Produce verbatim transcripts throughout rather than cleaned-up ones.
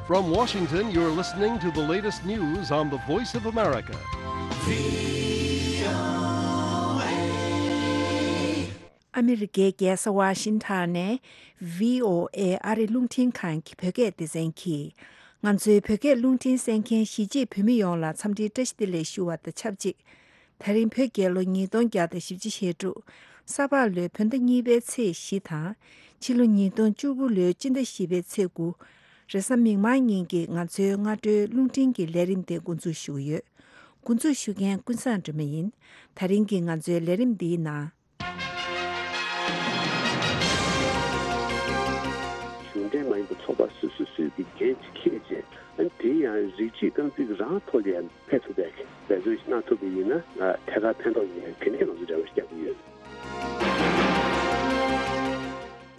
From Washington, you're listening to the latest news on the Voice of America. ཨ་མི་རི་ཀའི་རྒྱལ་ས་ཝ་ཤིང་ཊོན་ནས་བྷི་ཨོ་ཨེ་ཨ་རི་རླུང་འཕྲིན་ཁང་གི་བོད་སྐད་སྡེ་ཚན་གྱིས། ང་ཚོའི་བོད་སྐད་རླུང་འཕྲིན་གསན་མཁན་གཞིས་བྱེས་བོད་མི་ཡོངས་ལ་འཚམས་འདྲིའི་བཀྲ་ཤིས་བདེ་ལེགས་ཞུ་བ་དང་ཆབས་ཅིག་དེ་རིང་བོད་རྒྱལ་ལོ་ཉིས་སྟོང་བརྒྱ་དང་བཞི་བཅུ་ཞེ་དྲུག་ས་ཕག་ལོའི་བོད་ཟླ་གཉིས་པའི་ཚེས་བཞི་དང་། ཕྱི་ལོ་ཉིས་སྟོང་བཅུ་དགུ་ལོའི་སྤྱི་ཟླ་བཞི་པའི་ཚེས་དགུ། རེས་གཟའ་མིག་དམར་ཉིན་གྱི་ང་ཚོའི་སྔ་དྲོའི་རླུང་འཕྲིན་གྱི་ལས་རིམ་དེ་འགོ་འཛུགས་ཞུ་གི་ཡོད། འགོ་འཛུགས་ཞུ་མཁན་ཀུན་བཟང་སྒྲོལ་མ་ཡིན། དེ་རིང་གི་ང་ཚོའི་ལས་རིམ་འདིའི་ནང་། གཞུང་འབྲེལ་མ་ཡིན་པའི་ཚོགས་པ་སོ་སོ་སོས་ཀྱི་འགན་ཅིག་འཁྱེར་བྱས། ཨ་ནི་དེ་ཡང་རིགས་གཅིག་རྐང་འཛིན་རང་ཐོག་ལ་ཡང་ཕེབས་ཐུབ་པའི་འབད་བརྩོན་ཞིག་གནང་ཐུབ་པ་ཡིན་ན། ཨ། ཐད་ཀར་ཕན་ཐོགས་ཡོད་མཁན་དེ་འདྲའི་ང་ཚོ་འབྲེལ་བ་ཞིག་རྒྱག་གི་ཡོད།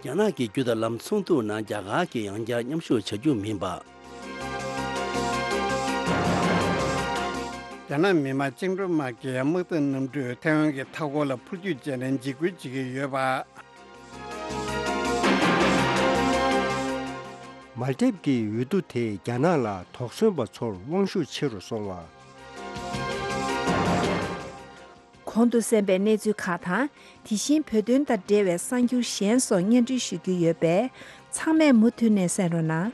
རྒྱ་ནག་གི་རྒྱུ་དང་ལམ་ཚོགས་འདུ་ནང་རྒྱ་གར་གྱིས་ཡང་བསྐྱར་མཉམ་ཞུགས་བྱ་རྒྱུ་མིན་པ། རྒྱ་ནག་མི་དམངས་བཅིངས་འགྲོལ་དམག་གིས་དམག་འཐབ་གནམ་གྲུས་ཐའེ་ཝན་གྱི་མཐའ་འཁོར་ལ་འཕུར་སྐྱོད་བྱས་ནས་འཇིགས་སྐུལ་བྱེད་ཀྱི་ཡོད་པ། མལ་དེབ་ཀྱི་འོས་བསྡུ་དེས་རྒྱ་ནག་ལ་དོགས་ཟོན་པ་ཚོར་དབང་ཤུགས་ཆེ་རུ་སོང་བ། གོང་དུ་གསན་པའི་གནས་ཚུལ་ཁག་དང་། དེ་བཞིན་བོད་དོན་དང་འབྲེལ་བའི་གསར་འགྱུར་གཞན་སོགས་སྙན་སྒྲོན་ཞུ་རྒྱུ་ཡོད་པས། ཚང་མས་མུ་མཐུད་ནས་གསན་རོགས་གནང་།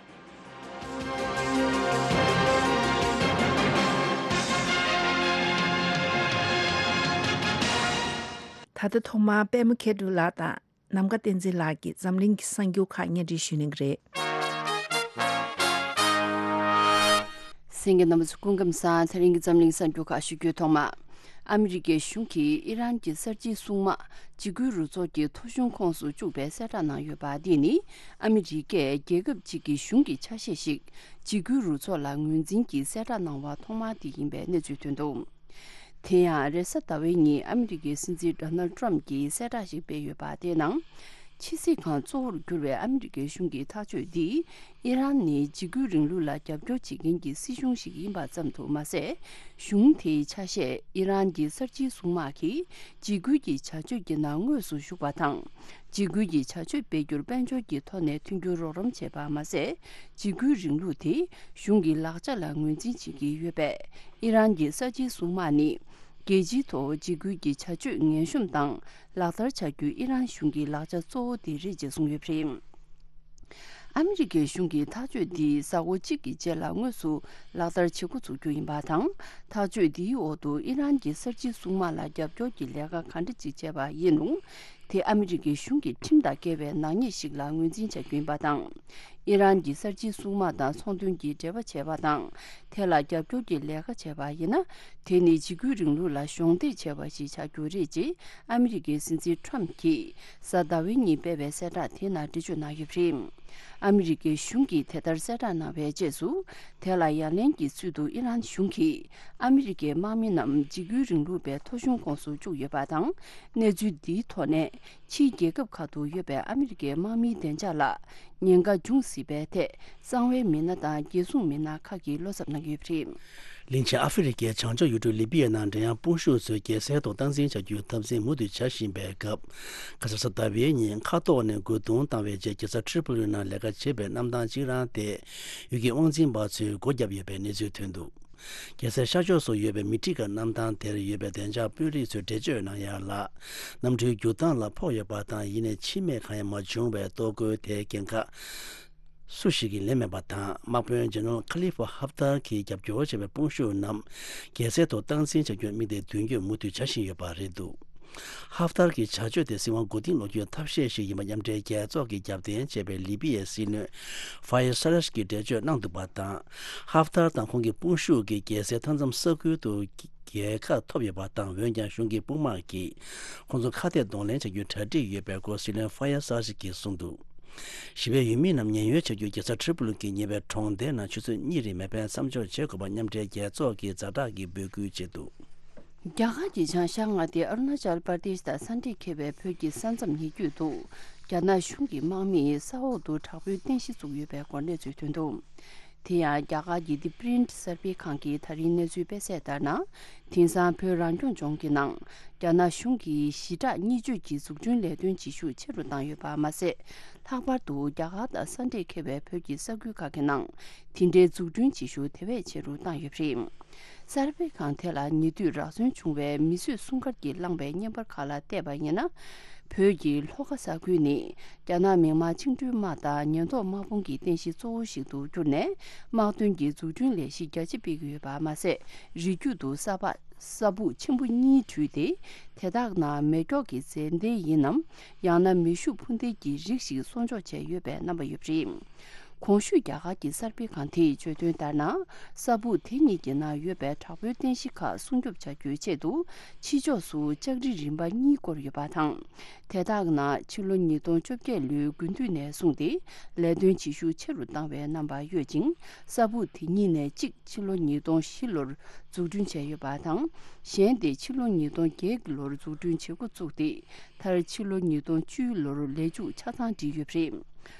ད་ལྟ་ཐོག་མར་པད་མ་མཁས་གྲུབ་ལགས་དང་། ནམ་མཁའ་བསྟན་འཛིན་ལགས་ཀྱིས་འཛམ་གླིང་གི་གསར་འགྱུར་ཁག་སྙན་སྒྲོན་ཞུ་གནང་གི་རེད། གསན་མཁན་རྣམ་པ་ཚོ་སྐུ་ཁམས་བཟང་། དེ་རིང་གི་འཛམ་གླིང་གསར་འགྱུར་ཁག་ཞུ་རྒྱུའི་ཐོག་མ། ཨ་མི་རི་ཀའི་གཞུང་གིས་ཨི་རན་གྱི་གསར་བརྗེའི་སྲུང་དམག་འཇིགས་སྐུལ་རུ་ཚོགས་ཀྱི་ཐོ་གཞུང་ཁོངས་སུ་བཅུག་པའི་གསལ་བསྒྲགས་གནང་ཡོད་པ། འདི་ནི་ཨ་མི་རི་ཀས་རྒྱལ་ཁབ་ཅིག་གི་གཞུང་གི་ཆ་ཤས་ཤིག་འཇིགས་སྐུལ་རུ་ཚོགས་ལ་ངོས་འཛིན་གྱིས་གསལ་བསྒྲགས་གནང་བ་ཐོག་མ་དེ་ཡིན་པའི་གནས་ཚུལ་ཐོན་འདུག་དེ་ཡང་རེས་གཟའ་ཟླ་བའི་ཉིན་ཨ་མི་རི་ཀའི་སྲིད་འཛིན་ཌོ་ནལ་ཌི་ཊརམ་གྱིས་གསལ་བསྒྲགས་ཤིག་སྤེལ་ཡོད་པ། དེའི་ནང་། ཕྱི་སྲིད་ཁང་གཙོ་བོར་གྱུར་བའི་ཨ་མི་རི་ཀའི་གཞུང་གི་ཐག་གཅོད་འདིས་ཨི་རན་ནི་འཇིགས་སྐུལ་རིང་ལུགས་ལ་རྒྱབ་སྐྱོར་བྱེད་མཁན་གྱི་སྲིད་གཞུང་ཞིག་ཡིན་པ་ཙམ་དུ་མ་ཟད། གཞུང་དེའི་ཆ་ཤས་ཨི་རན་གྱི་གསར་བརྗེའི་སྲུང་དམག་གིས་འཇིགས་སྐུལ་གྱི་བྱ་སྤྱོད་ཀྱི་ནང་དངོས་སུ་ཞུགས་པ་དང་། འཇིགས་སྐུལ་གྱི་བྱ་སྤྱོད་སྤེལ་རྒྱུར་དཔལ་འབྱོར་གྱི་ཐོག་ནས་མཐུན་འགྱུར་རོགས་རམ་བྱས་པ་མ་ཟད། འཇིགས་སྐུལ་རིང་ལུགས་དེ་གཞུང་གི་ལག་ཆ་ལ་ངོས་འཛིན་བྱེད་ཀྱི་ཡོད་པས། ཨི་རན་གྱི་གསར་བརྗེའི་སྲུང་དམག་ནི་རྒྱལ་སྤྱིའི་ཐོག་འཇིགས་སྐུལ་གྱི་བྱ་སྤྱོད་ངན་གཤོམ་དང་ལག་བསྟར་བྱ་རྒྱུའི་ཨི་རན་གཞུང་གི་ལག་ཆ་གཙོ་བོ་དེ་རེད་ཅེས་གསུངས་ཡོད་པ་རེད། ཨ་མི་རི་ཀའི་གཞུང་གིས་ཐག་གཅོད་འདི་གཟའ་འཁོར་གཅིག་གི་རྗེས་ལ་དངོས་སུ་ལག་བསྟར་བྱེད་འགོ་ཚུགས་རྒྱུ་ཡིན་པ་དང་། ཐག་གཅོད་འདིའི་འོག་ཏུ་ཨི་རན་གྱི་གསར་བརྗེའི་སྲུང་དམག་ལ་རྒྱབ་སྐྱོར་གྱི་ལས་ཀ་ག་འདྲ་ཅིག་བྱས་པ་ཡིན་རུང་། དེ་ཨ་མི་རི་ཀའི་གཞུང་གི་ཁྲིམས་དང་འགལ་བའི་ནག་ཉེས་ཤིག་ལ་ངོས་འཛིན་བྱ་རྒྱུ་ཡིན་པ་དང་། ཨི་རན་གྱི་གསར་བརྗེའི་སྲུང་དམག་དང་ཚོང་དོན་གྱི་འབྲེལ་བ་བྱས་པ་དང་། དེ་ལ་རྒྱབ་སྐྱོར་གྱི་ལས་ཀ་བྱས་པ་ཡིན་ན། དེ་ནི་འཇིགས་སྐུལ་རིང་ལུགས་ལ་གཞོགས་འདེགས་བྱས་པ་ཞིག་ཆགས་རྒྱུ་རེད་ཅེས་ཨ་མི་རི་ཀའི་སྲིད་འཛིན་ཊརམ་གྱིས་གཟའ་ཟླ་བའི་ཉིན་སྤེལ་བའི་གསལ་བསྒྲགས་དེ་ནང་འགྲེལ་བརྗོད་གནང་ཡོད་པ་རེད། ཨ་མི་རི་ཀའི་གཞུང་གིས་དེ་ལྟར་གསལ་བསྒྲགས་གནང་བའི་རྗེས་སུ། དེ་ལ་ཡ་ལན་གྱི་ཚུལ་དུ་ཨི་རན་གཞུང་གིས་ཨ་མི་རི་ཀའི་དམག་མི་རྣམས་འཇིགས་སྐུལ་རིང་ལུགས་པའི་ཐོ་གཞུང་ཁོངས་སུ་བཅུག་ཡོད་པ་དང་། གནས་ཚུལ་འདིའི་ཐོག་ནས། ཕྱིའི་རྒྱལ་ཁབ་ཁག་ཏུ་ཡོད་པའི་ཨ་མི་རི་ཀའི་དམག་མིའི་བདེ་འཇགས་ལ་ཉེན་ཁ་འབྱུང་སྲིད་པའི་ཐད། གསང་བའི་མི་སྣ་དང་རྒྱལ་སྲུང་མི་སྣ་ཁག་གིས་བློ་འཚབ་གནང་གི་ཡོད་པ་རེད། གླིང་ཆེན་ཨ་ཧྥེ་རི་ཁའི་བྱང་ཕྱོགས་ཡུལ་གྲུ་ལི་པི་ཡའི་ནང་འབྲེལ་ཡང་དཔུང་ཤུགས་ཚོས་རྒྱལ་སའི་ཐོག་སྟངས་འཛིན་བྱ་རྒྱུའི་འཐབ་འཛིང་མུ་མཐུད་བྱ་བཞིན་པའི་སྐབས། ཁ་སང་གཟའ་ཟླ་བའི་ཉིན་མཁའ་ཐོག་ནས་རྒོལ་རྡུང་བཏང་བའི་རྗེས། རྒྱལ་ས་ཏྲི་པོ་ལི་ནང་ལས་ཀ་བྱེད་པའི་གནམ་ཐང་གཅིག་རང་དེ་ཡུལ་གྱི་དབང་འཛིན་པ་ཚོས་སྒོ་བརྒྱབ་ཡོད་པའི་གནས་ཚུལ་ཐོན་འདུག་རྒྱལ་སའི་ཤར་ཕྱོགས་སུ་ཡོད་པའི་མི་ཏི་ཀ་གནམ་ཐང་དེར་ཡོད་པའི་བདེ་འཇགས་དཔོན་རིགས་ཚོས་འགྲེལ་བརྗོད་གནང་ཡག་ལ། གནམ་གྲུའི་རྒྱུག་སྟངས་ལ་ཕོག་ཡོད་པ་དང་། ཡིན་ནའི་འཆི་རྨས་གང་ཡང་མ་བྱུང་བས། གཏོར་རྒོལ་དེའི་འགན་ཁག་སུ་ཞིག་གིས་ལེན་མེད་པ་དང་། དམག་དཔོན་ཇེ་ནེ་རལ་ཁ་ལི་ཧྥ་ཧབ་ཏར་གྱིས་རྒྱབ་སྐྱོར་བྱས་པའི་དཔུང་ཤུགས་རྣམས་རྒྱལ་སའི་ཐོག་སྟངས་འཛིན་བྱ་རྒྱུར་དམིགས་ཏེ་མདུན་སྐྱོད་མུ་མཐུད་བྱ་བཞིན་ཡོད་པ་རེད་འདུག་ཧབ་ཏར་གྱི་བྱ་སྤྱོད་དེ་སྲིད་དབང་མགོ་རྟིང་སློག་རྒྱུའི་ཐབས་ཤེས་ཤིག་ཡིན་པ་མཉམ་འབྲེལ་རྒྱལ་ཚོགས་ཀྱིས་རྒྱབ་རྟེན་བྱས་པའི་ལི་པི་ཡའི་སྲིད་བློན་ཧྥ་ཡེ་སར་ཞི་གིས་འགྲེལ་བརྗོད་གནང་འདུག་པ་དང་། ཧབ་ཏར་དང་ཁོང་གི་དཔུང་ཤུགས་ཀྱིས་རྒྱལ་སའི་མཐའ་མཚམས་ས་ཁུལ་དུ་རྒྱལ་ཁ་ཐོབ་ཡོད་པ་དང་། འོན་ཀྱང་གཞུང་གི་དཔུང་དམག་གིས་ཁོང་ཚོ་ཁ་གཏད་གདོང་ལེན་བྱ་རྒྱུའི་གྲ་སྒྲིག་ཡོད་པའི་སྐོར་སྲིད་བློན་ཧྥ་ཡེ་སར་ཞི་གིས་གསུངས་འདུག་ཞི་བའི་ཡུལ་མི་རྣམས་ཉེན་གཡོལ་བྱ་རྒྱུར་རྒྱལ་ས་ཏྲི་པོ་ལི་གི་ཉེ་བའི་གྲོང་སྡེ་ནང་ཆུ་ཚོད་གཉིས་རིང་མེ་འཕེན་མཚམས་འཇོག་བྱེད་དགོས་པ་མཉམ་འབྲེལ་རྒྱལ་ཚོགས་ཀྱིས་ཛ་དྲག་གི་འབོད་སྐུལ་བྱས་འདུག་རྒྱ་གར་གྱི་བྱང་ཤར་མངའ་སྡེ་ཨ་རུ་ན་ཅལ་པར་དེཤ་དང་ས་འདྲེས་འཁེལ་བའི་བོད་ཀྱི་ས་མཚམས་ཉེ་བརྒྱུད་དུ། རྒྱ་ནག་གཞུང་གི་དམག་མིས་ས་འོག་ཏུ་དྲག་པོའི་རྟེན་གཞི་བཙུགས་ཡོད་པའི་སྐོར་གནས་ཚུལ་ཐོན་འདུག་དེ་ཡང་རྒྱ་གར་གྱི་The Print གསར་སྤེལ་ཁང་གིས་ད་རིང་གནས་ཚུལ་སྤེལ་གསལ་ལྟར་ན། དེང་སང་བོད་རང་སྐྱོང་ལྗོངས་ཀྱི་ནང་རྒྱ་ནག་གཞུང་གིས་ཞི་དྲག་གཉིས་སྤྱོད་ཀྱི་འཛུགས་སྐྲུན་ལས་དོན་བྱེད་ཤུགས་ཆེ་རུ་བཏང་ཡོད་པ་མ་ཟད། ལྷག་པར་དུ་རྒྱ་གར་དང་ས་འབྲེལ་འཁེལ་བའི་བོད་ཀྱི་ས་ཁུལ་ཁག་གི་ནང་དེ་འདྲའི་འཛུགས་སྐྲུན་བྱེད་ཤུགས་དེ་བས་ཆེ་རུ་བཏང་ཡོད་པ་རེད། གསར་སྤེལ་ཁང་དེ་ལ་ཉེ་དུས་རག་སོན་བྱུང་བའི་མིས་བཟོས་སྲུང་སྐར་གྱིས་བསླངས་པའི་བརྙན་པར་ཁག་ལ་བལྟས་པ་ཡིན་ན། བོད་ཀྱི་ལྷོ་ཁ་ས་ཁུལ་ནི་རྒྱ་ནག་མིག་དམར་བཅིངས་འགྲོལ་དམག་དང་ཉེན་རྟོག་དམག་དཔུང་གི་རྟེན་གཞི་གཙོ་བོ་ཞིག་ཏུ་གྱུར་ནས། དམག་དོན་གྱི་འཛུགས་སྐྲུན་ལས་གཞི་རྒྱ་ཆེ་སྤེལ་གྱི་ཡོད་པ་མ་ཟད། རི་རྒྱུད་དུ་ས་ཕག་ས་སྦུག་ཆེན་པོ་གཉིས་བྲུས་ཏེ། དེ་དག་ནང་མེ་སྒྱོགས་ཀྱི་ཟས་འདྲེན་ཡིན་ནམ། ཡང་ན་མེ་ཤུགས་འཕུར་མདེལ་གྱི་རིགས་ཤིག་གསོག་འཇོག་བྱས་ཡོད་པའི་རྣམ་པ་ཡོད་པ་རེད། གོང་ཞུས་རྒྱ་གར་གྱི་གསར་སྤེལ་ཁང་དེས་བརྗོད་དོན་ལྟར་ན། ས་སྦུག་དེ་གཉིས་ཀྱི་ནང་ཡོད་པའི་དྲག་པོའི་རྟེན་གཞི་ཁག་སྲུང་སྐྱོབ་བྱ་རྒྱུའི་ཆེད་དུ། ཕྱི་ཕྱོགས་སུ་ལྕགས་རི་རིམ་པ་གཉིས་བསྐོར་ཡོད་པ་དང་། དེ་དག་ནང་ཕྱི་ལོ་ཉིས་སྟོང་བཅོ་བརྒྱད་ལོའི་དགུན་དུས་ནས་བཟུང་སྟེ་ལས་དོན་བྱེད་ཤུགས་ཆེ་རུ་བཏང་བའི་རྣམ་པ་ཡོད་ཅིང་། ས་སྦུག་དེ་གཉིས་ནས་གཅིག་ཕྱི་ལོ་ཉིས་སྟོང་བཞི་ལོར་འཛུགས་སྐྲུན་བྱས་ཡོད་པ་དང་། གཞན་དེ་ཕྱི་ལོ་ཉིས་སྟོང་བརྒྱད་ལོར་འཛུགས་སྐྲུན་བྱེད་འགོ་བཙུགས་ཏེ། མཐར་ཕྱི་ལོ་ཉིས་སྟོང་བཅུ་ལོར་ལས་མཇུག་ཆ་ཚང་བསྒྲིལ་ཡོད་པ་རེད།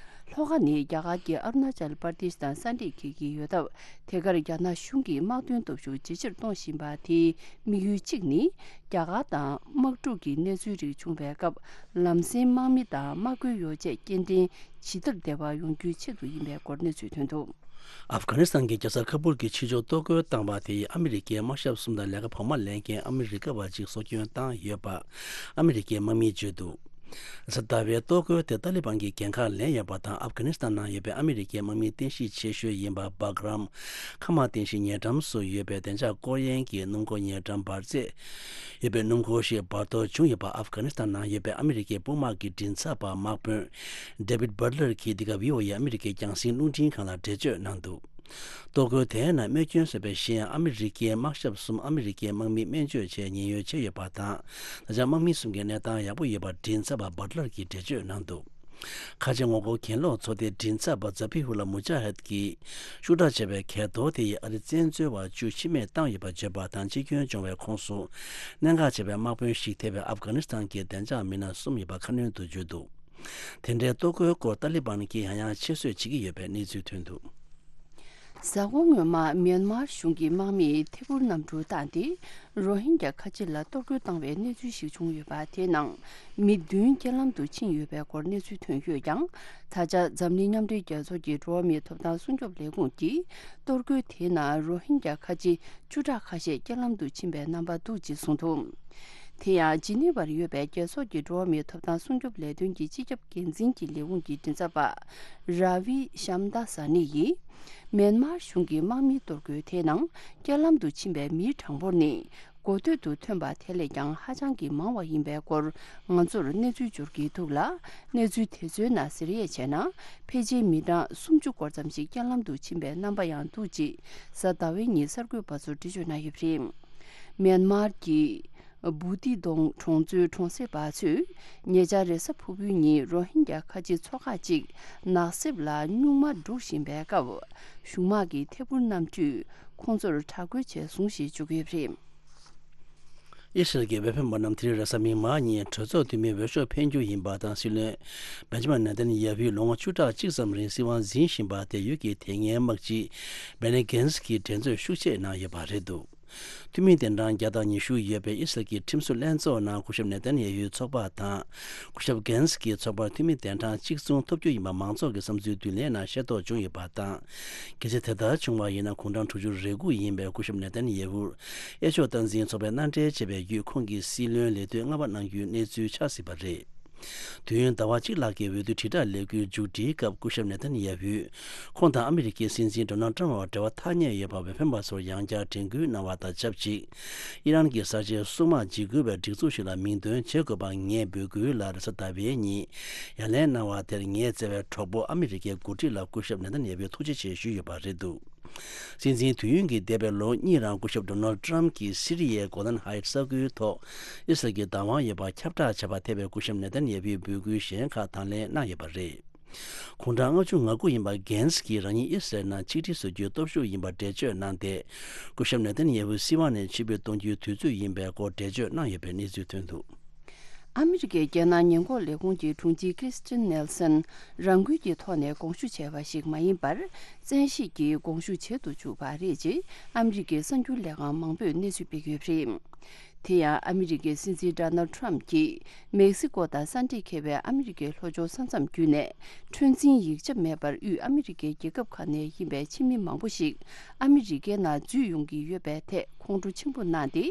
ལྷོ་ཁ་ནི་རྒྱ་གར་གྱི་ཨ་རུ་ན་ཅལ་པར་དེཤ་དང་ས་འདྲེས་འཁེལ་གྱི་ཡོད་སྟབས། དེ་གར་རྒྱ་ནག་གཞུང་གིས་དམག་དོན་སྟོབས་ཤུགས་ཇེ་ཆེར་གཏོང་བཞིན་པ་དེའི་དམིགས་ཡུལ་གཅིག་ནི། རྒྱ་གར་དང་དམག་འཁྲུག་གི་གནས་ཚུལ་རིགས་བྱུང་བའི་སྐབས། ལམ་སེང་དམག་མི་དང་དམག་བཀོད་ཡོ་བྱད་སྐྱེལ་འདྲེན་ཇི་ལྟར་བདེ་བར་ཡོང་རྒྱུའི་ཆེད་དུ་ཡིན་པའི་སྐོར་གནས་ཚུལ་ཐོན་འདུག། ཨབ་གྷ་ནི་སི་ཐན་གྱི་རྒྱལ་ས་ཁ་པུལ་གྱི་ཕྱི་ཕྱོགས་གཏོར་རྒོལ་བཏང་བ་དེ་ཡིས་ཨ་མི་རི་ཀའི་དམག་ཞབས་གསུམ་དང་ལས་ཀ་བོགས་མ་ལེན་མཁན་ཨ་མི་རི་ཀ་བ་གཅིག་སྲོག་སྐྱོན་བཏང་ཡོད་པ། ཨ་མི་རི་ཀའི་དམག་མིས་བརྗོད་འདུག། གཟའ་ཟླ་བའི་གཏོར་རྒོལ་དེ་ཏཱ་ལི་བན་གྱིས་འགན་ཁག་ལེན་ཡོད་པ་དང་། ཨབ་གྷ་ནི་སི་ཐན་ནང་ཡོད་པའི་ཨ་མི་རི་ཀའི་དམག་མི་རྟེན་གཞི་ཆེ་ཤོས་ཡིན་པ་སྦག་རམ་མཁའ་དམག་རྟེན་གཞི་ཉེ་འགྲམ་སུ་ཡོད་པའི་བདེ་འཇགས་སྐོར་གཡེང་གི་སྣུམ་འཁོར་ཉེ་འགྲམ་འབར་རྫས་ཡོད་པའི་སྣུམ་འཁོར་ཞིག་འབར་གཏོར་བྱུང་ཡོད་པ། ཨབ་གྷ་ནི་སི་ཐན་ནང་ཡོད་པའི་ཨ་མི་རི་ཀའི་དཔུང་དམག་གི་མགྲིན་ཚབ་པ་དམག་དཔོན་David Butler གྱིས་འདི་ག་བྷི་ཨོ་ཨེ་ཨ་མི་རི་ཀའི་རྒྱང་སྲིང་རླུང་འཕྲིན་ཁང་ལ་འགྲེལ་བརྗོད་གནང་འདུག། གཏོར་རྒོལ་དེའི་ནང་རྨས་སྐྱོན་བཟོས་པའི་གཞན་ཨ་མི་རི་ཀའི་དམག་ཞབས་གསུམ། ཨ་མི་རི་ཀའི་དམག་མི་སྨན་བཅོས་ཆེད་ཉེན་གཡོལ་བྱས་ཡོད་པ་དང་། ད་ཆ་དམག་མི་གསུམ་གྱི་གནས་སྟངས་ཡག་པོ་ཡོད་པ་མགྲིན་ཚབ་པ་Butler གྱིས་འགྲེལ་བརྗོད་གནང་འདུག། ཁ་ཆེ་ངོ་རྒོལ་གྱེན་ལོག་ཚོགས་སྡེའི་མགྲིན་ཚབ་པ་Zabihullah Mujahid གྱིས་ཤུགས་དྲག་ཆེ་བའི་གས་གཏོར་དེ་ཡིས་ཨ་རིའི་བཙན་འཛུལ་བ་བཅུ་ཤི་རྨས་བཏང་ཡོད་པ་བརྗོད་པ་དང་། འཆི་སྐྱོན་བྱུང་བའི་ཁོངས་སུ་གནད་འགག་ཆེ་བའི་དམག་དཔོན་ཞིག་ཐེ་བའི་ཨབ་གྷ་ནི་སི་ཐན་གྱི་བདེ་འཇགས་མི་སྣ་གསུམ་ཡོད་པ་ཁ་སྣོན་དུ་བརྗོད་འདུག། དེ་འདྲའི་གཏོར་རྒོལ་སྐོར་ཏཱ་ལི་བན་གྱིས་ཡང་ཡང་ཆེད་བཟོས་བྱེད་ཀྱི་ཡོད་པའི་གནས་ཚུལ་ཐོན་འདུག། གཟའ་འཁོར་སྔོན་མ་མིན་མར་གཞུང་གིས་དམག་མིས་ཐད་འཕུར་གནམ་གྲུ་བཏང་སྟེ། རོ་ཧིན་རྒྱ་ཁ་ཆེ་ལ་གཏོར་རྒོལ་བཏང་བའི་གནས་ཚུལ་ཞིག་བྱུང་ཡོད་པ། དེའི་ནང་མི་བདུན་རྐྱེན་ལམ་དུ་ཕྱིན་ཡོད་པའི་སྐོར་གནས་ཚུལ་ཐོན་ཡོད་ཀྱང་། ད་ཆ་འཛམ་གླིང་མཉམ་འབྲེལ་རྒྱལ་ཚོགས་ཀྱི་འགྲོ་བ་མིའི་ཐོབ་ཐང་སྲུང་སྐྱོབ་ལས་ཁུངས་ཀྱིས། གཏོར་རྒོལ་དེའི་ནང་རོ་ཧིན་རྒྱ་ཁ་ཆེ་བཅུ་ཕྲག་ཁ་ཤས་རྐྱེན་ལམ་དུ་ཕྱིན་པའི་རྣམ་པ་འདུག་ཅེས་གསུངས་འདུག། དེ་ཡང་ཇི་ནི་ཝར་ཡོད་པའི་རྒྱལ་ཚོགས་ཀྱི་འགྲོ་བ་མིའི་ཐོབ་ཐང་སྲུང་སྐྱོབ་ལས་དོན་གྱི་སྤྱི་ཁྱབ་འགན་འཛིན་གྱི་ལས་ཁུངས་ཀྱི་མགྲིན་ཚབ་པ་ར་བི་ཤམ་ད་ས་ནི་ཡིས། མིན་མར་གཞུང་གིས་དམག་མིའི་གཏོར་རྒོལ་དེའི་ནང་རྐྱེན་ལམ་དུ་ཕྱིན་པའི་མིའི་གྲངས་འབོར་ནི་གོ་ཐོས་སུ་ཐོན་པ་དེ་ལས་ཀྱང་ཧ་ཅང་གི་མང་བ་ཡིན་པའི་སྐོར་ང་ཚོར་གནས་ཚུལ་འབྱོར་གྱི་འདུག་ལ། གནས་ཚུལ་དེ་ཚོའི་ནང་གཟེར་དབྱེ་བྱས་ན། ཕལ་ཆེར་མི་གྲངས་སུམ་ཅུ་སྐོར་ཙམ་ཞིག་རྐྱེན་ལམ་དུ་ཕྱིན་པའི་རྣམ་པ་ཡང་འདུག་ཅེས་གཟའ་ཟླ་བའི་ཉིན་གསར་འགོད་པ་ཚོར་འགྲེལ་བརྗོད་གནང་ཡོད་པ་རེད། མིན་མར་གྱི་བུ་ཏི་དོང་གྲོང་ཚོའི་གྲོང་གསེབ་པ་ཚོས་ཉེ་ཆར་རེས་གཟའ་ཕུར་བུའི་ཉིན་རོ་ཧིན་རྒྱ་ཁ་ཆེ་ཚོ་ཁག་ཅིག་ནགས་གསེབ་ལ་སྨྱུག་མ་སྒྲུག་བཞིན་པའི་སྐབས། གཞུང་དམག་གི་ཐད་འཕུར་གནམ་གྲུས་ཁོང་ཚོར་དྲག་རྒོལ་བྱས་བཟུང་ཞེས་བརྗོད་ཀྱི་ཡོད་པ་རེད། ཨི་སི་རལ་གྱི་འོས་འཕེན་པ་རྣམས་དེ་རིང་རེས་གཟའ་མིག་དམར་ཉིན་གྲོས་ཚོགས་འཐུས་མིའི་འོས་ཤོག་འཕེན་རྒྱུ་ཡིན་པ་དང་། སྲིད་བློན་བེན་ཇ་མིན་ནེ་ཐན་ཡ་ཧུས་ལོ་ངོ་བཅུ་ཕྲག་གཅིག་ཙམ་རིང་སྲིད་དབང་འཛིན་བཞིན་པ་དེ་ཡུལ་གྱི་དེ་སྔའི་དམག་སྤྱི་བེ་ནི་གྷན་སི་གིས་འགྲན་རྩོད་ཤུགས་ཆེ་གནང་ཡོད་པ་རེད་འདུག། འཐུས་མི་གདན་གྲངས་བརྒྱ་དང་ཉི་ཤུ་ཡོད་པའི་ཨི་སི་རལ་གྱི་ཁྲིམས་བཟོ་ལྷན་ཚོགས་ནང་སྐུ་ཞབས་ནེ་ཐན་ཡ་ཧུའི་ཚོགས་པ་དང་། སྐུ་ཞབས་གྷན་སི་གི་ཚོགས་པར་འཐུས་མི་གདན་གྲངས་གཅིག་མཚུངས་ཐོབ་རྒྱུ་ཡིན་པ་མང་ཚོགས་ཀྱི་བསམ་ཚུལ་བསྡུ་ལེན་ནང་ཤེས་རྟོགས་བྱུང་ཡོད་པ་དང་། གལ་སྲིད་དེ་ལྟར་བྱུང་བ་ཡིན་ན། དགུང་གྲངས་དྲུག་ཅུ་རེ་དགུ་ཡིན་པའི་སྐུ་ཞབས་ནེ་ཐན་ཡ་ཧུར་གཡས་ཕྱོགས་སྟངས་འཛིན་ཚོགས་པས་མནའ་འབྲེལ་བྱས་པའི་བརྒྱུད། ཁོང་གིས་སྲིད་བློན་ལས་དོན་ལྔ་པ་གནང་རྒྱུའི་གནས་ཚུལ་ཆགས་སྲིད་པ་རེད། དུས་ཡུན་ཟླ་བ་གཅིག་ལྷག་གི་འོས་བསྡུ་དྲིལ་བསྒྲགས་ལས་འགུལ་མཇུག་སྒྲིལ་སྐབས། སྐུ་ཞབས་ནེ་ཐན་ཡ་ཧུས་ཁོང་དང་ཨ་མི་རི་ཀའི་སྲིད་འཛིན་ཌོ་ནལ་ཊམ་བར་འབྲེལ་བ་ཐག་ཉེ་ཡོད་པ་འོས་འཕེན་པ་ཚོར་ཡང་བསྐྱར་དྲན་སྐུལ་གནང་བ་དང་ཆབས་ཅིག། ཨི་རན་གྱི་གསར་བརྗེའི་སྲུང་དམག་འཇིགས་སྐུལ་བའི་སྒྲིག་འཛུགས་ཤིག་ལ་མིང་འདོན་བྱེད་དགོས་པ་ངས་འབོད་སྐུལ་ལ། རེས་གཟའ་ཟླ་བའི་ཉིན་ཡ་ལན་གནང་བ་དེར་ངས་བསྩལ་བའི་གྲོགས་པོ་ཨ་མི་རི་ཀའི་འགོ་ཁྲིད་ལ་སྐུ་ཞབས་ནེ་ཐན་ཡ་ཧུས་ཐུགས་རྗེ་ཆེ་ཞུས་ཡོད་པ་རེད་འདུག། སྲིད་འཛིན་དུས་ཡུན་གྱི་འདས་པའི་ལོ་གཉིས་རིང་སྐུ་ཞབས་ཌོ་ནལ་ཊམ་གྱིས་སི་རི་ཡའི་གོ་ལན་ཧའེ་ཊི་ས་ཁུལ་ཐོག་ཨི་སི་རལ་གྱི་བདག་དབང་ཡོད་པར་ཁྱབ་བསྒྲགས་བྱས་པར་ཐེ་བའི་སྐུ་ཞབས་ནེ་ཐན་ཡ་ཧུའི་འབོད་སྐུལ་གཞན་ཁག་དང་ལེན་གནང་ཡོད་པ་རེད། དགུང་གྲངས་ལྔ་བཅུ་ང་དགུ་ཡིན་པ་གྷན་སི་གིས་རང་ཉིད་ཨི་སི་རལ་ནང་ཆིག་སྒྲིལ་བཟོ་རྒྱུའི་སྟོབས་ཤུགས་ཡིན་པར་འགྲེལ་བརྗོད་གནང་སྟེ། སྐུ་ཞབས་ནེ་ཐན་ཡ་ཧུ་སྲིད་དབང་ནས་ཕྱིར་འབུད་གཏོང་རྒྱུའི་དུས་ཚོད་ཡིན་པའི་སྐོར་འགྲེལ་བརྗོད་གནང་ཡོད་པའི་གནས་ཚུལ་ཐོན་འདུག། ཨ་མི་རི་ཀའི་རྒྱལ་ནང་ཉེན་འགོག་ལས་ཁུངས་ཀྱི་དྲུང་ཆེ་ཀིར་སི་ཊིན་ནེལ་སན་རང་འགུལ་གྱི་ཐོག་ནས་དགོངས་ཞུ་བྱས་པ་ཞིག་མ་ཡིན་པར། བཙན་ཤེད་ཀྱིས་དགོངས་ཞུ་བྱེད་དུ་བཅུག་པ་རེད་ཅེས་ཨ་མི་རི་ཀའི་གསར་འགྱུར་ལས་ཁང་མང་པོས་གནས་ཚུལ་སྤེལ་ཡོད་པ་རེད། དེ་ཡང་ཨ་མི་རི་ཀའི་སྲིད་འཛིན་ཌོ་ནལ་ཊམ་གྱིས་མེག་སི་ཀོ་དང་ས་འདྲེས་འཁེལ་བའི་ཨ་མི་རི་ཀའི་ལྷོ་ཕྱོགས་ས་མཚམས་བརྒྱུད་ནས་འཁྲུན་འཛིན་ཡིག་ཆ་མེད་པར་དབུས་ཨ་མི་རི་ཀའི་རྒྱལ་ཁབ་ཁག་ནས་ཡིན་པའི་ཕྱི་མི་མང་པོ་ཞིག་ཨ་མི་རི་ཀའི་ནང་འཛུལ་ཡོང་གི་ཡོད་པའི་ཐད་ཁོང་ཁྲོ་ཆེན་པོ་གནང་སྟེ།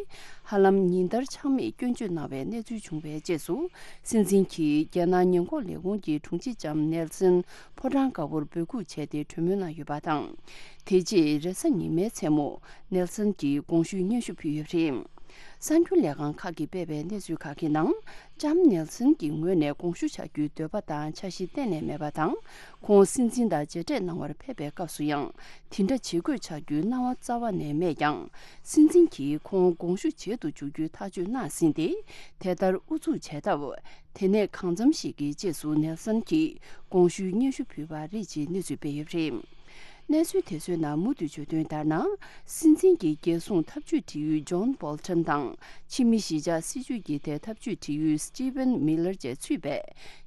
ཧ་ལམ་ཉིན་ལྟར་ཆག་མེད་སྐྱོན་བརྗོད་གནང་བའི་གནས་ཚུལ་བྱུང་བའི་རྗེས་སུ། སྲིད་འཛིན་གྱིས་རྒྱལ་ནང་ཉེན་འགོག་ལས་ཁུངས་ཀྱི་དྲུང་ཆེ་ལྕམ་ནེལ་སན་ཕོ་བྲང་དཀར་པོར་འབོད་འགུག་བྱས་ཏེ་གྲོས་མོལ་གནང་ཡོད་པ་དང་། དེ་རྗེས་རེས་གཟའ་ཉི་མའི་མཚན་མོ་ནེལ་སན་གྱིས་དགོངས་ཞུའི་སྙན་ཞུ་ཕུལ་ཡོད་པ་རེད། གསར་འགྱུར་ལས་ཁང་ཁག་གིས་སྤེལ་བའི་གནས་ཚུལ་ཁག་གི་ནང་། ལྕམ་ནེལ་སན་གྱི་ངོས་ནས་དགོངས་ཞུ་བྱ་རྒྱུའི་འདོད་པ་དང་འཆར་གཞི་གཏན་ནས་མེད་པ་དང་། ཁོང་སྲིད་འཛིན་དང་མཇལ་འཕྲད་གནང་བར་ཕེབས་པའི་སྐབས་སུ་ཡང་དེ་འདྲ་བྱེད་དགོས་བྱ་རྒྱུའི་སྣང་བ་རྩ་བ་ནས་མེད་ཀྱང་། སྲིད་འཛིན་གྱིས་ཁོང་དགོངས་ཞུ་བྱེད་དུ་འཇུག་རྒྱུའི་ཐག་གཅོད་གནང་ཟིན་ཏེ། དེ་ལྟར་ཨུ་ཚུགས་བྱས་སྟབས། དེ་ནས་གང་འཚམ་ཞིག་གི་རྗེས་སུ་ནེལ་སན་གྱིས་དགོངས་ཞུའི་སྙན་ཞུ་ཕུལ་བ་རེད་ཅེས་གནས་ཚུལ་སྤེལ་ཡོད་པ་རེད། གནས་ཚུལ་དེ་ཚོའི་ནང་མུ་མཐུད་བརྗོད་དོན་ལྟར་ན། སྲིད་འཛིན་གྱི་རྒྱལ་སྲུང་ཐབས་ཇུས་འབྲེལ་ཡོད་ཇོན་བོལ་ཊོན་དང་། ཕྱི་མི་གཞིས་ཆགས་སྲིད་ཇུས་ཀྱི་ཐད་ཐབས་ཇུས་འབྲེལ་ཡོད་སི་ཊི་ཝན་མི་ལར་བཅས་ཚུད་པའི་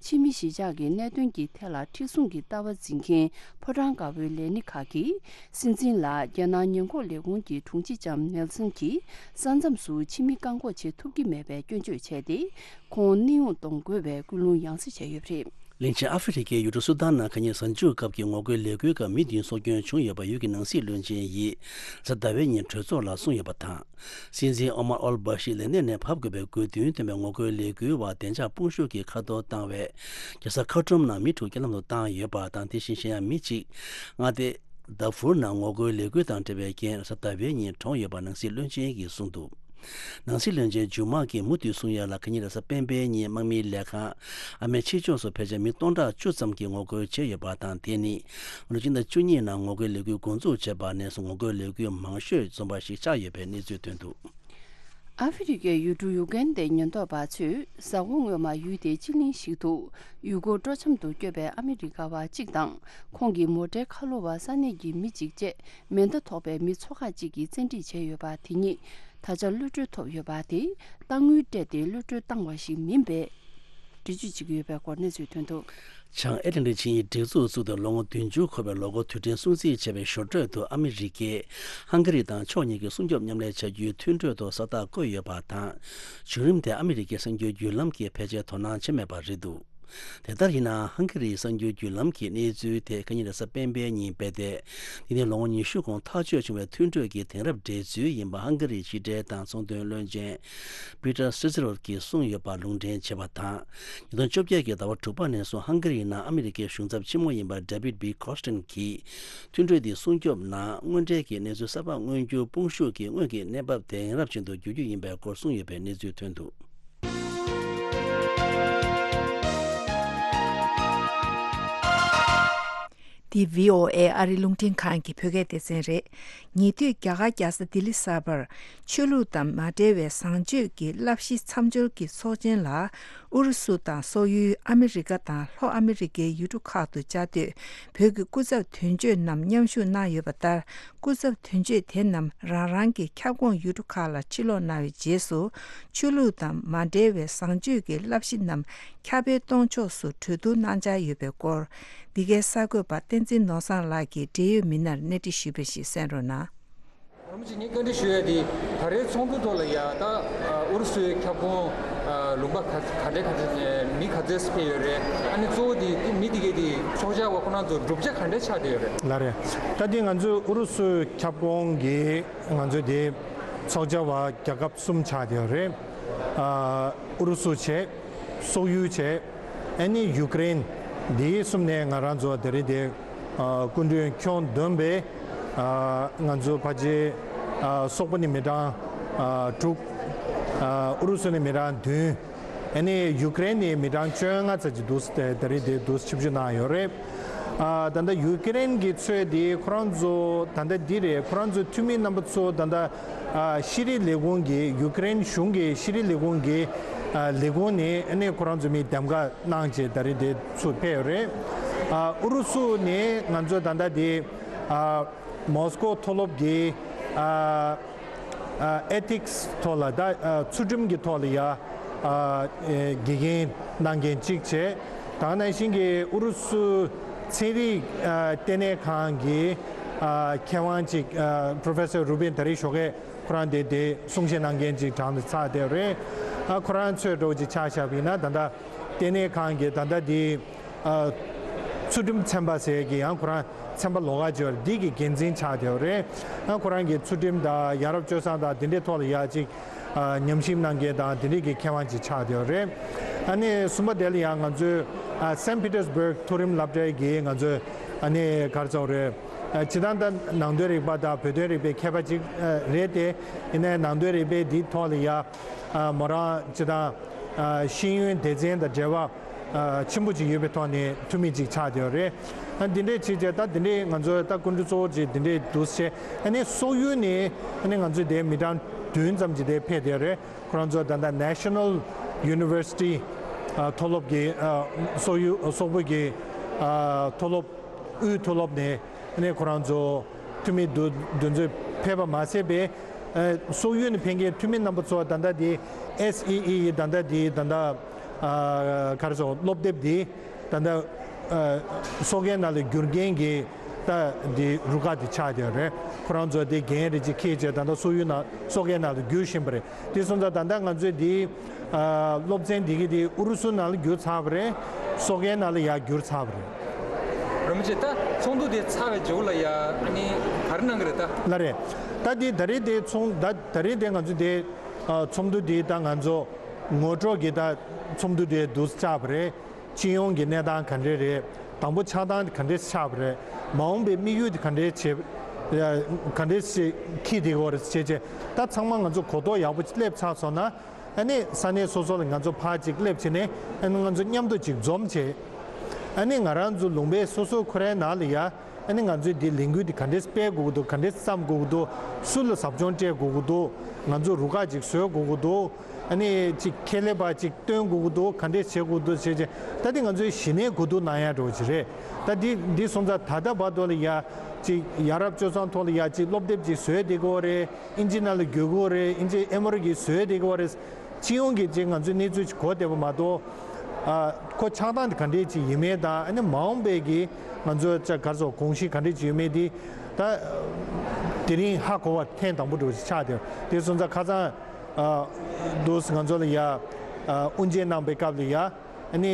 ཕྱི་མི་གཞིས་ཆགས་ཀྱི་གནད་དོན་གྱི་ཐད་ལ་མཁྲེགས་བཟུང་གི་ལྟ་བ་འཛིན་མཁན་ཕོ་བྲང་དཀར་པོའི་ལས་སྣེ་ཁག་གིས། སྲིད་འཛིན་ལ་རྒྱལ་ནང་ཉེན་འགོག་ལས་ཁུངས་ཀྱི་དྲུང་ཆེ་ལྕམ་ནེལ་སན་གྱིས་ས་མཚམས་སུ་ཕྱི་མི་བཀག་འགོག་བྱེད་ཐུབ་ཀྱི་མེད་པའི་སྐྱོན་བརྗོད་བྱས་ཏེ། ཁོང་གནས་དབྱུང་གཏོང་དགོས་པའི་སྐུལ་སློང་ཡང་སེ་བྱས་ཡོད་པ་རེད། གླིང་ཆེན་ཨ་ཧྥེ་རི་ཁའི་ཡུལ་གྲུ་སུ་དཱན་ནང་ཁ་ཉིན་གཟའ་མཇུག་སྐབས་ཀྱི་ངོ་རྒོལ་ལས་འགུལ་སྐབས་མི་བདུན་སྲོག་སྐྱོན་བྱུང་ཡོད་པ་ཡུལ་གྱི་ནང་སྲིད་བློན་ཆེན་ཡིས་གཟའ་ཟླ་བའི་ཉིན་གྲོས་ཚོགས་ལ་གསུངས་ཡོད་པ་དང་། སྲིད་འཛིན་ཨོ་མར་ཨོལ་བྷ་ཤི་ལས་གནས་ནས་བབས་དགོས་པའི་དགོས་འདུན་བཏོན་པའི་ངོ་རྒོལ་ལས་འགུལ་བ་བདེ་འཇགས་དཔུང་ཤུགས་ཀྱིས་མཁའ་སྟོར་བཏང་བས། རྒྱལ་ས་ཁར་ཊུམ་ནང་མི་དྲུག་རྐྱེན་ལམ་དུ་བཏང་ཡོད་པ་དང་། དེ་བཞིན་གཞན་ཡང་མི་གཅིག་མངའ་སྡེ་དཱ་ཧྥུར་ནང་ངོ་རྒོལ་ལས་འགུལ་དང་འབྲེལ་བའི་རྐྱེན་གཟའ་ཟླ་བའི་ཉིན་གྲོངས་ཡོད་པ་ནང་སྲིད་བློན་ཆེན་གྱིས་གསུངས་འདུག། ནང་སྲིད་བློན་ཆེན་ཇུ་མཱ་གིས་མུ་མཐུད་གསུང་ཡ་ལ། ཁ་ཉིན་རེས་གཟའ་སྤེན་པའི་ཉིན་དམག་མིའི་ལས་ཁང་ཨ་མེ་ཆེ་ཕྱོགས་སུ་ཕལ་ཆེར་མི་སྟོང་ཕྲག་བཅུ་ཙམ་གྱིས་ངོ་རྒོལ་བྱས་ཡོད་པ་དང་། དེ་ནི་ལོ་ཕྱི་ཟླ་བཅུ་གཉིས་ནང་ངོ་རྒོལ་ལས་འགུལ་འགོ་འཛུགས་བྱས་པ་ནས་བཟུང་ངོ་རྒོལ་ལས་འགུལ་མང་ཤོས་འཛོམས་པ་ཞིག་ཆགས་ཡོད་པའི་གནས་ཚུལ་ཐོན་འདུག། ཨ་ཧྥེ་རི་ཁའི་ཡུལ་གྲུ་ཡུ་གན་དའི་ཉེན་རྟོག་པ་ཚོས་གཟའ་འཁོར་སྔོན་མ་ཡུལ་དེའི་སྤྱི་གླིང་ཞིག་ཏུ་ཡུལ་སྐོར་སྤྲོ་འཆམ་དུ་བསྐྱོད་པའི་ཨ་མི་རི་ཀ་བ་གཅིག་དང་། ཁོང་གི་མོ་ཊའི་ཁ་ལོ་བ་ས་གནས་ཀྱི་མི་གཅིག་བཅས་མེ་མདའ་ཐོགས་པའི་མི་ཚོ་ཁག་ཅིག་གིས་བཙན་ཁྲིད་བྱས་ཡོད་པ་དེ་ཉིད། ད་ཆ་གློད་གྲོལ་ཐོབ་ཡོད་པ་དེ་གཏའ་དངུལ་སྤྲད་དེ་གློད་གྲོལ་བཏང་བ་ཞིག་མིན་པའི་འགྲེལ་བརྗོད་བྱེད་ཀྱི་ཡོད་པའི་སྐོར་གནས་ཚུལ་ཐོན་འདུག། བྱང་ཨེ་ཊ་ལན་ཊིག་ཆིངས་ཡིག་སྒྲིག་འཛུགས་བཙུགས་ཏེ་ལོ་ངོ་བདུན་ཅུ་འཁོར་བའི་ལོ་འཁོར་དུས་དྲན་སྲུང་བརྩི་བྱས་པའི་ཞོར་འཕྲོས་དུ། ཨ་མི་རི་ཀས་ཧང་ག་རི་དང་ཕྱོགས་གཉིས་ཀྱི་སྲུང་སྐྱོབ་མཉམ་ལས་བྱ་རྒྱུའི་མཐུན་གྲོས་ཐོག་ས་རྟགས་བཀོད་ཡོད་པ་དང་། བྱུང་རིམ་དེ་ཨ་མི་རི་ཀའི་གསར་འགྱུར་བརྒྱུད་ལམ་གྱིས་ཕལ་ཆེར་དོ་སྣང་བྱས་མེད་པ་རེད་འདུག། དེ་ལྟར་ཡིན་ནའང་། ཧང་ག་རིའི་གསར་འགྱུར་བརྒྱུད་ལམ་གྱིས་གནས་ཚུལ་དེ་ཁ་ཉིན་རེས་གཟའ་སྤེན་པའི་ཉིན་སྤེལ་ཏེ། འདི་ནི་ལོ་ངོ་ཉི་ཤུ་གོང་ཐག་གཅོད་བྱུང་བའི་མཐུན་གྲོས་ཀྱི་དེང་རབས་འགྲན་རྩོད་ཡིན་པ་ཧང་ག་རིའི་ཕྱི་འབྲེལ་དང་ཚོང་དོན་བློན་ཆེན་པི་ཏར་སི་ཛི་རོད་ཀྱིས་གསུངས་ཡོད་པ་ལུང་འདྲེན་བྱས་པ་དང་། ཉིས་སྟོང་བཅོ་བརྒྱད་ཀྱི་ཟླ་བ་དྲུག་པ་ནས་བཟུང་ཧང་ག་རིའི་ནང་ཨ་མི་རི་ཀའི་གཞུང་ཚབ་ཆེན་མོ་ཡིན་པ་ཌེ་བིད་བྷི་ཁོ་སི་ཊན་གྱིས། མཐུན་གྲོས་འདི་སྲུང་སྐྱོབ་ནང་དངོས་འབྲེལ་གྱི་གནས་ཚུལ་གསར་པ་མངོན་རྒྱུར་དཔུང་ཤུགས་ཀྱིས་སྔོན་གྱི་གནས་བབ་དེང་རབས་ཅན་དུ་བསྒྱུར་རྒྱུ་ཡིན་པའི་སྐོར་གསུངས་ཡོད་པའི་གནས་ཚུལ་ཐོན་འདུག། འདི་བྷི་ཨོ་ཨེ་ཨ་རི་རླུང་འཕྲིན་ཁང་གི་བོད་སྐད་སྡེ་ཚན་རེད། ཉེ་དུས་རྒྱ་གར་རྒྱལ་ས་ལྡི་ལི་གསར་པར་ཆོས་ལུགས་དང་མ་འབྲེལ་བའི་བཟང་སྤྱོད་ཀྱི་བསླབ་གཞི་མཚམས་སྦྱོར་གྱི་ཚོགས་ཆེན་ལ་ཨུ་རུ་སུ་དང་སོག་ཡུལ། ཨ་མི་རི་ཀ་དང་ལྷོ་ཨ་མི་རི་ཀའི་ཡུལ་གྲུ་ཁག་ཏུ་བཅའ་སྡོད་བོད་ཀྱི་སྐུ་ཚབ་དོན་གཅོད་རྣམས་མཉམ་ཞུགས་གནང་ཡོད་པ་ལྟར། སྐུ་ཚབ་དོན་གཅོད་དེ་རྣམས་རང་རང་གི་ཁྱབ་ཁོངས་ཡུལ་གྲུ་ཁག་ལ་ཕྱིར་ལོག་གནང་བའི་རྗེས་སུ། ཆོས་ལུགས་དང་མ་འབྲེལ་བའི་བཟང་སྤྱོད་ཀྱི་བསླབ་གཞི་རྣམས་ཁྱབ་སྤེལ་གཏོང་ཕྱོགས་སུ་གྲོས་བསྡུར་གནང་འཆར་ཡོད་པའི་སྐོར། འདི་གའི་གསར་འགོད་པ་བསྟན་འཛིན་ནོར་བཟང་ལགས་ཀྱིས་འབྲེལ་ཡོད་མི་སྣར་གནས་འདྲི་ཞུས་པ་ཞིག་གསན་རོགས་གནང་། རོམ་གྱིས་ངས་བཀའ་འདྲི་ཞུ་ཡ་དེ་ད་རེས་ཚོགས་འདུ་ཐོག་ལ་ཡ་ད་ཨུ་རུ་སུའི་ཁྱབ་ཁོངས་ལུང་པ་ག་ག་འདྲ་ག་འདྲ་མི་ག་ཚོད་ཕེབས་ཡོད་རེད། ཨ་ནི་གཙོ་བོ་དེ་མི་དེ་གའི་དེ་ཚོགས་བཅར་བ་ཁོ་རང་ཚོ་བསྒྲུབ་བྱ་ག་འདྲ་ཆགས་བསྡད་ཡོད་རེད། ལགས་རེད། ད་དེ་ང་ཚོའི་ཨུ་རུ་སུའི་ཁྱབ་ཁོངས་ཀྱི་ང་ཚོའི་དེ་ཚོགས་བཅར་བ་རྒྱལ་ཁབ་གསུམ་ཆགས་བསྡད་ཡོད་རེད། ཨུ་རུ་སུ་བྱས། སོག་ཡུལ་བྱས། ཨ་ནི་ཡུ་ཀེ་རེན། འདི་གསུམ་ནས་ང་རང་ཚོ་དེ་རིང་དེ་སྐུ་མགྲོན་ཁྱོན་བསྡོམས་པས་ང་ཚོ་ཕལ་ཆེར་སོག་པོ་ནས་མི་གྲངས་དྲུག། ཨུ་རུ་སུ་ནས་མི་གྲངས་བདུན། ཨ་ནི་ཡུ་ཀེ་རེན་ནས་མི་གྲངས་བཅོ་ལྔ་ཙམ་ཅིག་འདུག། དེ་རིང་དེ་འདུག་ཆིབས་བསྒྱུར་གནང་ཡོད་རེད། ཨ་ད་ལྟ་ཡུ་ཀེ་རེན་གྱི་ཚོས་དེ་ཁོ་རང་ཚོ་ད་ལྟ་འདི་རེད། ཁོ་རང་ཚོའི་འཐུས་མི་རྣམ་པ་ཚོ་ད་ལྟ་ཨ་ཤེས་རིག་ལས་ཁུངས་ཀྱི་ཡུ་ཀེ་རེན་གཞུང་གི་ཤེས་རིག་ལས་ཁུངས་ཀྱི་ཨ་ལས་ཁུངས་ནས་ཨ་ནི་ཁོ་རང་ཚོ་མི་འདེམས་ཀ་གནང་བྱས་ད་རེས་དེ་ཚུར་ཕེབས་ཡོད་རེད། ཨ་ཨུ་རུ་སུ་ནས་ང་ཚོ་ད་ལྟ་དེ་ཨ་མོ་སི་ཀོ་མཐོ་སློབ་ཀྱི་ཨ་ཨ་ཨེ་ཐིག་སི་ཐོག་ལ་ད་ཨ་ཚུལ་ཁྲིམས་ཀྱི་ཐོག་ལ་ཡ་ཨ་ཨེ་དགེ་རྒན་གནང་མཁན་གཅིག་བྱས། ད་ག་ནང་བཞིན་གྱི་ཨུ་རུ་སུ་ཚན་རིག་ཨ་ལྟེ་གནས་ཁང་གི་ཨ་མཁས་དབང་གཅིག་ཨ་Professor Rubin ད་རེས་ཞོགས་ཀས་ ཁོ་རང་དེ་དེ་གསུང་བཤད་གནང་མཁན་ཅིག་གྲངས་ལ་ཚར་བསྡད་རེད། ཨ་ཁོ་རང་ཚོས་འགྲོ་ཅིག་ཆ་བཞག་པ་ཡིན་ན་ད་ལྟ་ལྟེ་གནས་ཁང་གི་ད་ལྟ་དེ་ཨ་ཚུལ་ཁྲིམས་ཚན་པ་ཟེར་གི་ཡང་ཁོ་རང་ཚན་པ་ལོགས་ཀ་ཅིག་ཡོད་རེད། འདི་གི་འགན་འཛིན་ཆགས་བསྡད་རེད། ཨ་ཁོ་རང་གི་ཚུལ་ཁྲིམས་དང་ཡ་རབས་སྤྱོད་བཟང་དང་དེ་འདྲའི་ཐོག་ལ་ཡ་ཅིག་ཨ་ཉམས་ཞིབ་གནང་མཁན་དང་དེ་འདྲའི་གི་མཁས་དབང་ཅིག་ཆགས་བསྡད་རེད། ཨ་ནི་གསུམ་པ་དེ་ལ་ཡང་ང་ཚོའི་ཨ་སན་པི་ཏེར་སྦུག་མཐོ་རིམ་སློབ་གྲྭའི་གི་ང་ཚོའི་ཨ་ནི་ག་རེ་ཟེར་དགོས་རེད། ཨ་སྤྱིར་བཏང་ད་ནང་དོན་རིག་པ་དང་བོད་དོན་རིག་པའི་མཁས་པ་ཅིག་ཨ་རེད་དེ། ཡིན་ནའི་ནང་དོན་རིག་པའི་འདིའི་ཐོག་ལ་ཡ་ཨ་མོ་རང་སྤྱིར་བཏང་ཨ་ཤེས་ཡོན་སྡེ་ཚན་དང་འབྲེལ་བ་ཨ་ཆེན་པོ་ཅིག་ཡོད་པའི་ཐོག་ནས་འཐུས་མི་ཅིག་ཆགས་བསྡད་ཡོད་རེད། ཨ་འདི་འདྲས་བྱས་བྱས་ད་འདི་འདྲས་ང་ཚོ་ད་སྐུ་མགྲོན་གཙོ་བོ་ཅིག་འདི་འདྲས་འདུག་སེ་ཨ་ནི་སོག་ཡུལ་ནས་ཨ་ནི་ང་ཚོ་དེ་མི་གྲངས་བདུན་ཙམ་ཅིག་དེ་ཕེབས་བསྡད་ཡོད་རེད། ཁོ་རང་ཚོ་ད་ལྟ་National University ཨ་མཐོ་སློབ་ཀྱི་ཨ་སོག་ཡུལ་སོག་པོ་གི་ཨ་མཐོ་སློབ་དབུས་མཐོ་སློབ་ནས་ཨ་ནི་ཁོ་རང་ཚོ་འཐུས་མི་འདུ་འདུ་འཛོམས་ཕེབས་པ་མ་ཟད་པའི་ཨ་སོག་ཡུལ་ནས་ཕེབས་མཁན་འཐུས་མི་རྣམ་པ་ཚོ་ད་ལྟ་དེ་S E E ཡི་ད་ལྟ་དེ་ད་ལྟ་ཨ་ག་རེ་ཟེར་སློབ་དེབ་དེ་ད་ལྟ་ཨ་སོག་རྒན་ནང་ལ་བསྒྱུར་མཁན་གྱི་ད་དེ་རུ་ཁག་དེ་ཆགས་བསྡད་ཡོད་རེད། ཁོ་རང་ཚོ་དེ་འགན་རེ་ཅིག་འཁྱེར་བྱས་ད་ལྟ་སོག་ཡུལ་ནང་སོག་རྒན་ནང་ལ་བསྒྱུར་བཞིན་པ་རེད། དེ་སོང་ཙང་ད་ལྟ་ང་ཚོས་འདི་ཨ་སློབ་ཚན་འདི་གི་དེ་ཨུ་རུ་སུ་ནང་ལ་བསྒྱུར་ཚར་བ་རེད། སོག་རྒན་ནང་ལ་ཡར་བསྒྱུར་ཚར་བ་རེད། རིན་པོ་ཆེ་ད་ཚོགས་འདུ་དེ་ཚར་བའི་རྗེས་ལ་ཡ་ཨ་ནི་ག་རེ་གནང་གི་རེད་ད། ལགས་རེད། ད་འདི་ད་རེས་དེ་ཚོགས་ད་ད་རེས་དེ་ང་ཚོ་དེ་ཨ་ཚོགས་འདུ་དེ་ད་ང་ཚོ་ངོ་སྤྲོད་ཀྱི་ད་ཚོགས་འདུ་དེ་འདུག་བཅར་བ་རེད། སྤྱི་ཡོངས་ཀྱི་གནས་སྟངས་ག་འདྲས་རེད། དང་པོ་ཆགས་སྟངས་ག་འདྲས་ཆགས་པ་རེད། མ་འོངས་པའི་དམིགས་ཡུལ་དེ་ག་འདྲས་བྱེད་ག་འདྲས་ཞིག་འཁྱེར་བསྡད་ཡོད་རེད་ཅེས་བྱས་ད་ཚང་མ་ང་ཚོ་གོ་རྟོགས་ཡག་པོ་སླེབས་ཚར་སོང་ན་ཨ་ནི་ས་གནས་སོ་སོ་ལ་ང་ཚོ་ཕར་ཅིག་སླེབས་བྱས་ནས་ཨ་ནི་ང་ཚོ་མཉམ་དུ་ཅིག་འཛོམས་བྱས་ཨ་ནི་ང་རང་ཚོ་ལུང་པའི་སོ་སོའི་ཁོ་རའི་ནང་ལ་ཡ་ཨ་ནི་ང་ཚོས་འདི་ལས་འགུལ་འདི་ག་འདྲས་སྤེལ་དགོས་ཀྱི་འདུག་ག་འདྲས་བརྩམས་དགོས་ཀྱི་འདུག་སུ་ལ་ཟབ་སྦྱོང་སྤྲད་དགོས་ཀྱི་འདུག་ང་ཚོ་རུ་ཁག་ཅིག་བཟོ་དགོས་ཀྱི་འདུག་ཨ་ནི་ཅིག་ཁེ་ལས་པ་ཅིག་བཏོན་དགོས་ཀྱི་འདུག་ག་འདྲས་བྱེད་དགོས་ཀྱི་འདུག་ཟེར་བྱས་ད་འདི་ང་ཚོའི་གཞི་ནས་གོ་བསྡུར་གནང་ཡ་འདྲ་བོ་ཅིག་རེད། ད་འདི་འདི་སོང་ཙང་ད་ལྟ་བར་དུ་ལ་ཡ་ཅིག་ཡ་རབས་སྤྱོད་བཟང་ཐོག་ལ་ཡ་ཅིག་སློབ་དེབ་ཅིག་བཟོས་བསྡད་ཀྱི་ཡོད་རེད། ཨིན་ཇི་ནང་ལ་བསྒྱུར་གྱི་ཡོད་རེད། ཨིན་ཇི་ཨེ་མོ་རི་གིས་བཟོས་བསྡད་ཀྱི་ཡོད་རེད། སྤྱི་ཡོངས་ཀྱི་ཅིག་ང་ཚོའི་གནས་ཚུལ་ཅིག་གོ་བསྡད་པ་མ་གཏོགས་ཨ་ཁོ་ཆགས་སྟངས་དེ་ག་འདྲས་ཅིག་ཡིན་མིན་དང་ཨ་ནི་མ་འོངས་པའི་གི་ང་ཚོ་ཅག་ག་རེ་ཟེར་དགོངས་གཞི་ག་འདྲས་ཅིག་ཡོད་མེད་དེ་ད་དེ་རིང་ཧ་གོ་བ་ཐེངས་དང་པོ་འདྲ་བོ་ཅིག་ཆགས་བསྡད་ཡོད། དེ་སོང་ཙང་ཁ་སང་ཨ་འདུག་ང་ཚོ་ལ་ཡ་ཨ་དབུ་འབྱེད་གནང་པའི་སྐབས་ལ་ཡ་ཨ་ནི་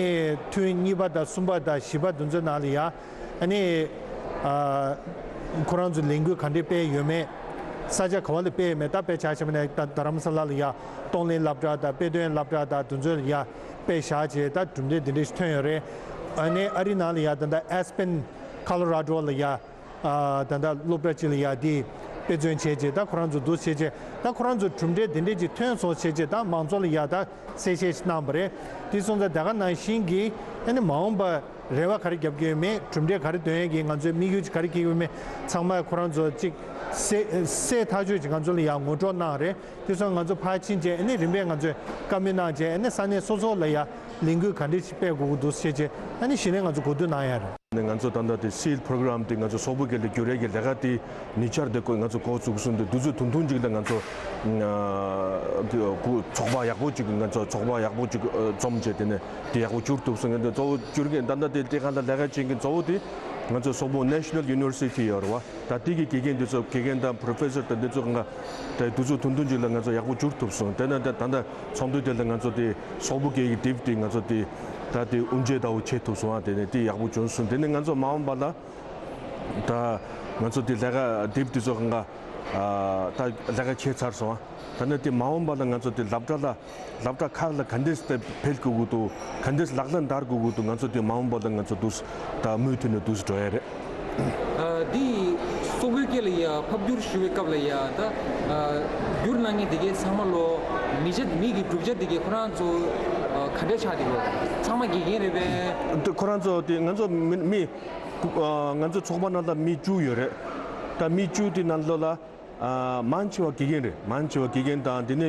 ཐུན་གཉིས་པ་དང་གསུམ་པ་དང་བཞི་པ་དེ་ཚོའི་ནང་ལ་ཡ་ཨ་ནི་ཨ་ཁོ་རང་ཚོ་ལས་འགུལ་ག་འདྲས་སྤེལ་ཡོད་མེད། ས་ཆ་ག་བ་ལ་སྤེལ་ཡོད་མེད། ད་དཔེ་ཆ་བཞག་པ་ན་ད་རྡ་རམ་ས་ལ་ལ་ཡ་གཏོང་ལེན་སློབ་གྲྭ་དང་དཔེ་སྟོན་སློབ་གྲྭ་དང་དེ་ཚོ་ལ་ཡ་དཔེ་བཞག་བྱས་ད་གྲུབ་འབྲས་འདི་འདྲས་ཞིག་ཐོན་ཡོད་རེད། ཨ་ནི་ཨ་རི་ནང་ལ་ཡ་ད་ལྟ་ཨེ་སི་པེན་ཁོ་ལོ་ར་ཌོ་ལ་ཡ་ཨ་ད་ལྟ་སློབ་གྲྭ་གཅིག་ལ་ཡ་དེ་དཔེ་མཚོན་བྱས་བྱས་ད་ཁོ་རང་ཚོ་འདུག་བྱས་བྱས་ད་ཁོ་རང་ཚོ་གྲུབ་འབྲས་འདི་འདྲས་ཅིག་ཐོན་སོང་བྱས་བྱས་ད་མང་ཚོགས་ལ་ཡ་ད་གསལ་བཤད་ཞིག་གནང་བ་རེད། དེ་སོང་ཙང་དེ་ག་ནང་བཞིན་གྱི་ཨ་ནི་མ་འོངས་པ་རེ་བ་ག་རེ་རྒྱབ་ཀྱི་ཡོད་མེད། གྲུབ་འབྲས་ག་རེ་འདོན་ཡས་ཀྱི་ང་ཚོའི་དམིགས་ཡུལ་ག་རེ་འཁྱེར་གྱི་ཡོད་མེད་ཚང་མ་ཁོ་རང་ཚོ་གཅིག་གསལ་གསལ་ཐག་ཆོད་ཅིག་ང་ཚོ་ལ་ཡང་ངོ་སྤྲོད་གནང་རེད། དེ་སོང་ང་ཚོ་ཕར་ཕྱིན་བྱས་ཨ་ནི་རིམ་པས་ང་ཚོས་བཀའ་མོལ་གནང་བྱས་ཨ་ནི་ས་གནས་སོ་སོ་ལ་ཡང་ལས་འགུལ་ག་འདྲས་ཤིག་སྤེལ་དགོས་ཀྱི་འདུག་ཟེར་བྱས་ཨ་ནི་གཞི་ནས་ང་ཚོ་གོ་བསྡུར་གནང་ཡ་རེད། ནས་ང་ཚོ་ད་ལྟ་དེ་སིལ་པོ་རོ་གྷི་རམ་དེ་ང་ཚོ་སོག་པོ་སྐད་ལ་བསྒྱུར་ཡས་ཀྱི་ལས་ཀ་དེ་ཉེ་ཆར་དེ་ང་ཚོ་འགོ་བཙུགས་སོང་། དེ་དུས་ཚོད་ཐུང་ཐུང་ཅིག་ལ་ང་ཚོ་ཚོགས་པ་ཡག་པོ་ཅིག་ང་ཚོ་ཚོགས་པ་ཡག་པོ་ཅིག་འཛོམས་བྱས་དེ་ནས་དེ་ཡག་པོ་བསྒྱུར་ཐུབ་སོང་། ང་ཚོ་གཙོ་བོ་བསྒྱུར་མཁན་ད་ལྟ་དེ་དེ་ག་ལ་ལས་ཀ་བྱེད་མཁན་གཙོ་བོ་དེ་ང་ཚོ་སོག་པོ་National University ཡོད་རེད་བ། ད་དེ་གི་དགེ་རྒན་དེ་ཚོ་དགེ་རྒན་དང་པོ་རོ་ཕེ་སར་དང་དེ་ཚོ་ང་དེ་དུས་ཚོད་ཐུང་ཐུང་ཅིག་ལ་ང་ཚོ་ཡག་པོ་བསྒྱུར་ཐུབ་སོང་། དེ་ནས་ད་ད་ལྟ་ཚོགས་འདུ་དེ་ལ་ང་ཚོ་དེ་སོག་པོ་སྐད་ཀྱི་དེབ་དེ་ང་ཚོ་དེ་ད་དེ་དབུ་འབྱེད་ལྟ་བུ་བྱེད་ཐུབ་སོང་། ཨ་དེ་ནས་དེ་ཡག་པོ་བྱུང་སོང་། དེ་ནས་ང་ཚོ་མ་འོངས་པ་ལ་ད་ང་ཚོ་དེ་ལས་ཀ་དེབ་དེ་ཚོ་གང་ག་ད་ལས་ཀ་བྱས་ཚར་སོང་། ཨ་ད་ནས་དེ་མ་འོངས་པ་ལ་ང་ཚོ་དེ་སློབ་གྲྭ་ལ་སློབ་གྲྭ་ཁག་ལ་ག་འདྲས་སེ་འཕེལ་དགོས་ཀྱི་འདུག་ག་འདྲས་ལག་ལེན་བསྟར་དགོས་ཀྱི་འདུག་ང་ཚོ་དེ་མ་འོངས་པ་ལ་ང་ཚོ་འདུག་ད་མུ་མཐུད་ནས་འདུག་འགྲོ་ཡ་རེད། ཨ་འདི་སོག་པོའི་སྐད་ལ་ཡ་ཕབ་བསྒྱུར་ཞུ་བའི་སྐབས་ལ་ཡ་ད་ཨ་བསྒྱུར་གནང་མཁན་དེ་གའི་ཚང་མ་ལོ་མི་ཆ་མི་གི་གྲུབ་ཆ་དེ་གའི་ཁོ་རང་ཚོ་ཨ་ག་འདྲས་ཆགས་བསྡད་ཡོད། ཚང་མ་དགེ་རྒན་རེད་པས། འདི་ཁོ་རང་ཚོ་དེ་ང་ཚོ་མི་མི་ཨ་ང་ཚོ་ཚོགས་པ་ནང་ལ་མི་བཅུ་ཡོད་རེད། ད་མི་བཅུ་དེ་ནང་ལོགས་ལ་ཨ་མང་ཆེ་བ་དགེ་རྒན་རེད། མང་ཆེ་བ་དགེ་རྒན་དང་དེ་ནས་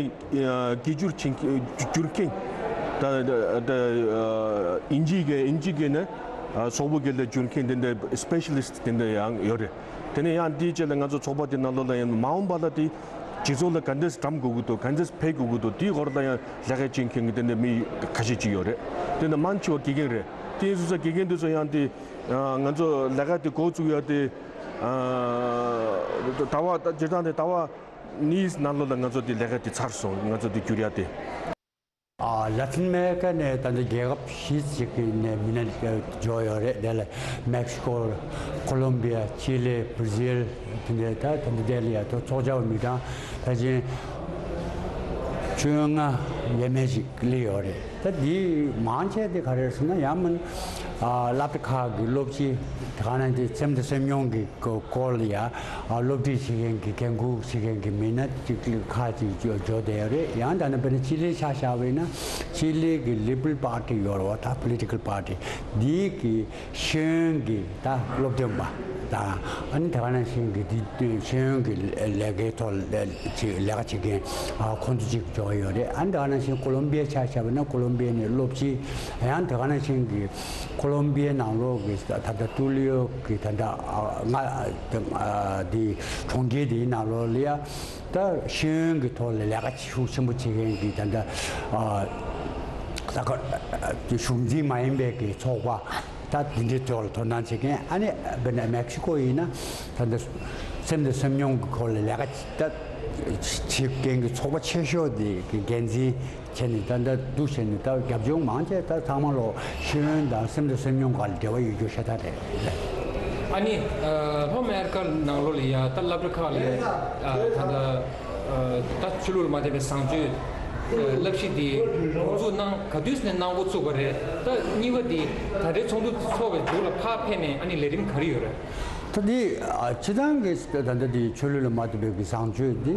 ཨ་སྐད་སྒྱུར་བྱེད་མཁན་སྒྱུར་མཁན་ད་ད་ཨ་དབྱིན་ཇིའི་སྐད་དབྱིན་ཇིའི་སྐད་ནས་ཨ་སོག་པོ་སྐད་ལ་སྒྱུར་མཁན་དེ་འདྲ་སི་པེ་ཤ་ལི་སི་ཊི་དེ་འདྲ་ཡང་ཡོད་རེད། དེ་ནས་ཡང་དེའི་རྗེས་ལ་ང་ཚོ་ཚོགས་པ་དེ་ནང་ལོགས་ལ་ཡང་མ་འོངས་པ་ལ་དེ་སྤྱི་ཚོགས་ལ་ག་འདྲས་འགྲམ་དགོས་ཀྱི་འདུག་ག་འདྲས་འཕེལ་དགོས་ཀྱི་འདུག་དེའི་སྐོར་ལ་ཡང་ལས་ཀ་བྱེད་མཁན་གྱི་དེ་འདྲ་མི་ཁ་ཤས་ཅིག་ཡོད་རེད། དེ་ནས་མང་ཆེ་བ་དགེ་རྒན་རེད། དེ་ཡིན་དུས་ཙང་དགེ་རྒན་དེ་ཚོ་ཡང་དེ་ང་ཚོ་ལས་ཀ་དེ་འགོ་བཙུགས་ཡ་དེ་ཨ་ད་ལྟ་བ་ད་སྤྱིར་བཏང་དེ་ད་ལྟ་བ་ ནིས་ནང་ལོགས་ལ་ང་ཚོ་དེ་ལས་ཀ་དེ་ཚར་སོང་། ང་ཚོ་དེ་བསྒྱུར་ཡ་དེ། ཨ། ལ་ཏིན་ཨ་མེ་རི་ཀ་ནས་ད་ལྟ་རྒྱལ་ཁབ་བཞི་ཅིག་གི་ནས་མི་སྣ་འབྱོར་ཡོད་རེད། དེ་ལ་མེག་སི་ཀོ། ཀོ་ལོམ་བི་ཡ། ཅི་ལི། བྷར་ཛིལ། དེ་འདྲའི་ད་ད་ལྟ་དེ་ལ་ཡ་ཐོ་ཚོགས་བཅར་བ་མི་གྲངས་ཕལ་ཆེར་བཅོ་ལྔ་ཡས་མས་ཅིག་སླེབས་ཡོད་རེད། ད་འདི་མང་ཆེ་དེ་ག་རེ་རེད་ཟེར་ན། ཡང་མིན་ཨ་སློབ་གྲྭ་ཁག་གི་སློབ་སྤྱི། དེ་ག་ནང་དེ་སེམས་དང་སེམས་མྱོང་གི་སྐོར་ལ་ཡ་ཨ་སློབ་ཁྲིད་བྱེད་མཁན་གྱི། འགན་འཁུར་བྱེད་མཁན་གྱི་མི་སྣ་ཅིག་ཁག་ཅིག་འབྱོར་འབྱོར་བསྡད་ཡོད་རེད། ཡང་ད་ནི་དཔེར་ན་ཅི་ལི་ཆ་བཞག་པ་ཡིན་ན། ཅི་ལི་གི་ལི་བྷ་རལ་པར་ཊི་ཡོད་རེད་བ། ད་པོ་ལི་ཊི་ཀལ་པར་ཊི་འདི་གི་ཤེས་ཡོན་གྱི་ད་སློབ་སྟོན་པ་དང་། ཨ་ནི་དེ་ག་ནང་བཞིན་གྱི་འདི་ཤེས་ཡོན་གྱི་ལས་ཀའི་ཐོག་ལ་ཅིག་ལས་ཀ་བྱེད་མཁན་ཨ་ཁོང་ཚོ་ཅིག་འབྱོར་ཡོད་རེད། ཨ་ནི་དེ་ག་ནང་བཞིན་ཀོ་ལོམ་བི་ཡ་ཆ་བཞག་པ་ན། ཀོ་ལོམ་བི་ཡ་ནས་སློབ་སྤྱི། ཡང་དེ་ག་ནང་བཞིན་གྱི་ཀོ་ལོམ་བི་ཡའི་ནང་ལོགས་ཀྱི་ད་ལྟ་ཏུ་ལི་ཡོ་གི་ད་ལྟ་ཨ་ང་ཨ་འདི་གྲོང་ཁྱེར་འདིའི་ནང་ལོགས་ལ་ཡ་ད་ཤེས་ཡོན་གྱི་ཐོག་ལ་ལས་ཀ་ཤུགས་ཆེན་པོ་བྱེད་མཁན་གྱི་ད་ལྟ་ཨ་ད་ག་གཞུང་འཛིན་མ་ཡིན་པའི་གི་ཚོགས་པ་ད་འདི་འདྲའི་ཐོག་ལ་དོ་སྣང་བྱེད་མཁན། ཨ་ནི་དཔེར་ན་མེག་སི་ཀོ་ཡིན་ན་ད་ལྟ་སེམས་དང་སེམས་མྱོང་གི་སྐོར་ལ་ལས་ཀ་ད་བྱེད་མཁན་གྱི་ཚོགས་པ་ཆེ་ཤོས་དེ་གི་འགན་འཛིན་བྱས་ནས། ད་ལྟ་འདུག་བྱས་ནས་ད་རྒྱབ་ལྗོངས་མང་ཆེ་ད་ཚང་མ་ལོ་ཤེས་ཡོན་དང་སེམས་དང་སེམས་མྱོང་སྒང་ལ་འབྲེལ་བ་ཡོད་རྒྱུ་ཤ་སྟག་རེད། ཨ་ནི་ལྷོ་ཨ་མེ་རི་ཀ་ནང་ལོགས་ལ་ཡ་ད་སློབ་གྲྭ་ཁག་ལ་ཡ་ད་ལྟ་ད་ཆོས་ལུགས་ལ་མ་བརྟེན་པའི་བཟང་སྤྱོད་བསླབ་གཞི་དེ་འགོ་འཛུགས་གནང་། ག་དུས་ནས་གནང་འགོ་བཙུགས་པ་རེད། ད་གཉིས་པ་དེ་ད་ལྟའི་ཚོགས་འདུ་ཚོགས་པའི་མཇུག་ལ་ཕར་ཕེབས་ནས་ཨ་ནི་ལས་རིམ་ག་རེ་ཡོད་རེད། ད་འདི་ཨ་སྤྱི་བཏང་གི་ད་ལྟ་འདི་ཆོས་ལུགས་ལ་མ་ལྟོས་པའི་གི་བཟང་སྤྱོད་འདི་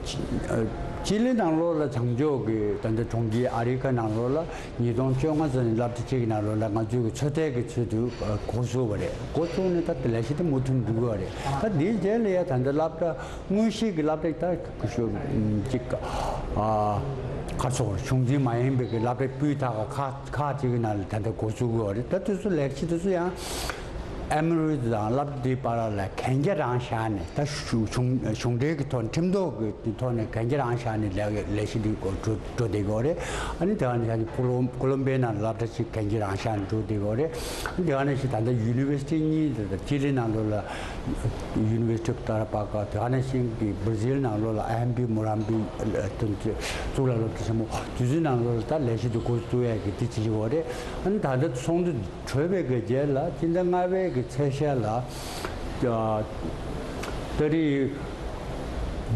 ཅི་ཨ་ཅི་ལི་ནང་ལོགས་ལ་བྱང་ཕྱོགས་ཀྱི་ད་ལྟ་གྲོང་ཁྱེར་ཨ་རི་ཀ་ནང་ལོགས་ལ་ཉིས་སྟོང་བཅོ་ལྔ་ཙམ་ནས་སློབ་གྲྭ་གཅིག་གི་ནང་ལོགས་ལ་ང་ཚོའི་གི་ཚོད་ལྟའི་གི་ཚུལ་དུ་ཨ་འགོ་བཙུགས་པ་རེད། འགོ་བཙུགས་ནས་ད་ལྟ་ལས་གཞི་དེ་མུ་མཐུད་འགྲོ་གི་རེད། ད་འདིའི་རྗེས་ལ་ཡ་ད་ལྟ་སློབ་གྲྭ་དངོས་གཞི་གི་སློབ་གྲྭ་ད་གཞུང་གཅིག་ཨ་ཁ་ཕྱོགས་གཞུང་འཛིན་མ་ཡིན་པའི་གི་སློབ་གྲྭ་སྤུས་དག་ཁག་ཁག་ཅིག་གི་ནང་ལ་ད་ལྟ་འགོ་བཙུགས་ཀྱི་ཡོད་རེད། ད་དེ་ཚོ་ལས་གཞི་དེ་ཚོ་ཡང་ཨེ་མོ་རི་དང་སློབ་གྲྭ་དེའི་བར་ལ་གན་རྒྱ་རང་བཞག་ནས། ད་གཞུང་གཞུང་གཞུང་འབྲེལ་གྱི་ཐོག་ཁྲིམས་ཐོག་གི་ཐོག་ནས་གན་རྒྱ་རང་བཞག་ནས་ལས་ལས་གཞི་འདི་འགོ་འགྲོ་འགྲོ་བསྡད་ཀྱི་ཡོད་རེད། ཨ་ནི་དེ་ག་ནས་ཀོ་ལོམ་ཀོ་ལོམ་བི་ཡའི་ནང་ལ་སློབ་གྲྭ་གཅིག་གན་རྒྱ་རང་བཞག་ནས་འགྲོ་བསྡད་ཀྱི་ཡོད་རེད། ཨ་ནི་དེ་ག་ནང་བཞིན་ད་ལྟ་ཡུ་ནི་ཝར་སི་ཊི་གཉིས། ད་ལྟ་ཅི་ལི་ནང་ལོགས་ལ་ཡུ་ནི་ཝར་སི་ཊི་ཨོཕ་ཏ་ར་པ་ཀ། དེ་ག་ནང་བཞིན་གྱི་བྷར་ཛིལ་ནང་ལོགས་ལ་ཨ་ཧམ་པི་མོ་རམ་པི་གཙུག་ལག་སློབ་གྲྭ་ཆེན་མོ། དེ་ཚོའི་ནང་ལོགས་ལ་ད་ལས་གཞི་དེ་འགོ་བཙུགས་ཡས་ཀྱི་དེ་བྱེད་ཀྱི་ཡོད་རེད། ཨ་ནི་ད་ལྟ་ཚོགས་འདུ་གྲོལ་བའི་གི་རྗེས་ལ་སྤྱི་ཟླ་ལྔ་པའི་གི་ཚེས་ཤར་ལ་ཨ་ཏ་རིག་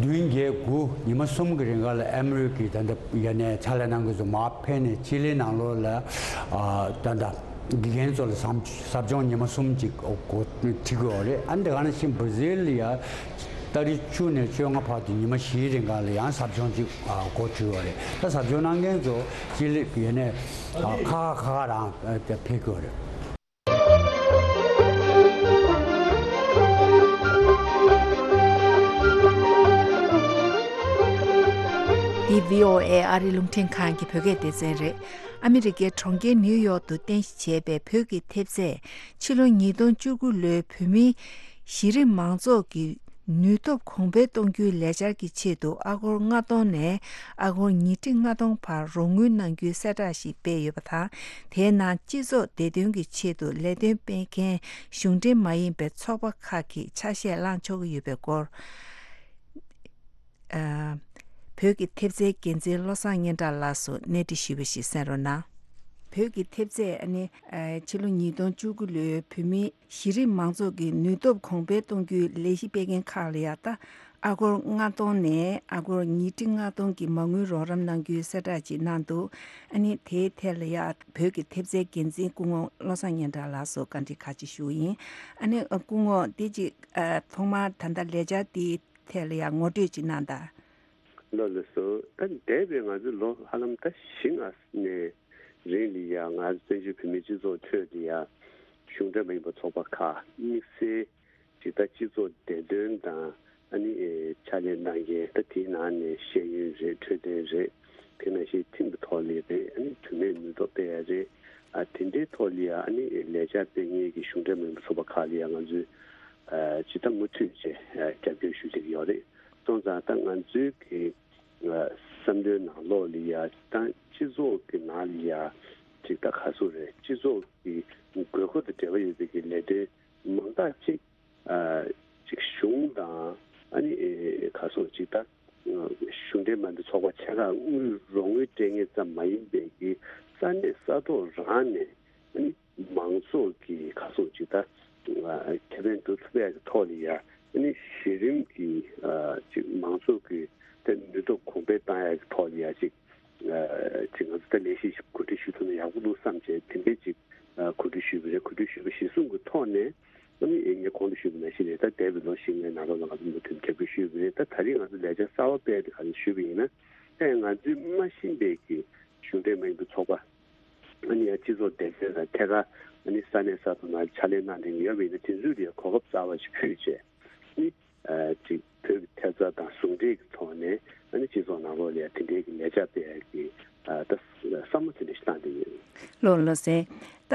བདུན་བརྒྱད་དགུ་ཉི་མ་གསུམ་གི་རིང་ག་ལ་ཨ་མི་རི་ཀའི་ད་ལྟ་ཡ་ནས་ཕྱག་ལས་གནང་མཁན་ཚོ་མར་ཕེབས་ནས་ཅི་ལི་ནང་ལོགས་ལ་ཨ་ད་ལྟ་དགེ་རྒན་ཚོ་ལ་ཟབ་ཟབ་སྦྱོང་ཉི་མ་གསུམ་ཅིག་འགོ་ཁྲིད་ཀྱི་ཡོད་རེད། ཨ་ནི་དེ་ག་ནང་བཞིན་བྷར་ཛིལ་ལ་ཡ་ཏ་རིག་བཅུ་ནས་བཅོ་ལྔ་བར་དུ་ཉི་མ་བཞིའི་རིང་ག་ལ་ཡང་ཟབ་སྦྱོང་ཅིག་འགོ་ཁྲིད་ཀྱི་ཡོད་རེད། ད་ཟབ་སྦྱོང་གནང་མཁན་ཚོ་ཅི་ལི་ཡ་ནས་ཁ་ཁ་ཁ་ཁ་རང་ཕེབས་ཀྱི་ཡོད་རེད། འདི་བྷི་ཨོ་ཨེ་ཨ་རི་རླུང་འཕྲིན་ཁང་གི་བོད་སྐད་སྡེ་ཚན་རེད། ཨ་མི་རི་ཀའི་གྲོང་ཁྱེར་ནིའུ་ཡོག་ཏུ་རྟེན་གཞི་བྱས་པའི་བོད་ཀྱི་ཐེབས་རྩས། ཕྱི་ལོ་ཉིས་སྟོང་བཅུ་དགུ་ལོའི་བོད་མིའི་གཞི་རིམ་མང་ཚོགས་ཀྱི་ནུས་སྟོབས་གོང་འཕེལ་གཏོང་རྒྱུའི་ལས་འཆར་གྱི་ཆེད་དུ་ཨ་སྒོར་ལྔ་སྟོང་ནས་ཨ་སྒོར་ཉིས་ཁྲི་ལྔ་སྟོང་བར་རོགས་དངུལ་གནང་རྒྱུའི་གསལ་བསྒྲགས་ཤིག་སྤེལ་ཡོད་པ་དང་། དེའི་ནང་སྤྱི་ཚོགས་བདེ་དོན་གྱི་ཆེད་དུ་ལས་དོན་སྤེལ་མཁན་གཞུང་འབྲེལ་མ་ཡིན་པའི་ཚོགས་པ་ཁག་གིས་ཆ་ཤས་བླང་ཆོག་གི་ཡོད་པའི་སྐོར། ཨ། བོད་ཀྱི་ཐེབས་རྩའི་འགན་འཛིན་བློ་བཟང་སྙན་གྲགས་ལགས་སུ་གནས་འདྲི་ཞུས་པ་ཞིག་གསན་རོགས་གནང་། བོད་ཀྱི་ཐེབས་རྩས་ཨ་ནི་ཨ་ཕྱི་ལོ་ཉིས་སྟོང་བཅུ་དགུ་ལོའི་བོད་མིའི་གཞི་རིམ་མང་ཚོགས་ཀྱི་ནུས་སྟོབས་གོང་འཕེལ་གཏོང་རྒྱུའི་ལས་གཞི་སྤེལ་མཁན་ཁག་ལ་ཡ་ད་ཨ་སྒོར་ལྔ་སྟོང་ནས་ཨ་སྒོར་ཉིས་ཁྲི་ལྔ་སྟོང་གི་མ་དངུལ་རོགས་རམ་གནང་རྒྱུའི་གསལ་བསྒྲགས་ཅིག་གནང་འདུག་ཨ་ནི་དེའི་ཐད་ལ་ཡ་བོད་ཀྱི་ཐེབས་རྩའི་འགན་འཛིན་སྐུ་ངོ་བློ་བཟང་སྙན་གྲགས་ལགས་སུ་བཀའ་འདྲི་ཁག་ཅིག་ཞུ་གི་ཡིན། ཨ་ནི་སྐུ་ངོ་འདི་ཅིག་ཨ་ཐོག་མར་ད་ལྟ་ལས་འཆར་འདི་ཐད་ལ་ཡང་ངོ་སྤྲོད་ཅིག་གནང་དང་། ལགས་ལགས་སོ། ད་འདས་པའི་ང་ཚོའི་ལོ་ཧ་ལམ་ད་བཞི་ལྔ་ནས་རིང་ལ་ཡ་ང་ཚོ་བཙན་བྱོལ་བོད་མིའི་སྤྱི་ཚོགས་ཁྲོད་ལ་ཡ་གཞུང་འབྲེལ་མ་ཡིན་པ་ཚོགས་པ་ཁག་དམིགས་བསལ་ཅིག་ད་སྤྱི་ཚོགས་བདེ་དོན་དང་ཨ་ནི་ཨེ་ཕྱག་ལས་གནང་མཁན། ད་དེའི་ནང་ནས་ཤེས་ཡོན་རེད། འཕྲོད་བསྟེན་རེད། དེ་ནང་བཞིན་ཁྲིམས་ཀྱི་ཐོག་ལ་རེད། ཨ་ནི་དོན་མེད་ནུས་སྟོབས་སྤེལ་ཡ་རེད། ཨ་དེ་འདྲའི་ཐོག་ལ་ཡ་ཨ་ནི་ལས་འཆར་སྤེལ་མཁན་གྱི་གཞུང་འབྲེལ་མ་ཡིན་པ་ཚོགས་པ་ཁག་ལ་ཡ་ང་ཚོས་ཨ་ཇི་ལྟར་མུ་མཐུད་བྱས་ཨ་རྒྱབ་སྐྱོར་ཞུ་བྱེད་ཀྱི་ཡོད་རེད། སོང་ཙང་ད་ང་ཚོའི་གི་ཨ་བསམ་བློའི་ནང་ལོགས་ལ་ཡ་ད་སྤྱི་ཚོགས་ཀྱི་ནང་ལ་ཡ་ཅིག་ད་ག་ཚོད་རེད། སྤྱི་ཚོགས་ཀྱི་དགོས་མཁོ་དང་འབྲེལ་བ་ཡོད་པའི་གི་ལས་དོན་མང་དག་ཅིག་ཨ་ཅིག་གཞུང་དང་ཨ་ནི་ཨེ་ག་ཚོད་ཅིག་ད་ ལ་དངུལ་རོགས་དངུལ་སྤྲད་མཁན་ཙམ་མ་ཡིན་པའི་གི་ས་གནས་ས་ཐོག་རང་ནས་ཨ་ནི་མང་ཚོགས་ཀྱི་ཁ་སོགས་ཅིག་ད་ཁེ་ཕན་སྒྲུབ་ཐུབ་པའི་ཐོག་ལ་ཡ་ཨ་ནི་གཞི་རིམ་གྱི་ཅིག་མང་ཚོགས་ཀྱི་ད་ནུས་སྟོབས་གོང་འཕེལ་བཏང་ཡ་གི་ཐོག་ལ་ཡ་ཅིག་ཅིག་ང་ཚོ་ད་ལས་གཞི་ཞིག་གོ་སྒྲིག་ཞུ་ཐུབ་ན་ཡག་པོ་འདུག་བསམ་བྱས་དེ་འདྲའི་ཅིག་གོ་སྒྲིག་ཞུས་པ་རེད། གོ་སྒྲིག་ཞུས་པ་གཞིར་བཟུང་གི་ཐོག་ནས་ཨ་ནི་ངས་གོང་དུ་ཞུས་པ་ནང་བཞིན་རེད། ད་འདས་པའི་ལོ་བཞི་ལྔའི་ནང་ལོགས་ལ་ང་ཚོ་མུ་མཐུད་རྒྱབ་སྐྱོར་ཞུས་པ་རེད། ད་ད་རེས་ང་ཚོ་ལས་འཆར་གསར་པ་སྤེལ་ཏེ་ག་ཚོད་ཞུས་པ་ཡིན་ན། ད་ང་ཚོའི་མ་ཤེས་པའི་གི་གཞུང་འབྲེལ་མ་ཡིན་པའི་ཚོགས་པ་ཨ་ནི་ཡང་སྤྱི་ཚོགས་སྡེ་ཚན་དང་ཐད་ཀར་ཨ་ནི་ས་གནས་ས་ཐོག་ནང་ཕྱག་ལས་གནང་བསྡད་མཁན་ཡོད་པ་ཡིན་ན་དེ་ཚོས་དེ་གོ་སྐབས་གསར་པ་ཞིག་ཕུལ་བྱས་ཨ་ནི་ཅིག་བོད་ཀྱི་ཐེབས་རྩ་དང་ཟུང་འབྲེལ་གྱི་ཐོག་ནས་ཨ་ནི་སྤྱི་ཚོགས་ནང་ལོགས་ལ་ཡང་དེ་འདྲའི་གི་ལས་འཆར་སྤེལ་ཡག་གི་ད་བསམ་བློ་དེ་འདྲ་ཞིག་བཏང་བསྡད་ཡོད། ལགས་ལགས་སེ། ད་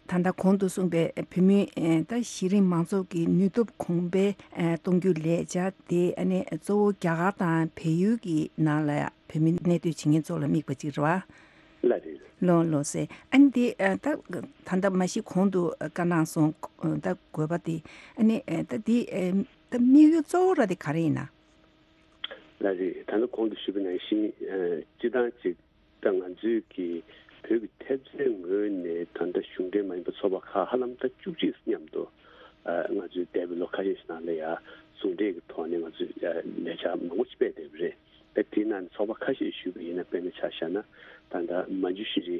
ད་ལྟ་གོང་དུ་གསུངས་པའི་བོད་མིའི་ད་གཞི་རིམ་མང་ཚོགས་ཀྱི་ནུས་སྟོབས་གོང་འཕེལ་གཏོང་རྒྱུའི་ལས་འཆར་དེ་ཨ་ནི་གཙོ་བོ་རྒྱ་གར་དང་བལ་ཡུལ་གྱི་ནང་ལ་ཡང་བོད་མི་གནས་སྡོད་བྱེད་མཁན་ཚོ་ལ་དམིགས་པ་ཅིག་རེད་བ། ལགས་རེད། ལགས་ལགས་སེ། ཨ་ནི་དེ་ད་ད་ལྟ་མ་གཞི་གོང་དུ་བཀའ་གནང་སོང་། ད་དགོས་པ་དེ་ཨ་ནི་ད་དེ་ད་དམིགས་ཡུལ་གཙོ་བོ་ར་དེ་ག་རེ་ཡིན་ན། ལགས་རེད། ད་ལྟ་གོང་དུ་ཞུས་པ་ནང་བཞིན་སྤྱི་བཏང་ཅིག་ད་ང་ཚོས་ཀྱི་བོད་ཀྱི་ཐེབས་རྩའི་ངོས་ནས་ད་ལྟ་གཞུང་འབྲེལ་མ་ཡིན་པའི་ཚོགས་པ་ཁག་ཧ་ལམ་ད་བཅུ་གཅིག་མཉམ་དུ་ང་ཚོས་འདས་པའི་ལོ་ཁ་ཤས་ཤིག་ནང་ལ་ཡང་ཟུང་འབྲེལ་གྱི་ཐོག་ནས་ང་ཚོས་ལས་འཆར་མང་པོ་ཞིག་སྤེལ་བསྡད་པ་རེད། ད་དེའི་ནང་ནས་ཚོགས་པ་ཁ་ཤས་ཞུས་པ་ཡིན་ན་དཔེར་ན་ཆ་བཞག་ན་ད་ལྟ་མན་ཇུ་ཤི་རི་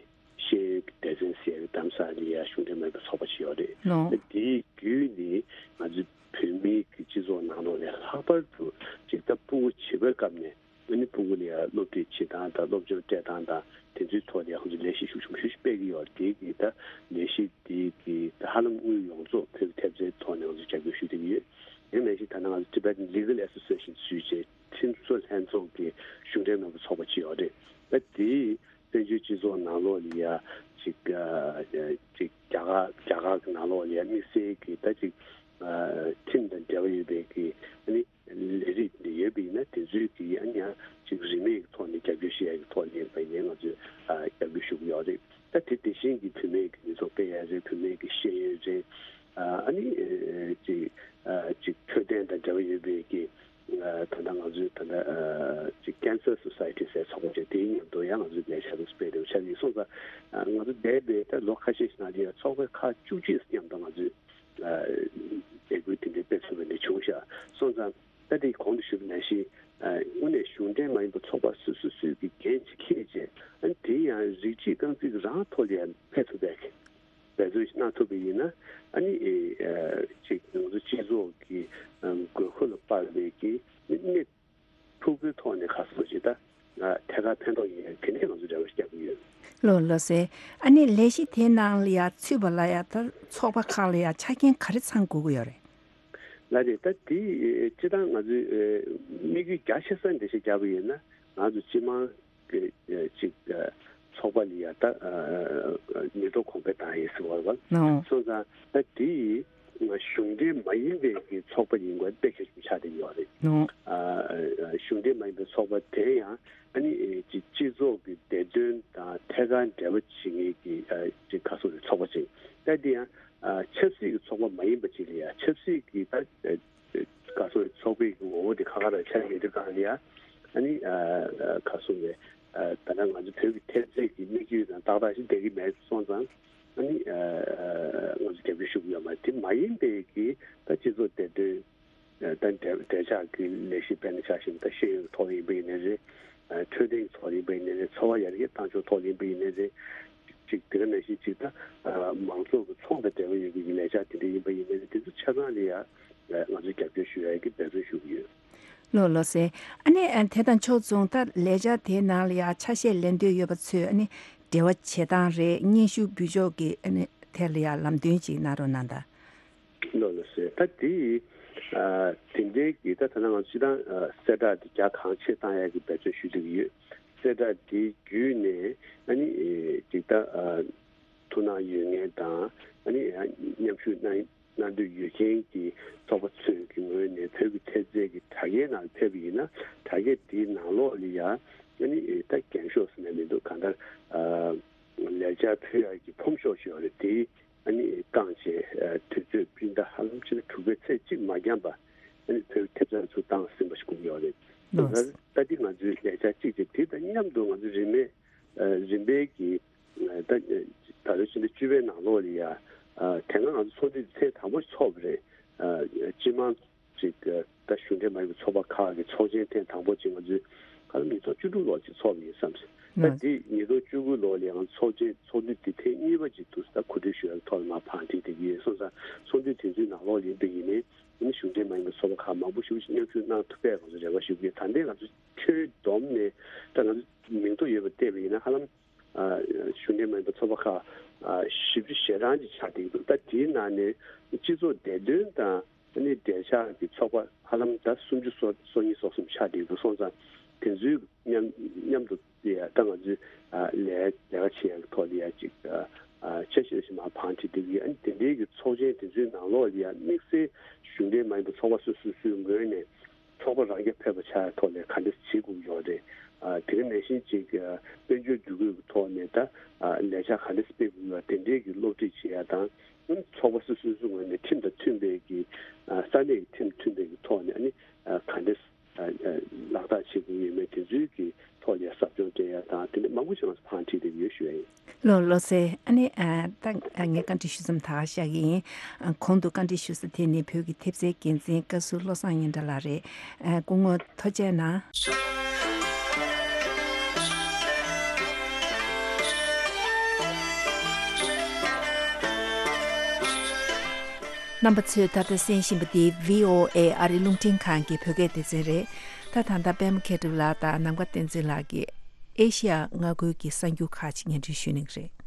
ཤེས་ཡོན་གྱི་སྡེ་ཚན་ཟེར་བའི་རྡ་རམ་ས་ལ་ཡང་གཞུང་འབྲེལ་མ་ཡིན་པའི་ཚོགས་པ་ཞིག་ཡོད་རེད། ལགས། ད་དེའི་བརྒྱུད་ནས་ང་ཚོས་བོད་མིའི་གི་སྤྱི་ཚོགས་ནང་ལོགས་ནས་ལྷག་པར་དུ་ཅིག་ད་ཕྲུ་གུ་བྱིས་པའི་སྐབས་ནས་ཨ་ནི་ཕྲུ་གུ་ལ་ཡང་སློབ་ཁྲིད་བྱེད་སྟངས་དང་སློབ་སྦྱོང་སྤྲད་སྟངས་དང་དེ་ཚོའི་ཐོག་ལ་ཡང་ང་ཚོས་ལས་གཞི་ཤུགས་ཆེན་པོ་ཞིག་སྤེལ་གྱི་ཡོད་རེད། དེ་གི་ད་ལས་གཞི་དེ་གི་ད་ཧ་ལམ་དངུལ་ཡོངས་རྫོགས་བོད་ཀྱི་ཐེབས་རྩའི་ཐོག་ནས་ང་ཚོས་རྒྱབ་སྐྱོར་ཞུ་བསྡད་ཀྱི་ཡོད། དེ་ནང་བཞིན་ད་ནང་ང་ཚོ་Tibetan Legal Association ཞུས་བྱས་ཁྲིམས་བཟོ་ལྷན་ཚོགས་ཀྱི་གཞུང་འབྲེལ་མིན་པ་ཚོགས་པ་ཅིག་ཡོད་རེད། ད་དེའི་བཙན་བྱོལ་སྤྱི་ཚོགས་ནང་ལོགས་ལ་ཡ་ཅིག་ཨ་ཅིག་རྒྱ་གར་རྒྱ་གར་གྱི་ནང་ལོགས་ལ་ཡ་དམིགས་བསལ་གྱི་ད་ཅིག་ཨ་ཁྲིམས་དང་འབྲེལ་བ་ཡོད་པའི་གི་ཨ་ནི་ལས་རིགས་འདི་ཡོད་པ་ཡིན་ན་དེ་ཚོའི་གི་ཨ་ནི་ཡང་ཅིག་རིན་མེད་ཀྱི་ཐོག་ནས་རྒྱབ་སྐྱོར་ཞུ་ཡ་གི་ཐོག་ནས་ཡིན་པ་ཡིན་ན་ང་ཚོས་ཨ་རྒྱབ་སྐྱོར་ཞུ་གི་ཡོད་རེད། ད་དེ་དེ་བཞིན་གྱི་བུད་མེད་ཀྱི་ནུས་སྟོབས་སྤེལ་ཡ་རེད། བུད་མེད་ཀྱི་ཤེས་ཡོན་རེད། ཨ་ནི་ཅིག་ཅིག་འཕྲོད་བསྟེན་དང་འབྲེལ་བ་ཡོད་པའི་གི་ད་ལྟ་ང་ཚོའི་ད་ལྟ་ཅིག་Cancer Society ཟེར་ཚོགས་པ་དེ་དེའི་མཉམ་དུ་ཡང་ང་ཚོས་ལས་འཆར་དེ་སྤེལ་དེ་ཆགས་ཡིན་སོང་ཙང་ང་ཚོ་འདས་པའི་ད་ལོ་ཁ་ཤས་ཤིག་ནང་ལ་ཡང་ཚོགས་པ་ཁག་བཅུ་གཅིག་མཉམ་དུ་ང་ཚོས་ལས་འགུལ་དེ་འདྲའི་སྤེལ་ཐུབ་པ་འདི་བྱུང་ཤག་སོང་ཙང་། ད་དེ་གོང་དུ་ཞུས་པ་ནང་བཞིན་དངོས་གནས་གཞུང་འབྲེལ་མ་ཡིན་པའི་ཚོགས་པ་སོ་སོ་སོའི་གི་འགན་ཅིག་འཁྱེར་བྱས་ཨ་ནི་དེ་ཡང་རིགས་གཅིག་རྐང་གཅིག་རང་ཐོག་ལ་ཡང་ཕེབས་ཐུབ་པའི་གི་འབད་བརྩོན་ཞིག་གནང་ཐུབ་པ་ཡིན་ན་ཨ་ནི་ཅིག་ང་ཚོ་སྤྱི་ཚོགས་ཀྱི་དགོས་མཁོ་ལ་དཔག་པའི་གི་གནས་ཕུགས་ཀྱི་ཐོག་ནས་ཁ་སོ་ཞིག་ད་ཐད་ཀར་ཕན་ཐོགས་ཡིན་ཡང་དེ་འདྲའི་ང་ཚོ་འབྲེལ་བ་ཞིག་རྒྱག་གི་ཡོད། ལགས་ལགས་སེ། ཨ་ནི་ལས་གཞི་དེའི་ནང་ལ་ཡང་ཚུད་པ་ལ་ཡང་ད་ཚོགས་པ་ཁག་ལ་ཡང་ཆ་རྐྱེན་ག་རེ་ཚང་དགོས་ཀྱི་ཡོད་རེད། ལགས་རེད། ད་དེ་སྤྱིར་བཏང་ང་ཚོའི་དམིགས་ཡུལ་རྒྱ་ཆེ་ས་འགྲེལ་བཤད་རྒྱག་པ་ཡིན་ན་ང་ཚོ་སྤྱི་དམངས་ཀྱི་ཅིག་ཚོགས་པ་ལ་ཡ་ད་ནུས་སྟོབས་གོང་འཕེལ་བཏང་ཡས་ཟེར་བ་རེད་བ། ནོ། སོང་ཙང་ད་དེ་གཞུང་འབྲེལ་མ་ཡིན་པའི་གི་ཚོགས་པ་ཡིན་དགོས་དཔེ་གལ་ཆེན་པོ་ཆགས་བསྡད་ཡོད་རེད། ནོ། གཞུང་འབྲེལ་མ་ཡིན་པའི་ཚོགས་པ་དེ་ཡང་ཨ་ནི་ཅིག་སྤྱི་ཚོགས་ཀྱི་བདེ་དོན་དང་ཐད་ཀར་འབྲེལ་བ་བྱེད་མཁན་གྱི་ཅིག་ཁ་སོ་རེད་ཚོགས་པ་ཅིག་ད་དེ་ཡང་ཆབ་སྲིད་ཀྱི་ཚོགས་པ་མ་ཡིན་པ་ཅིག་ལ་ཡ་ཆབ་སྲིད་ཀྱི་ད། ག་སོ་ཚོགས་པའི་ངོ་བོ་དེ་ཁ་ཁ་རང་ཆགས་ཡོད་དུས་གང་ལ་ཡ་ཨ་ནི་ག་སོ་རེད། ད་ལྟ་ང་ཚོ་བོད་ཀྱི་ཐེབས་རྩའི་གི་དམིགས་ཡུལ་དང་ཏག་ཏག་ཞིག་བསྡད་ཀྱི་མེད་སོང་ཙང་ཨ་ནི་ང་ཚོ་རྒྱབ་སྐྱོར་ཞུ་གི་ཡོད་མ་རེད། དེ་མ་ཡིན་པའི་གི་ད་སྤྱི་ཚོགས་བདེ་དོན་ད་འབྲེལ་འབྲེལ་ཆགས་ཀྱི་ལས་གཞི་དཔེར་ན་ཆ་བཞག་ན་ད་ཤེས་ཡོན་གྱི་ཐོག་ཡིན་པ་ཡིན་ནའི་རེད། འཕྲོད་བསྟེན་གྱི་ཐོག་ཡིན་པ་ཡིན་ནའི་རེད། འཚོ་བ་ཡར་རྒྱས་གཏང་ཕྱོགས་ཐོག་ཡིན་པ་ཡིན་ནའི་རེད། ཅིག་དེ་ག་ནང་བཞིན་ཅིག་ད་མང་ཚོགས་ཀྱི་ཚོང་དང་འབྲེལ་བ་ཡོད་པའི་ལས་འཆར་དེ་འདྲ་ཡིན་པ་ཡིན་ནའི་དེ་ཚོ་ཆ་ཚང་ལ་ཡ་ང་ཚོས་རྒྱབ་སྐྱོར་ཞུ་ཡ་གི་འབད་བརྩོན་ཞུ་གི་ཡོད། ལགས་ལགས་སེ། ཨ་ནི་དེ་དང་ཕྱོགས་མཚུངས་ད་ལས་འཆར་དེའི་ནང་ལ་ཡ་ཆ་ཤས་ལེན་འདོད་ཡོད་པ་ཚོས་ཨ་ནི་འབྲེལ་བ་བྱེད་སྟངས་རེད། སྙན་ཞུ་འབུལ་ཕྱོགས་ཀྱི་ཨ་ནི་དེ་ལ་ཡ་ལམ་སྟོན་ཅིག་གནང་རོགས་གནང་དང་། ལགས་ལགས་སེ། ད་དེ་དེ་འདྲའི་གི་ད་ད་ལྟ་ང་ཚོ་སྤྱིར་བཏང་གསལ་བསྒྲགས་དེ་རྒྱ་གང་ཆེ་བཏང་ཡ་གི་འབད་བརྩོན་ཞུ་བསྡད་ཀྱི་ཡོད། གསལ་བསྒྲགས་དེ་བརྒྱུད་ནས་ཨ་ནི་ཅིག་ད་ཐུགས་སྣང་ཡོད་མཁན་དང་ཨ་ནི་མཉམ་ཞུགས་གནང་གནང་འདོད་ཡོད་མཁན་གྱི་ཚོགས་པ་ཚོས་ཀྱི་ངོས་ནས་བོད་ཀྱི་ཐེབས་རྩའི་གི་དྲ་རྒྱའི་ནང་ཕེབས་པ་ཡིན་ན་དྲ་རྒྱ་དེའི་ནང་ལོགས་ལ་ཡ་ཨ་ནི་ད་འགེངས་ཤོག་ཟེར་ན་མི་འདུག་གང་ལྟར་ལས་འཆར་ཕུལ་ཡག་གི་ཕོམ་ཤོག་ཞིག་ཡོད་རེད། དེ་ཨ་ནི་བཀང་བྱས་དུས་ཚོད་སྤྱི་ཟླ་ཧ་ལམ་ཕྱི་ཟླ་དྲུག་པའི་ཚེས་གཅིག་མ་འགྱངས་པ་ཨ་ནི་བོད་ཀྱི་ཐེབས་རྩ་ཚུར་བཏང་ཟིན་པ་ཞིག་དགོས་ཀྱི་ཡོད་རེད། ལགས། ད་འདི་ང་ཚོའི་ལས་འཆར་གཅིག་བྱས། དེ་དང་མཉམ་དུ་ང་ཚོ་རིན་མེད་ཨ་རིམ་པས་ཀྱི་ཨ་ད་ད་ལོའི་ཕྱི་ཟླ་བཅུ་པའི་ནང་ལོགས་ལ་ཡ་ཨ་དེ་སྔ་ང་ཚོ་ཚོགས་འདུ་ཐེངས་དང་པོ་ཚོགས་པ་རེད། ཨ་སྤྱི་དམངས་ཅིག་ཨ་ད་གཞུང་འབྲེལ་མ་ཡིན་པའི་ཚོགས་པ་ཁག་གི་ཚོགས་ཆེན་ཐེངས་དང་པོ་ཅིག་ང་ཚོས་ཧ་ལམ་ཉིས་སྟོང་བཅུ་དྲུག་ལོར་ཅིག་ཚོགས་པ་ཡིན་བསམ་སོང་། ད་ལགས། འདི་ཉིས་སྟོང་བཅུ་དགུ་ལོར་ལ་ཡང་ཚོགས་ཆེན་ཚོགས་འདུ་འདི་ཐེངས་གཉིས་པ་ཅིག་འདུག་ད་གོ་སྒྲིག་ཞུ་ཡག་ཐོག་ལ་མར་བང་སྒྲིག་བྱེད་ཀྱི་ཡོད། སོང་ཙང་ཚོགས་འདུ་དེ་ཚོའི་ནང་ལོགས་ལ་ཡིན་པ་ཡིན་ནའི་ཨ་ནི་གཞུང་འབྲེལ་མ་ཡིན་པའི་ཚོགས་པ་ཁག་མང་པོ་ཞིག་མཉམ་ཞུགས་གནང་ཐུབ་པའི་ང་ཚོ་རེ་བ་ཞུ་གི་ཡོད། ད་ལྟའི་ང་ཚོ་ཁྱོན་བསྡོམས་ནས་ད་ང་ཚོ་མིང་ཐོ་ཡོད་པ་བལྟས་པ་ཡིན་ན་ཧ་ལམ་ཨ་གཞུང་འབྲེལ་མ་ཡིན་པའི་ཚོགས་པ་ཁག་ཨ་བཞི་བཅུ་ཞེ་གྲངས་ཅིག་ཆགས་བསྡད་ཀྱི་འདུག་ད་དེའི་ནང་ནས་སྤྱི་ཚོགས་བདེ་དོན་དང་ཨ་ནི་འབྲེལ་ཆགས་ཀྱི་ཚོགས་པ་ཧ་ལམ་ད་སུམ་ཅུ་སོ་སོ་གཉིས་སོ་གསུམ་ཆགས་བསྡད་ཀྱི་འདུག་སོང་ཙང་དེ་ཚོའི་མཉམ་མཉམ་དུ་ཡ་ད་ང་ཚོས་ཨ་ལས་ལས་ཀ་བྱེད་ཡག་གི་ཐོག་ལ་ཡ་ཅིག་ཨ་ཨ་འཆར་གཞི་ཞིག་མར་བང་སྒྲིག་བསྡད་ཀྱི་ཡོད། ཨ་ནི་དེ་འདྲའི་གི་ཚོགས་ཆེན་དེ་ཚོའི་ནང་ལོགས་ལ་ཡ་དམིགས་བསལ་གཞུང་འབྲེལ་མ་ཡིན་པའི་ཚོགས་པ་སོ་སོ་སོའི་ངོས་ནས་ཚོགས་པ་རང་རྐྱ་ཕེབས་པ་ཆགས་ཡག་ཐོག་ལ་ག་འདྲ་བྱེད་དགོས་ཀྱི་ཡོད་རེད། ཨ་དེ་ག་ནང་བཞིན་ཅིག་ཨ་དཔལ་འབྱོར་བསྡུ་སྒོས་ཀྱི་ཐོག་ནས་ད་ཨ་ལས་འཆར་ག་འདྲ་སྤེལ་དགོས་ཀྱི་ཡོད་དེ་འདྲའི་གི་སློབ་ཁྲིད་བྱེད་ཡག་དང་། ཨ་ནི་ཚོགས་པ་སོ་སོ་སོའི་ངོས་ནས་ཁྲིམས་དང་མཐུན་པའི་གི་ཨ་ས་གནས་ཀྱི་ཁྲིམས་མཐུན་པའི་གི་ཐོག་ནས་ཨ་ནི་ཨ་ག་འདྲ་ཨ་ཨ་ལག་བསྟར་བྱེད་དགོས་ཡོད་མེད་དེ་ཚོའི་གི་ཐོག་ལ་ཟབ་སྦྱོང་སྤྲད་ཡ་དང་དེ་འདྲ་མང་པོ་ཞིག་ང་ཚོ་བང་སྒྲིག་བསྡད་ཡོད་ཞུ་ཡ་ཡིན། ལགས་ལགས་སེ། ཨ་ནི་ཨ་ད་ཨ་ངས་བཀའ་འདྲི་ཞུ་མཚམས་ད་ག་བཞག་གི་ཡིན། ཨ་གོང་དུ་བཀའ་འདྲི་ཞུ་ས་དེ་ནི་བོད་ཀྱི་ཐེབས་རྩའི་འགན་འཛིན་བཀའ་ཟུར་བློ་བཟང་སྙན་གྲགས་ལགས་རེད། ཨ་སྐུ་ངོ་ཐུགས་རྗེ་གནང་། རྣམ་པ་ཚོས་ད་ལྟ་གསན་བཞིན་པ་འདི་བྷི་ཨོ་ཨེ་ཨ་རི་རླུང་འཕྲིན་ཁང་གི་བོད་སྐད་སྡེ་ཚན་རེད། ད་ད་ལྟ་པད་མ་མཁས་གྲུབ་ལགས་དང་ནམ་མཁའ་བསྟན་འཛིན་ལགས་ཀྱིས་ཨེ་ཤི་ཡ་མངའ་ཁུལ་གྱི་གསར་འགྱུར་ཁག་ཅིག་སྙན་སྒྲོན་ཞུ་གནང་གི་རེད།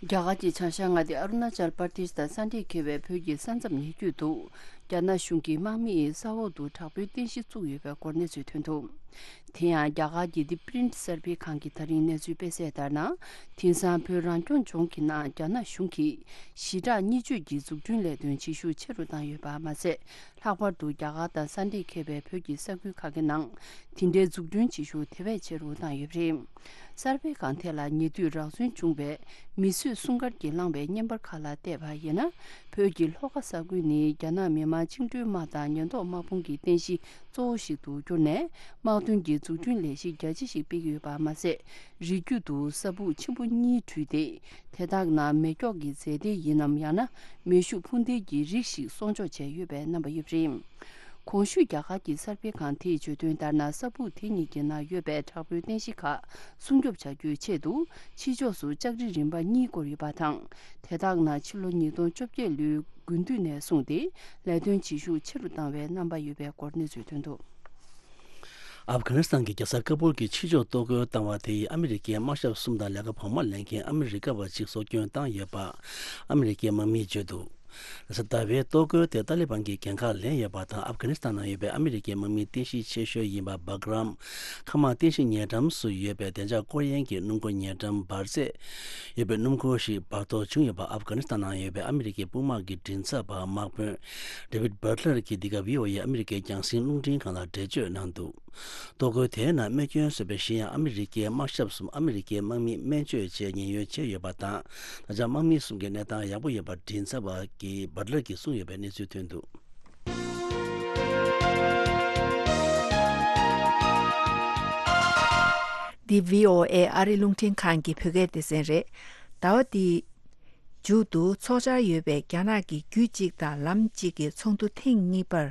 རྒྱ་གར་གྱི་བྱང་ཤར་མངའ་སྡེ་ཨ་རུ་ན་ཅལ་པར་དེཤ་དང་ས་འདྲེས་ཁེལ་བའི་བོད་ཀྱི་ས་མཚམས་ཉེ་བརྒྱུད་དུ། རྒྱ་ནག་གཞུང་གིས་དམག་མིས་ས་འོག་ཏུ་དྲག་པོའི་རྟེན་གཞི་བཙུགས་ཡོད་པའི་སྐོར་གནས་ཚུལ་ཐོན་འདུག་དེ་ཡང་རྒྱ་གར་གྱི་The Print་གསར་སྤེལ་ཁང་གིས་ད་རིང་གནས་ཚུལ་སྤེལ་གསལ་ལྟར་ན། དེང་སང་བོད་རང་སྐྱོང་ལྗོངས་ཀྱི་ནང་རྒྱ་ནག་གཞུང་གིས་ཞི་དྲག་གཉིས་བརྗོད་ཀྱི་འཛུགས་སྐྲུན་ལས་དོན་བྱེད་ཤུགས་ཆེ་རུ་བཏང་ཡོད་པ་མ་ཟད། ལྷག་པར་དུ་རྒྱ་གར་དང་ས་འདྲེས་ཁེལ་བའི་བོད་ཀྱི་ས་ཁུལ་ཁག་གི་ནང་དེ་འདྲའི་འཛུགས་སྐྲུན་བྱེད་ཤུགས་དེ་བས་ཆེ་རུ་བཏང་ཡོད་པ་རེད། གསར་སྤེལ་ཁང་དེ་ལ་ཉེ་དུས་རགས་ཚུན་བྱུང་བའི་མིས་བཟོས་སྲུང་སྐར་གྱིས་བསླངས་པའི་བརྙན་པར་ཁག་ལ་བལྟས་པ་ཡིན་ན། བོད་ཀྱི་ལྷོ་ཁ་ས་ཁུལ་ནི་རྒྱ་ནག་མི་དམངས་བཅིངས་འགྲོལ་དམག་དང་ཉེན་རྟོག་དམག་དཔུང་གི་རྟེན་གཞི་གཙོ་བོ་ཞིག་ཏུ་གྱུར་ནས། དམག་དོན་གྱི་འཛུགས་སྐྲུན་ལས་གཞི་རྒྱ་ཆེ་ཞིག་སྤེལ་གྱི་ཡོད་པ་མ་ཟད། རི་རྒྱུད་དུ་ས་སྦུག་ཆེན་པོ་གཉིས་བྲུས་ཏེ། དེ་དག་ནང་མེ་སྒྱོགས་ཀྱི་རྫས་མདེལ་ཡིན་ནམ། ཡང་ན་མེ་ཤུགས་འཕུར་མདེལ་གྱི་རིགས་ཤིག་སྲུང་སྐྱོབ་བྱས་ཡོད་པའི་རྣམ་པ་ཡོད་པ་རེད། གོང་ཞུས་རྒྱ་གར་གྱི་གསར་སྤེལ་ཁང་དེས་བརྗོད་དོན་ལྟར་ན། ས་སྦུག་དེ་གཉིས་ཀྱི་ནང་ཡོད་པའི་དྲག་པོའི་རྟེན་གཞི་ཁག་སྲུང་སྐྱོབ་བྱ་རྒྱུའི་ཆེད་དུ་ཕྱི་ཕྱོགས་སུ་ལྕགས་རི་རིམ་པ་གཉིས་བསྐོར་ཡོད་པ་དང་། དེ་དག་ནང་ཕྱི་ལོ་ཉིས་སྟོང་བཅོ་བརྒྱད་ལོའི་དགུན་དུས་ནས་བཟུང་སྟེ་ལས་དོན་བྱེད་ཤུགས་ཆེ་རུ་བཏང་བའི་རྣམ་པ་ཡོད་པའི་སྐོར་གནས་ཚུལ་ཐོན་འདུག་ཨབ་གྷ་ནི་སི་ཐན་གྱི་རྒྱལ་ས་ཀ་བུལ་གྱི་ཕྱི་ཕྱོགས་གཏོར་རྒོལ་བཏང་བ་དེ་ཡིས་ཨ་མི་རི་ཀའི་དམག་ཞབས་གསུམ་དང་ལས་ཀ་བར་མ་ལེན་མཁན་ཨ་མི་རི་ཀ་བ་གཅིག་སྲོག་སྐྱོན་བཏང་ཡོད་པ་ཨ་མི་རི་ཀའི་དམག་མིས་བརྗོད་འདུག་ལྷ་ས་ཟླ་བའི་གཏོར་རྒོལ་དེ་ཏཱ་ལི་བན་གྱིས་འགན་ཁག་ལེན་ཡོད་པ་དང་། ཨབ་གྷ་ནི་སི་ཐན་ནང་ཡོད་པའི་ཨ་མི་རི་ཀའི་དམག་མི་རྟེན་གཞི་ཆེ་ཤོས་ཡིན་པ་སྦག་རམ་མཁའ་དམག་རྟེན་གཞི་ཉེ་འགྲམ་སུ་ཡོད་པའི་བདེ་འཇགས་སྐོར་གཡེང་གི་སྣུམ་འཁོར་ཉེ་འགྲམ་འབར་རྫས་ཡོད་པའི་སྣུམ་འཁོར་ཞིག་འབར་གཏོར་བྱུང་ཡོད་པ་ཨབ་གྷ་ནི་སི་ཐན་ནང་ཡོད་པའི་ཨ་མི་རི་ཀའི་དཔུང་དམག་གི་མགྲིན་ཚབ་པ་དམག་དཔོན་David Butler་གྱིས་འདི་ག་བྷི་ཨོ་ཨེ་ཨ་མི་རི་ཀའི་རྒྱང་སྲིང་རླུང་འཕྲིན་ཁང་ལ་འགྲེལ་བརྗོད་གནང་འདུག་གཏོར་རྒོལ་དེའི་ནང་རྨས་སྐྱོན་བཟོས་པའི་གཞན་ཡང་ཨ་མི་རི་ཀའི་དམག་ཞབས་གསུམ་ཨ་མི་རི་ཀའི་དམག་མིས་སྨན་བཅོས་བྱས་ཉེན་གཡོལ་བྱས་ཡོད་པ་དང་། ད་ཆ་དམག་མི་གསུམ་གྱི་གནས་སྟངས་ཡག་པོ་ཡོད་པ་མགྲིན་ཚབ་པ་གིས་Butler་གྱིས་གསུངས་ཡོད་པའི་གནས་ཚུལ་ཐོན་འདུག་འདི་བྷི་ཨོ་ཨེ་ཨ་རི་རླུང་འཕྲིན་ཁང་གི་བོད་སྐད་སྡེ་ཚན་རེད། ཟླ་བ་འདིའི་མཇུག་ཏུ་འཚོགས་འཆར་ཡོད་པའི་རྒྱ་ནག་གི་རྒྱུད་གཅིག་དང་ལམ་གཅིག་གི་ཚོགས་འདུ་ཐེངས་གཉིས་པར་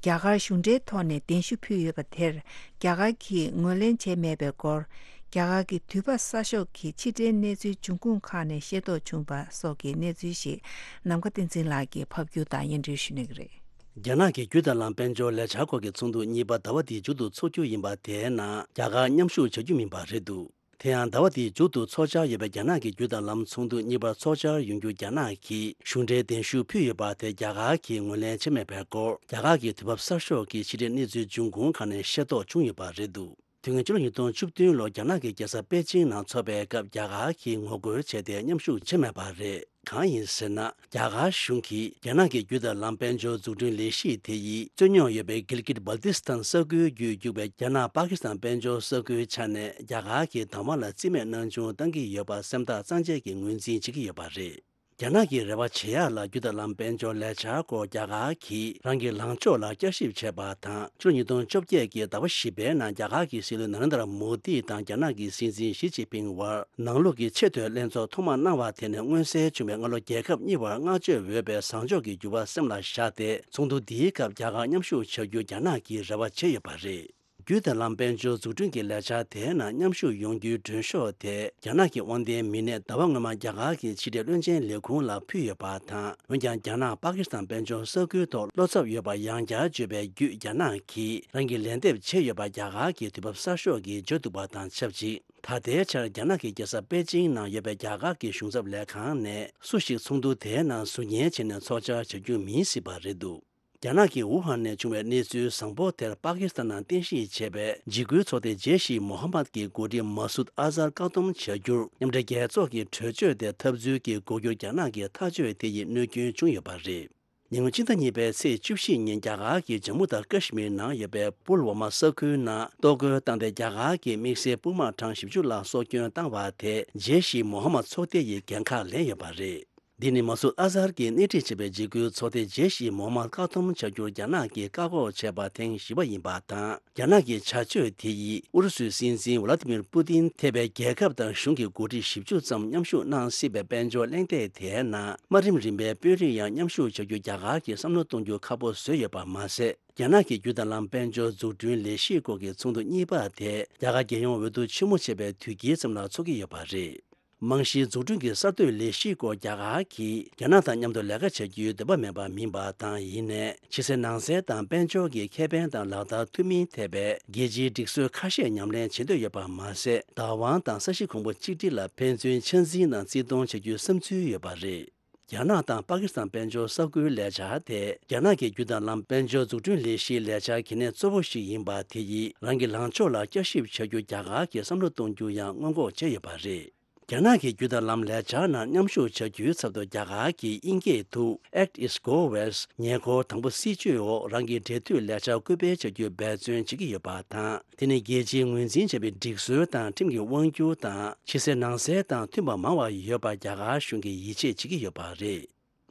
རྒྱ་གར་གཞུང་འབྲེལ་ཐོག་ནས་གདན་ཞུ་ཕུལ་ཡོད་པ་དེར་རྒྱ་གར་གྱིས་ངོས་ལེན་བྱས་མེད་པའི་སྐོར། རྒྱ་གར་གྱི་དུས་བབ་གསར་ཤོག་གི་ཕྱི་འབྲེལ་གནས་ཚུལ་འབྱུང་ཁུངས་ཁག་ནས་ཤེས་རྟོགས་བྱུང་བ་སོགས་ཀྱི་གནས་ཚུལ་ཞིག་ནམ་མཁའ་བསྟན་འཛིན་ལགས་ཀྱིས་ཕབ་སྒྱུར་དང་སྙན་སྒྲོན་ཞུ་གནང་གི་རེད། རྒྱ་ནག་གི་རྒྱུ་དང་ལམ་དཔལ་འབྱོར་ལས་འཆར་སྐོར་གྱི་ཚོགས་འདུ་གཉིས་པ་ཟླ་བ་འདིའི་མཇུག་ཏུ་འཚོགས་རྒྱུ་ཡིན་པ་དེའི་ནང་རྒྱ་གར་མཉམ་ཞུགས་བྱ་རྒྱུ་མིན་པ་རེད་འདུག་དེ་ཡང་ཟླ་བ་འདིའི་མཇུག་ཏུ་འཚོགས་འཆར་ཡོད་པའི་རྒྱ་ནག་གི་རྒྱུ་དང་ལམ་ཚོགས་འདུ་གཉིས་པར་འཚོགས་འཆར་ཡོང་རྒྱུ་རྒྱ་ནག་གིས་གཞུང་འབྲེལ་གདན་ཞུ་ཕུལ་ཡོད་པ་དེ་རྒྱ་གར་གྱིས་ངོས་ལེན་བྱས་མེད་པའི་སྐོར། རྒྱ་གར་གྱི་དུས་བབ་གསར་ཤོག་གི་ཕྱི་འབྲེལ་གནས་ཚུལ་འབྱུང་ཁུངས་ཁག་ནས་ཤེས་རྟོགས་བྱུང་ཡོད་པ་རེད་འདུག་དུས་ངན་ཕྱི་ལོ་ཉིས་སྟོང་བཅུ་བདུན་ལོར་རྒྱ་ནག་གི་རྒྱལ་ས་པེ་ཅིང་ནང་འཚོགས་པའི་སྐབས་རྒྱ་གར་གྱིས་ངོ་རྒོལ་བྱས་ཏེ་མཉམ་ཞུགས་བྱས་མེད་པ་རེད། གང་ཡིན་ཟེར་ན། རྒྱ་གར་གཞུང་གིས་རྒྱ་ནག་གི་རྒྱུ་དང་ལམ་དཔལ་འབྱོར་འཛུགས་སྐྲུན་ལས་གཞི་དེ་ཡིས་རྩོད་རྙོག་ཡོད་པའི་གིལ་གིད་སྦལ་ཏི་སི་ཐན་ས་ཁུལ་བརྒྱུད་རྒྱུག་པའི་རྒྱ་ནག་པ་ཀི་སི་ཐན་དཔལ་འབྱོར་ས་ཁུལ་ཆ་ནས་རྒྱ་གར་གྱི་དང་བ་ལ་རྩིས་མེད་གནང་ཆུང་བཏང་གི་ཡོད་པ་སེམས་ཐག་གཙང་བཅད་ཀྱིས་ངོས་འཛིན་བྱེད་ཀྱི་ཡོད་པ་རེད། རྒྱ་ནག་གི་རེ་བ་བྱེད་ཡག་ལ་རྒྱུ་དང་ལམ་དཔལ་འབྱོར་ལས་འཆར་སྐོར་རྒྱ་གར་གྱིས་རང་གི་ལངས་ཕྱོགས་ལ་བསྐྱར་ཞིབ་བྱས་པ་དང་། ཕྱི་ལོ་ཉིས་སྟོང་བཅོ་བརྒྱད་ཀྱི་ཟླ་བ་བཞི་པའི་ནང་རྒྱ་གར་གྱི་སྲིད་བློན་ནཱ་རེན་དྲ་མོ་དི་དང་རྒྱ་ནག་གི་སྲིད་འཛིན་ཞི་ཅིན་ཕིང་བར་ནང་ལོགས་ཀྱི་ཆེས་མཐོའི་ལྷན་ཚོགས་ཐོག་མ་གནང་བ་དེ་ནས་མངོན་གསལ་བྱུང་བའི་སྔ་ལོ། རྒྱལ་ཁབ་གཉིས་བར་བསྔགས་བརྗོད་འོས་པའི་བཟང་ཕྱོགས་ཀྱི་འགྱུར་བ་སེམས་ལ་བཞག་སྟེ། ཚོགས་འདུ་འདིའི་སྐབས་རྒྱ་གར་མཉམ་ཞུགས་བྱ་རྒྱུ་རྒྱ་ནག་གིས་རེ་བ་བྱས་ཡོད་པ་རེད། རྒྱུ་དང་ལམ་དཔལ་འབྱོར་འཛུགས་སྐྲུན་གྱི་ལས་འཆར་དེའི་ནང་མཉམ་ཞུགས་ཡོང་རྒྱུའི་མགྲོན་ཤོག་དེ་རྒྱ་ནག་གི་དབང་ལྡན་མི་སྣས་ཟླ་བ་སྔོན་མ་རྒྱ་གར་གྱི་ཕྱི་དྲིལ་བློན་ཆེན་ལས་ཁུངས་ལ་ཕུལ་ཡོད་པ་དང་། འོན་ཀྱང་རྒྱ་ནག་པ་ཀི་སི་ཐན་དཔལ་འབྱོར་ས་ཁུལ་ཐོག་བློ་འཚབ་ཡོད་པ་ཡང་བསྐྱར་བརྗོད་པའི་བརྒྱུད། རྒྱ་ནག་གིས་རང་གི་ལན་འདེབས་བྱས་ཡོད་པ་རྒྱ་གར་གྱིས་དུས་བབ་གསར་ཤོག་གིས་བརྗོད་འདུག་པ་དང་ཆབས་ཅིག་ད་ལྟའི་ཆར་རྒྱ་ནག་གི་རྒྱལ་ས་པེ་ཅིང་ནང་ཡོད་པའི་རྒྱ་གར་གྱི་གཞུང་ཚབ་ལས་ཁང་ནས་སུ་ཞིག་ཚོགས་འདུ་དེའི་ནང་ཟུར་ཉན་བྱས་ནས་ཚོགས་བཅར་བྱ་རྒྱུ་མིན་སྲིད་པ་རེད་འདུག་རྒྱ་ནག་གི་ཝུ་ཧན་ནས་བྱུང་བའི་གནས་ཚུལ་བཟང་པོ་དེར་པ་ཀི་སི་ཐན་ནང་རྟེན་གཞི་བྱས་པའི་འཇིགས་སྐུལ་ཚོགས་སྡེ་ཇེ་ཤི་མོ་ཧ་མད་ཀྱི་འགོ་ཁྲིད་མ་སུད་ཨ་ཛར་བཀག་སྡོམ་བྱ་རྒྱུར་མཉམ་འབྲེལ་རྒྱལ་ཚོགས་ཀྱི་གྲོས་ཆོད་དེ་འཐབ་རྩོད་ཀྱི་འགོག་རྒྱུར་རྒྱ་ནག་གི་ཐག་གཅོད་དེ་ཡིས་གནོད་སྐྱོན་བྱུང་ཡོད་པ་རེད། ཉེ་སྔོན་ཕྱི་ཟླ་གཉིས་པའི་ཚེས་བཅུ་བཞི་ཉིན་རྒྱ་གར་གྱི་ཇམ་མུ་དང་ཀ་ཤི་མིར་ནང་ཡོད་པའི་པུལ་ཝ་མ་ས་ཁུལ་ནང་གཏོར་རྒོལ་བཏང་སྟེ། རྒྱ་གར་གྱི་དམིགས་བསལ་དཔུང་དམག་གྲངས་བཞི་བཅུ་ལ་སྲོག་སྐྱོན་བཏང་བ་དེ་ཇེ་ཤི་མོ་ཧ་མད་ཚོགས་སྡེ་ཡིས་འགན་ཁག་ལེན་ཡོད་པ་རེད། འདི་ནི་མ་སུད་ཨ་ཛར་གྱིས་སྣེ་ཁྲིད་བྱས་པའི་འཇིགས་སྐུལ་ཚོགས་སྡེ་ཇེ་ཤི་མོ་ཧ་མད་བཀག་སྡོམ་བྱ་རྒྱུར་རྒྱ་ནག་གིས་བཀག་འགོག་བྱས་པ་ཐེངས་བཞི་པ་ཡིན་པ་དང་། རྒྱ་ནག་གི་བྱ་སྤྱོད་དེ་ཡིས་ཨུ་རུ་སུའི་སྲིད་འཛིན་ཝ་ལ་ཏི་མིར་པུ་ཏིན་ཐེ་བའི་རྒྱལ་ཁབ་དང་གཞུང་གི་འགོ་ཁྲིད་བཞི་བཅུ་ཙམ་མཉམ་ཞུགས་གནང་སྲིད་པའི་དཔལ་འབྱོར་གླེང་སྟེགས་དེའི་ནང་དམའ་རིམ་རིམ་པའི་དཔོན་རིགས་ཡང་མཉམ་ཞུགས་བྱ་རྒྱུ་རྒྱ་གར་གྱིས་བསམ་བློ་གཏོང་རྒྱུ་ཁག་པོ་བཟོས་ཡོད་པ་མ་ཟད། རྒྱ་ནག་གི་རྒྱུ་དང་ལམ་དཔལ་འབྱོར་འཛུགས་སྐྲུན་ལས་གཞིའི་སྐོར་གྱི་ཚོགས་འདུ་གཉིས་པ་དེ་རྒྱ་གར་རྒྱལ་ཡོངས་འོས་བསྡུ་ཆེན་མོ་བྱས་པའི་དུས་དཀྱིལ་ཙམ་ལ་འཚོགས་ཀྱི་ཡོད་པ་རེད། རྨང་གཞིའི་འཛུགས་སྐྲུན་གྱི་གསར་གཏོད་ལས་གཞིའི་སྐོར་རྒྱ་གར་གྱིས་རྒྱ་ནག་དང་མཉམ་དུ་ལས་ཀ་བྱ་རྒྱུའི་འདོད་པ་མེད་པ་མིན་པ་དང་། ཡིན་ནའི་ཕྱི་གསལ་ནང་གསལ་དང་དཔལ་འབྱོར་གྱི་ཁེ་ཕན་དང་ལག་བསྟར་ཐུབ་མིན་ཐད་པའི་རྒྱལ་སྤྱིའི་སྒྲིག་སྲོལ་ཁ་ཤས་ཉམས་ལེན་བྱེད་འདོད་ཡོད་པ་མ་ཟད། བདག་དབང་དང་ས་གཞི་གོང་བུ་གཅིག་སྒྲིལ་ལ་ཕན་ཚུན་ཆ་འཛིན་དང་བརྩི་མཐོང་བྱ་རྒྱུའི་བསམ་ཚུལ་ཡོད་པ་རེད། རྒྱ་ནག་དང་པ་ཀི་སི་ཐན་དཔལ་འབྱོར་ས་ཁུལ་ལས་འཆར་དེ་རྒྱ་ནག་གི་རྒྱུ་དང་ལམ་དཔལ་འབྱོར་འཛུགས་སྐྲུན་ལས་གཞིའི་ལས་འཆར་གལ་གནད་གཙོ་བོ་ཞིག་ཡིན་པ་དེ་ཡིས་རང་གི་ལངས་ཕྱོགས་ལ་བསྐྱར་ཞིབ་བྱ་རྒྱུ་རྒྱ་གར་གྱིས་བསམ་བློ་གཏོང་རྒྱུ་ཡང་སྔོན་འགོག་བྱས་ཡོད་པ་རེད། རྒྱ་ནག་གི་རྒྱུ་དང་ལམ་ལས་འཆར་ནང་མཉམ་ཞུགས་བྱ་རྒྱུའི་ཚབ་ཏུ་རྒྱ་གར་གྱིས་དབྱིན་སྐད་དུ་Act East Go West ཉེ་འཁོར་དང་པོ་སྲིད་བྱུས་འོག་རང་གི་འབྲེལ་མཐུད་ལས་འཆར་སྐུལ་སྤེལ་བྱ་རྒྱུའི་འབད་བརྩོན་བྱེད་ཀྱི་ཡོད་པ་དང་། དེ་ནི་རྒྱལ་སྤྱིའི་ངོས་འཛིན་བྱས་པའི་སྒྲིག་སྲོལ་དང་ཁྲིམས་ཀྱི་དབང་སྒྱུར་དང་ཕྱི་གསལ་ནང་གསལ་དང་མཐུན་པ་མང་བ་ཡོད་པར་རྒྱ་གར་གཞུང་གིས་ཡིད་ཆེས་བྱེད་ཀྱི་ཡོད་པ་རེད།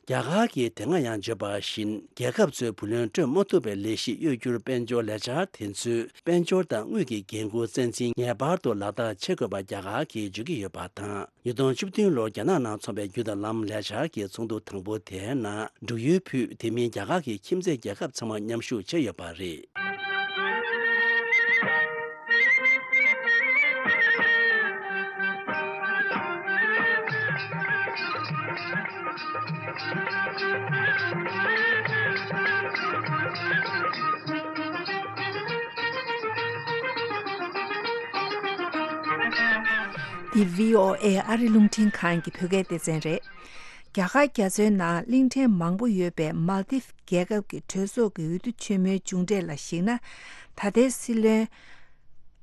རྒྱ་གར་གྱིས་དེ་སྔ་ཡང་བརྗོད་པ་བཞིན། རྒྱལ་ཁབ་ཚོས་བུ་ལོན་སྤྲོད་མ་ཐུབ་པའི་ལས་གཞི་གཡོ་སྒྱུར་དཔལ་འབྱོར་ལས་འཆར་དེ་ཚོས་དཔལ་འབྱོར་དང་དངུལ་གྱི་འགན་འཁུར་རྩ་འཛིན་ངེས་པར་དུ་ལག་བསྟར་བྱེད་དགོས་པ་རྒྱ་གར་གྱིས་བརྗོད་ཀྱི་ཡོད་པ་དང་། ཉིས་སྟོང་བཅུ་བདུན་ལོར་རྒྱ་ནག་ནང་འཚོགས་པའི་རྒྱུ་དང་ལམ་ལས་འཆར་གྱི་ཚོགས་འདུ་དང་པོ་དེའི་ནང་འབྲུག་ཡུལ་ཕུད་དེ་མིན་རྒྱ་གར་གྱི་ཁྱིམ་མཚེས་རྒྱལ་ཁབ་ཚང་མ་མཉམ་ཞུགས་བྱས་ཡོད་པ་རེད། འདི་བྷི་ཨོ་ཨེ་ཨ་རི་རླུང་འཕྲིན་ཁང་གི་བོད་སྐད་སྡེ་ཚན་རེད། རྒྱ་གར་རྒྱ་མཚོའི་ནང་གླིང་ཕྲན་མང་པོ་ཡོད་པའི་མཱལ་དིབ་རྒྱལ་ཁབ་ཀྱི་གྲོས་ཚོགས་ཀྱི་འོས་བསྡུ་ཆེན་མོའི་མཇུག་འབྲས་ལ་གཞིགས་ན། ད་ལྟའི་སྲིད་བློན་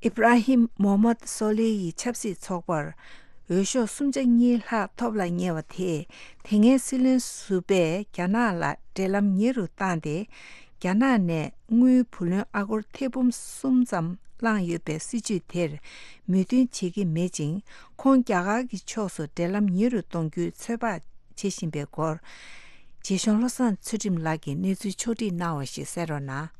ཨི་བྷ་ར་ཧིམ་མོ་ཧམ་མད་སོ་ལི་ཡི་ཆབ་སྲིད་ཚོགས་པར་འོས་ཤོག་སུམ་ཆ་གཉིས་ལྷག་ཐོབ་ལ་ཉེ་བ་དེས། དེ་སྔའི་སྲིད་བློན་ཟུར་པས་རྒྱ་ནག་ལ་འབྲེལ་ལམ་ཉེ་རུ་བཏང་སྟེ། རྒྱ་ནག་ནས་དངུལ་བུ་ལོན་ཨ་སྒོར་ཐེར་འབུམ་གསུམ་ཙམ་བླངས་ཡོད་པའི་སྲིད་ཇུས་དེར་མོས་མཐུན་བྱེད་ཀྱི་མེད་ཅིང་། ཁོང་རྒྱ་གར་གྱི་ཕྱོགས་སུ་འབྲེལ་ལམ་ཉེ་རུ་གཏོང་རྒྱུའི་ཚོད་དཔག་བྱེད་བཞིན་པའི་སྐོར། རྗེ་གཞུང་བློ་བཟང་ཚུལ་ཁྲིམས་ལགས་ཀྱིས་གནས་ཚུལ་ཕྱོགས་བསྒྲིགས་གནང་བ་ཞིག་གསན་རོགས་གནང་།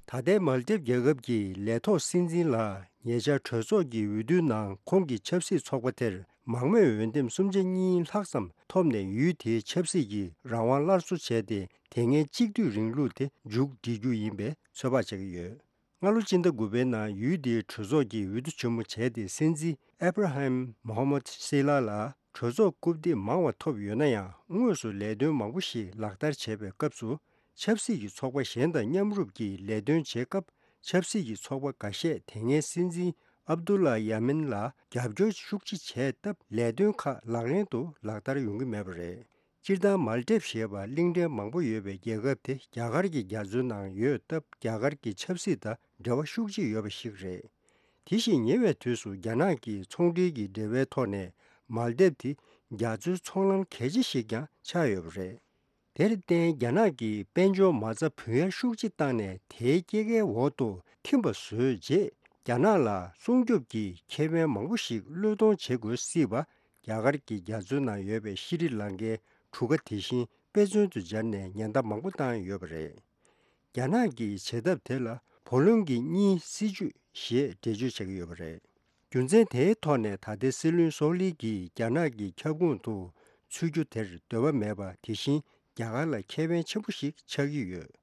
ད་ལྟའི་མཱལ་དིབ་རྒྱལ་ཁབ་ཀྱི་ལས་ཐོག་སྲིད་འཛིན་ལ་ཉེ་ཆར་གྲོས་ཚོགས་ཀྱི་འོས་བསྡུའི་ནང་ཁོང་གི་ཆབ་སྲིད་ཚོགས་པ་དེར་མང་མོས་འོས་འདེམས་སུམ་ཆ་གཉིས་ལྷག་ཙམ་ཐོབ་ནས། ཡུལ་དེའི་ཆབ་སྲིད་ཀྱི་རང་དབང་སླར་གསོ་བྱས་ཏེ། དེ་སྔའི་གཅིག་སྡུད་རིང་ལུགས་དེ་མཇུག་སྒྲིལ་རྒྱུ་ཡིན་པའི་ཚོད་དཔག་བྱེད་ཀྱི་ཡོད། སྔ་ལོ་སྤྱི་ཟླ་དགུ་པའི་ནང་ཡུལ་དེའི་གྲོས་ཚོགས་ཀྱིས་འོས་བསྡུ་ཆེན་མོ་བྱས་ཏེ། སྲིད་འཛིན་ཨེབ་ར་ཧམ་མོ་ཧམ་མད་སི་ལ་ལ་གྲོས་ཚོགས་རྐུབ་སྟེགས་མང་བ་ཐོབ་ཡོད་ན་ཡང་། དངོས་སུ་ལས་དོན་མང་པོ་ཞིག་ལག་བསྟར་བྱས་པའི་སྐབས་སུ། ཆབ་སྲིད་ཀྱི་ཚོགས་པ་གཞན་དང་མཉམ་རུབ་ཀྱིས་ལས་དོན་བྱེད་སྐབས། ཆབ་སྲིད་ཀྱི་ཚོགས་པ་འགའ་ཤས་དེ་སྔའི་སྲིད་འཛིན་ཨབ་དུ་ལ་ཡ་མིན་ལ་རྒྱབ་སྐྱོར་ཤུགས་ཆེ་བྱས་སྟབས། ལས་དོན་ཁག་ལག་ལེན་དུ་ལག་བསྟར་ཡོང་གི་མེད་པ་རེད། སྤྱིར་བཏང་མཱལ་ཏིབ་ཞེས་པ་གླིང་ཕྲན་མང་པོ་ཡོད་པའི་རྒྱལ་ཁབ་དེ་རྒྱ་གར་གྱི་རྒྱ་མཚོའི་ནང་ཡོད་སྟབས། རྒྱ་གར་གྱི་ཆབ་སྲིད་དང་འབྲེལ་བ་ཤུགས་ཆེ་ཡོད་པ་ཞིག་རེད། དེ་བཞིན་ཉེ་བའི་དུས་སུ་རྒྱ་ནག་གིས་ཚོང་འབྲེལ་གྱི་འབྲེལ་བའི་ཐོག་ནས་མཱལ་ཏིབ་དེ་རྒྱ་མཚོའི་ཚོང་ལམ་གལ་ཆེ་ཞིག་ཀྱང་ཆགས་ཡོད་པ་རེད། དེར་བརྟེན། རྒྱ་ནག་གིས་དཔལ་འབྱོར་མ་རྩ་བུན་གཡར་ཤུགས་ཆེ་བཏང་ནས། དེའི་སྐྱེད་ཀའི་འོག་ཏུ་ཐིམ་པ་བཟོས་རྗེས། རྒྱ་ནག་ལ་སྲུང་སྐྱོབ་ཀྱི་ཁེ་ཕན་མང་པོ་ཞིག་བློས་གཏོང་བྱེད་དགོས་སྲིད་པ། རྒྱ་གར་གྱི་རྒྱ་མཚོའི་ནང་ཡོད་པའི་ཤྲི་ལང་ཀའི་ གྲུ་ཁ་དེ་བཞིན་དཔེ་མཚོན་དུ་སྦྱར་ནས་ཉེན་བརྡ་མང་པོ་བཏང་ཡོད་པ་རེད། རྒྱ་ནག་གིས་བྱེད་ཐབས་དེ་ལ་བུ་ལོན་གྱི་གཉིས་སྲིད་ཇུས་ཞེས་འགྲེལ་བརྗོད་བྱེད་ཀྱི་ཡོད་པ་རེད། རྒྱུ་མཚན་དེའི་ཐོག་ནས་ད་ལྟའི་སྲིད་བློན་སོག་ལི་གིས་རྒྱ་ནག་གི་ཁྱབ་ཁོངས་དུ་ཚུད་རྒྱུ་དེར་འདོད་པ་མེད་པ་དེ་བཞིན་རྒྱ་གར་ལ་ཁེ་ཕན་ཆེན་པོ་ཞིག་ཆགས་ཀྱི་ཡོད།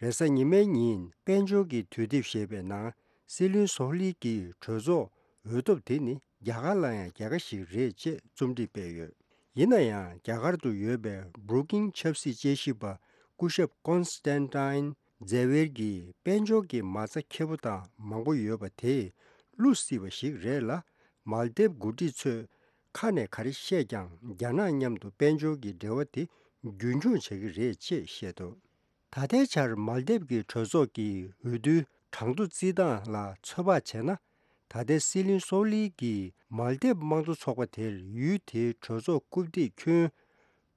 རེས་གཟའ་ཉི་མའི་ཉིན་དཔལ་འབྱོར་གྱི་དུས་དེབ་ཞེས་པའི་ནང་སྲིད་བློན་སོག་ལི་གིས་གྲོས་ཚོགས་འོས་ཐོབ་དེ་ནི་རྒྱ་གར་ལ་ཡང་རྒྱལ་ཁ་ཞིག་རེད་ཅེས་རྩོམ་སྒྲིག་སྤེལ་ཡོད། ཡིན་ན་ཡང་རྒྱ་གར་དུ་ཡོད་པའི་Brookings་ཆབ་སྲིད་དཔྱད་ཞིབ་པ་སྐུ་ཞབས་Constantine Xavier་གྱིས་དཔལ་འབྱོར་གྱི་མ་རྩ་ཁེ་པོ་དང་མང་པོ་ཡོད་པ་དེས་བསླུ་སྲིད་པ་ཞིག་རེད་ལ། མཱལ་དིབ་འགོ་ཁྲིད་ཚོས་ཁ་ནས་ག་རེ་བཤད་ཀྱང་རྒྱ་ནག་མཉམ་དུ་དཔལ་འབྱོར་གྱི་འབྲེལ་བ་དེ་རྒྱུན་འཁྱོངས་བྱ་གི་རེད་ཅེས་བཤད་འདུག་ད་ལྟའི་ཆར་མཱལ་དིབ་ཀྱི་གྲོས་ཚོགས་ཀྱི་འོས་བསྡུའི་གྲངས་ཐོ་རྩིས་སྟངས་ལ་ཚོད་དཔག་བྱས་ན། ད་ལྟའི་སྲིད་བློན་སོག་ལི་གིས་མཱལ་དིབ་དམངས་གཙོ་ཚོགས་པ་དེར་ཡུལ་དེའི་གྲོས་ཚོགས་རྐུབ་སྟེགས་ཁྱོན་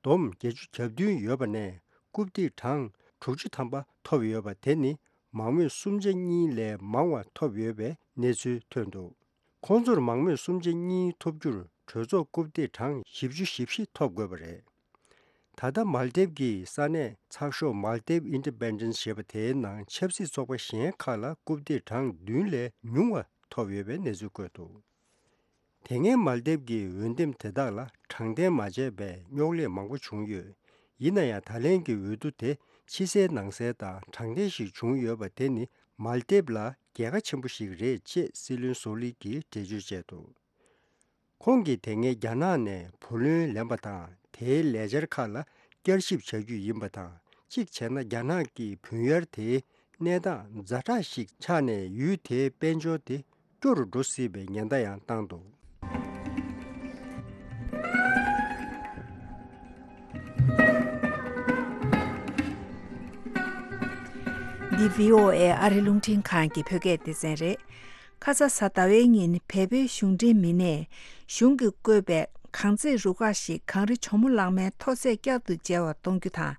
བསྡོམས་བརྒྱད་ཅུ་གྱ་བདུན་ཡོད་པ་ནས་རྐུབ་སྟེགས་གྲངས་དྲུག་ཅུ་ཐམ་པ་ཐོབ་ཡོད་པ་དེ་ནི་མང་མོས་གསུམ་ཆ་གཉིས་ལས་མང་བ་ཐོབ་ཡོད་པའི་གནས་ཚུལ་ཐོན་འདུག་ཁོང་ཚོར་མང་མོས་གསུམ་ཆ་གཉིས་ཐོབ་རྒྱུར་གྲོས་ཚོགས་རྐུབ་སྟེགས་གྲངས་བཞི་བཅུ་ཞེ་བཞི་ཐོབ་དགོས་པ་རེད། ད་ལྟ་མཱལ་དིབ་ཀྱི་ས་གནས་ཚགས་ཤོག་Maldives Independent་ཞེས་པ་དེའི་ནང་ཆབ་སྲིད་ཚོགས་པ་གཞན་ཁག་ལ་རྐུབ་སྟེགས་གྲངས་བདུན་ལས་ཉུང་བ་ཐོབ་ཡོད་པའི་གནས་ཚུལ་བཀོད་འདུག་དེ་སྔའི་མཱལ་དིབ་ཀྱི་འོས་འདེམས་དེ་དག་ལ་དྲང་བདེན་མ་བྱས་པའི་རྙོག་གླེང་མང་པོ་བྱུང་ཡོད། ཡིན་ན་ཡང་ད་ལན་གྱི་འོས་བསྡུ་དེ་ཕྱི་གསལ་ནང་གསལ་དང་དྲང་བདེན་ཞིག་བྱུང་ཡོད་པ་དེ་ནི་མཱལ་དིབ་ལ་རྒྱལ་ཁ་ཆེན་པོ་ཞིག་རེད་ཅེས་སྲིད་བློན་སོ་ལི་གིས་འགྲེལ་བརྗོད་བྱས་འདུག་ཁོང་གིས་དེ་སྔའི་རྒྱ་ནག་ནས་བུ་ལོན་ལེན་པ་དང་དེའི་ལས་འཆར་ཁག་ལ་བསྐྱར་ཞིབ་བྱ་རྒྱུ་ཡིན་པ་དང་། གཅིག་བྱས་ན་རྒྱ་ནག་གི་བུན་གཡར་དེའི་གནས་སྟངས་ཛ་དྲག་ཞིག་ཆགས་ནས་ཡུལ་དེའི་དཔལ་འབྱོར་དེ་སྐྱོ་རུ་འགྲོ་སྲིད་པའི་ཉེན་བརྡ་ཡང་བཏང་འདུག་འདི་བྷི་ཨོ་ཨེ་ཨ་རི་རླུང་འཕྲིན་ཁང་གི་བོད་སྐད་སྡེ་ཚན་རེད། ཁ་ས་གཟའ་ཟླ་བའི་ཉིན་བལ་པོའི་གཞུང་འབྲེལ་མི་སྣས་གཞུང་གིས་བཀོད་པའི་གངས་རྫས་རུ་ཁག་ཞིག་གངས་རི་གྱོ་མོ་ལང་མའི་མཐོ་ཚད་བསྐྱར་དུ་འཇལ་བར་གཏོང་རྒྱུ་དང་།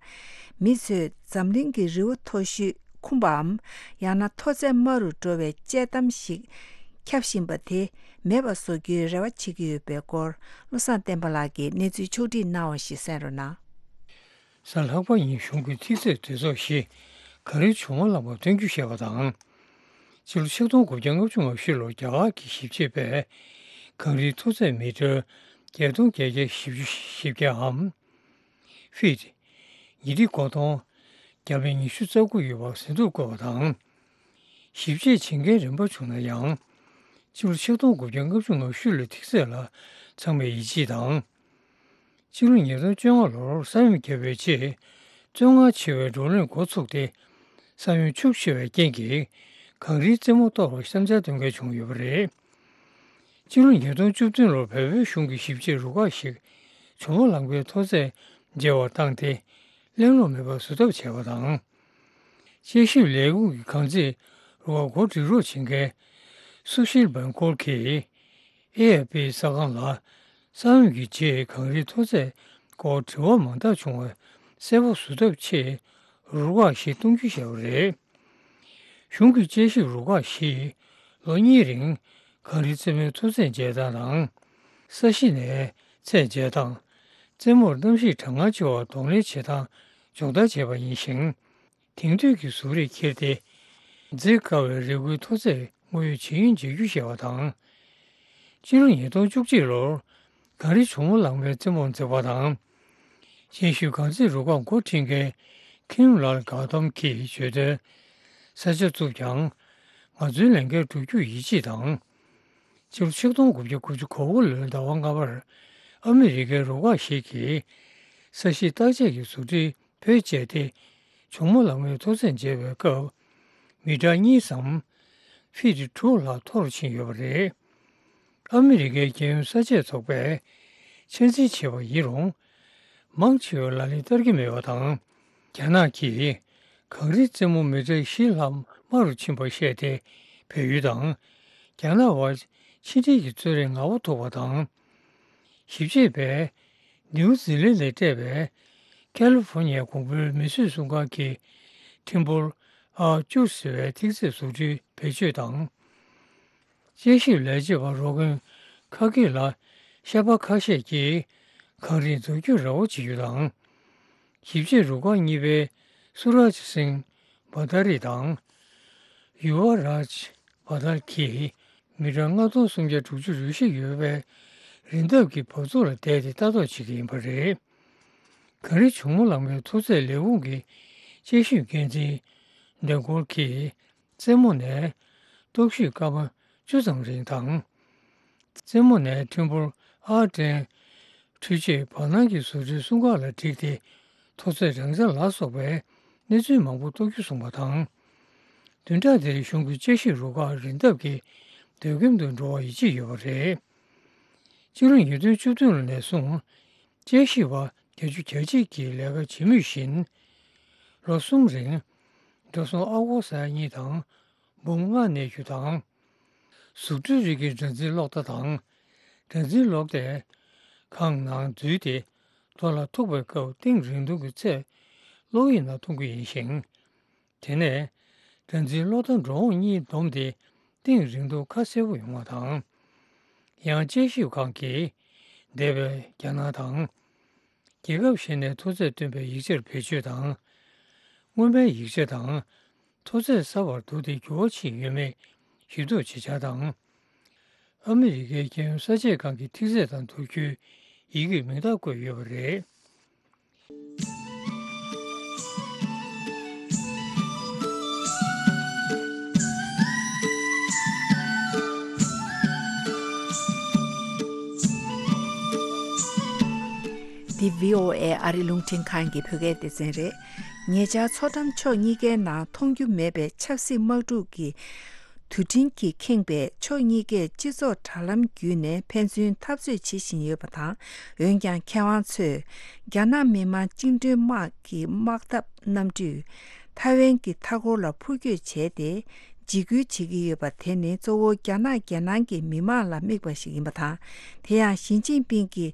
མི་ཚོས་འཛམ་གླིང་གི་རི་བོ་མཐོ་ཤོས་འཁུམས་པའམ། ཡང་ན་མཐོ་ཚད་དམའ་རུ་འགྲོ་བའི་དཔྱད་གཏམ་ཞིག་ཁྱབ་བཞིན་པ་དེ་མེད་པ་བཟོ་རྒྱུའི་རེ་བ་བྱེད་ཀྱི་ཡོད་པའི་སྐོར། བློ་བཟང་བསྟན་པ་ལགས་ཀྱིས་གནས་ཚུལ་ཕྱོགས་བསྒྲིགས་གནང་བ་ཞིག་གསན་རོགས་གནང་། གཟའ་ལྷག་པ་ཉིན་གཞུང་གི་ཐིག་ཚད་གྲོས་ཚོགས་ཤིག་གངས་རིའི་གྱོ་མོ་ལང་མ་སྟོན་རྒྱུ་བཤད་པ་དང་། ཕྱི་ལོ་ཆིག་སྟོང་དགུ་བརྒྱ་ལྔ་བཅུ་ང་བཞི་ལོར་རྒྱ་གར་གྱི་ཞིབ་དཔྱོད་པས་གངས་རིའི་མཐོ་ཚད་མི་ཊར་བརྒྱད་སྟོང་བརྒྱད་བརྒྱ་བཞི་བཅུ་བཞི་བརྒྱའམ། ཕིཊ་ཉི་ཁྲི་གོ་སྟོང་བརྒྱ་མེད་ཉི་ཤུ་རྩ་དགུ་ཡོད་པར་ཟིན་ཐོར་བཀོད་པ་དང་། ཞིབ་དཔྱད་བྱེད་མཁན་རིམ་པ་བྱུང་ན་ཡང་། ཕྱི་ལོ་ཆིག་སྟོང་དགུ་བརྒྱ་ལྔ་བཅུ་ང་བཞི་ལོའི་ཐིག་ཚད་ལ་ཚང་མས་ཡིད་ཆེས་དང་། ཕྱི་ལོ་ཉིས་སྟོང་བཅོ་ལྔ་ལོར་ས་ཡོམ་བརྒྱབ་པའི་རྗེས། བཙོན་ཁང་ཆེ་བའི་བགྲོ་གླེང་འགོ་ཚུགས་ཏེ། ས་ཡོམ་ཤུགས་ཆེ་བའི་རྐྱེན་གྱིས་གངས་རིའི་རྩེ་མོ་གཏོར་བར་བསམ་འཆར་འདོན་མཁན་བྱུང་ཡོད་པ་རེད། ཕྱི་ལོ་ཉིས་སྟོང་བཅུ་བདུན་ལོར་བལ་པོའི་གཞུང་གིས་ཞིབ་དཔྱད་རུ་ཁག་ཞིག་གྱོ་མོ་ལང་པའི་མཐོ་ཚད་འཇལ་བར་བཏང་སྟེ། གླེང་སློང་མེད་པར་བཟོ་ཐབས་བྱས་པ་དང་། དཔྱད་ཞིབ་ལས་ཁུངས་ཀྱི་གངས་རྩིས་རུ་ཁག་འགོ་སྒྲིག་རོགས་བྱེད་མཁན་སུ་ཤིལ་བན་ཀོལ་གྱིས། ཨེ་ཨེཕ་པི་གསར་ཁང་ལ། ས་ཡོམ་གྱི་རྗེས་གངས་རིའི་མཐོ་ཚད་སྐོར་དྲི་བ་མང་དག་བྱུང་བ་གསལ་པོ་བཟོ་ཐབས་ཆེད་རུ་ཁག་ཞིག་གཏོང་རྒྱུ་བྱས་པ་རེད། གཞུང་གི་དཔྱད་ཞིབ་རུ་ཁག་ཞིག་ལོ་གཉིས་རིང་གངས་རིའི་རྩེ་མོའི་མཐོ་ཚད་འཇལ་སྟངས་དང་། ས་གཞི་ནས་ཚད་འཇལ་སྟངས། རྩེ་མོར་གནམ་གཤིས་གྲང་ངར་ཆེ་བར་གདོང་ལེན་བྱེད་སྟངས་སྦྱོང་བརྡར་བྱས་པ་ཡིན་ཞིང་། དེང་དུས་ཀྱི་གཟུགས་རིས་ཁྱེར་ཏེ། འཛེག་དཀའ་བའི་རི་མགོའི་མཐོ་ཚད་དངོས་ཡོད་ཇི་ཡིན་འཇལ་རྒྱུ་བྱས་པ་དང་། ཕྱི་ལོ་ཉིས་སྟོང་བཅུ་གཅིག་ལོར་གངས་རི་གྱོ་མོ་ལང་མའི་རྩེ་མོར་འཛེགས་པ་དང་། ཆེ་ཤོས་གངས་རྩིས་རུ་ཁག་འགོ་ཁྲིད་མཁན་ཁིམ་ལཱལ་གྷའུ་ཏམ་གྱིས་བརྗོད་དོན། ས་ཆ་བཙུགས་ཀྱང་ང་ཚོའི་ལས་འགན་སྒྲུབ་རྒྱུར་ཡིད་ཆེས་དང་། ཕྱི་ལོ་ཆིག་སྟོང་དགུ་བརྒྱ་དགུ་བཅུ་གོ་དགུ་ལོའི་ཟླ་བ་ལྔ་པར་ཨ་མི་རི་ཀའི་རུ་ཁག་ཞིག་གིས་ས་གཞི་བརྟག་དཔྱད་ཀྱི་བཟོ་སྒྲིག་བེད་སྤྱད་དེ། གྱོ་མོ་ལང་མའི་མཐོ་ཚད་འཇལ་བའི་སྐབས་མི་ཊར་གཉིས་སམ་ཕིཊ་དྲུག་ལྷག་མཐོ་རུ་ཕྱིན་ཡོད་པ་རེད། ཨ་མི་རི་ཀའི་རྒྱལ་ཡོངས་ས་དཔྱད་ཚོགས་པས་ཆ་འཛིན་བྱས་པ་ཡིན་རུང་། མང་ཆེ་བས་ལག་ལེན་བསྟར་གྱི་མེད་པ་དང་། རྒྱ་ནག་གིས་གངས་རིའི་རྩེ་མོ་མི་ཊར་བཞི་ལྷག་དམའ་རུ་ཕྱིན་པར་བཤད་དེ། བལ་ཡུལ་དང་རྒྱ་ནག་དབར་ཕྱི་འབྲེལ་གྱི་རྩོད་རེས་ངར་པོ་ཐུག་པ་དང་། ཞིབ་དཔྱད་པས་ནིའུ་ཛི་ལན་ལ་སྤྲད་པའི་ཁ་ལི་ཧྥོ་ནི་ཡའི་གོང་བུའི་མིས་བཟོས་སྲུང་སྐར་གྱི་ཐིམ་ཕུལ་ཨར་བཅུ་ཟེར་བའི་ཐིག་ཚད་བཟོ་སྐྲུན་བེད་སྤྱོད་དང་། དཔྱད་ཞིབ་ལས་བྱེད་པ་རོ་ཀོན་ཁ་ཀེ་ལ་ཤ་པ་ཁ་ཤས་ཀྱིས་ གངས་རིའི་འཛུགས་སྐྲུན་ར་བ་བྱེད་རྒྱུ་དང་། ཞིབ་དཔྱད་རུ་ཁག་གཉིས་པའི་སུ་རཱཇ་སིང་བྷ་ཏཱ་རི་དང་། ཡུ་བ་རཱཇ་བྷ་ཏཱ་རི་གིས་མི་གྲངས་ལྔ་སྟོང་སུམ་བརྒྱ་དྲུག་ཅུ་རེ་བཞི་ཡོད་པའི་རི་འདབས་ཀྱི་བབས་ཚུགས་ལ་བསྡད་དེ་ལྟ་རྟོག་བྱེད་ཀྱི་ཡིན་པ་རེད། གངས་རི་ཇོ་མོ་གླང་མའི་མཐོ་ཚད་ལས་ཁུངས་ཀྱི་དཔྱད་ཞིབ་འགན་འཛིན་ཌེ་གོལ་གྱིས། རྩེ་མོ་ནས་སྟོབས་ཤུགས་སྐར་མ་བཅུ་ཙམ་རིང་དང་། རྩེ་མོ་ནས་ཐིམ་ཕུར་ཨར་ཏྲེན་འཕྲུལ་ཆས་བར་སྣང་གི་བཟོ་གྲྭའི་སྲུང་ཁག་ལ་བསྒྲིགས་ཏེ། མཐོ་ཚད་གྲངས་ཆ་ལ་སོགས་པའི་གནས་ཚུལ་མང་པོ་རྟོགས་རྒྱུ་གསུངས་པ་དང་། བདུན་ཕྲག་འདིར་གཞུང་གི་དཔྱད་ཞིབ་རུ་ཁག་རི་འདབས་ཀྱི་སྡོད་ཁྱིམ་དུ་འགྲོ་བར་ཡིད་ཆེས་ཡོད་པ་རེད། སྤྱི་ལོ་ཉིས་སྟོང་བཅུ་བདུན་ལོ་ནས་བཟུང་། དཔྱད་ཞིབ་པ་བརྒྱད་ཅུ་གྱ་གཅིག་གིས་ལས་ཀ་བྱེད་མུས་བཞིན། ལོ་གསུམ་རིང་འགྲོ་སོང་ཨ་སྒོར་ས་ཡ་གཉིས་དང་འབུམ་ལྔ་གནས་རྒྱུ་དང་། གཟུགས་འདྲེས་རིགས་ཀྱི་སྦྲང་རྩིའི་གློག་བརྡ་དང་། སྦྲང་རྩིའི་གློག་དེ་ཁང་ནང་འཛུལ་ཏེ། རྡོ་ལ་ཐུག་པའི་སྐབས་གཏིང་རིང་ཐུང་གི་ཚད་གློག་དབྱིབས་ནང་མཐོང་གི་ཡིན་ཞིང་། དེ་ནས་སྦྲང་རྩིའི་གློག་བརྡ་འགྲོ་འོང་གཉིས་བསྡོམས་ཏེ་གཏིང་རིང་ཐུང་ཁ་གསལ་པོ་ཡོང་བ་དང་། ཡང་དཔྱད་ཞིབ་ཁང་གིས་འདས་པའི་རྒྱ་ནག་དང་། རྒྱལ་ཁབ་གཞན་ནས་མཐོ་ཚད་སྟོན་པའི་ཡིག་ཆར་བེད་སྤྱོད་དང་། སྔོན་མའི་ཡིག་ཆ་དང་མཐོ་ཚད་གསར་པར་བསྡུར་ཏེ་འགྱུར་བ་ཕྱིན་ཡོད་མེད་ཞིབ་འཇུག་བྱེད་འཆར་དང་། ཨ་མི་རི་ཀའི་རྒྱལ་ཡོངས་གསར་བརྗེའི་སྒང་གི་ཐིག་ཚད་དང་བསྡུར་རྒྱུའི་ཡི་གེར་མིང་རྟགས་བཀོད་ཡོད་པ་རེད། འདི་བྷི་ཨོ་ཨེ་ཨ་རི་རླུང་འཕྲིན་ཁང་གི་བོད་སྐད་སྡེ་ཚན་རེད། ཉེ་ཆར་མཚོ་འགྲམ་ཕྱོགས་གཉིས་ཀའི་ནང་མཐོང་རྒྱུ་མེད་པའི་ཆབ་སྲིད་དམག་འཁྲུག་གི་དུས་འཕྲིན་གྱིས་ཁེངས་པའི་ཕྱོགས་གཉིས་ཀས་སྤྱི་ཚོགས་དྲ་ལམ་བརྒྱུད་ནས་ཕན་ཚུན་འཐབ་རྩོད་བྱེད་བཞིན་ཡོད་པ་དང་། འོན་ཀྱང་མཁས་དབང་ཚོས་རྒྱ་ནག་མི་དམངས་བཅིངས་འགྲོལ་དམག་གི་དམག་འཐབ་གནམ་གྲུས་ཐའེ་ཝན་གྱི་མཐའ་འཁོར་ལ་འཕུར་སྐྱོད་བྱས་ཏེ། འཇིགས་སྐུལ་བྱེད་ཀྱི་ཡོད་པ་དེ་ནི་གཙོ་བོ་རྒྱ་ནག་རྒྱལ་ནང་གི་མི་དམངས་ལ་དམིགས་པ་ཞིག་ཡིན་པ་དང་། དེ་ཡང་ཞི་ཅིན་ཕིང་གིས་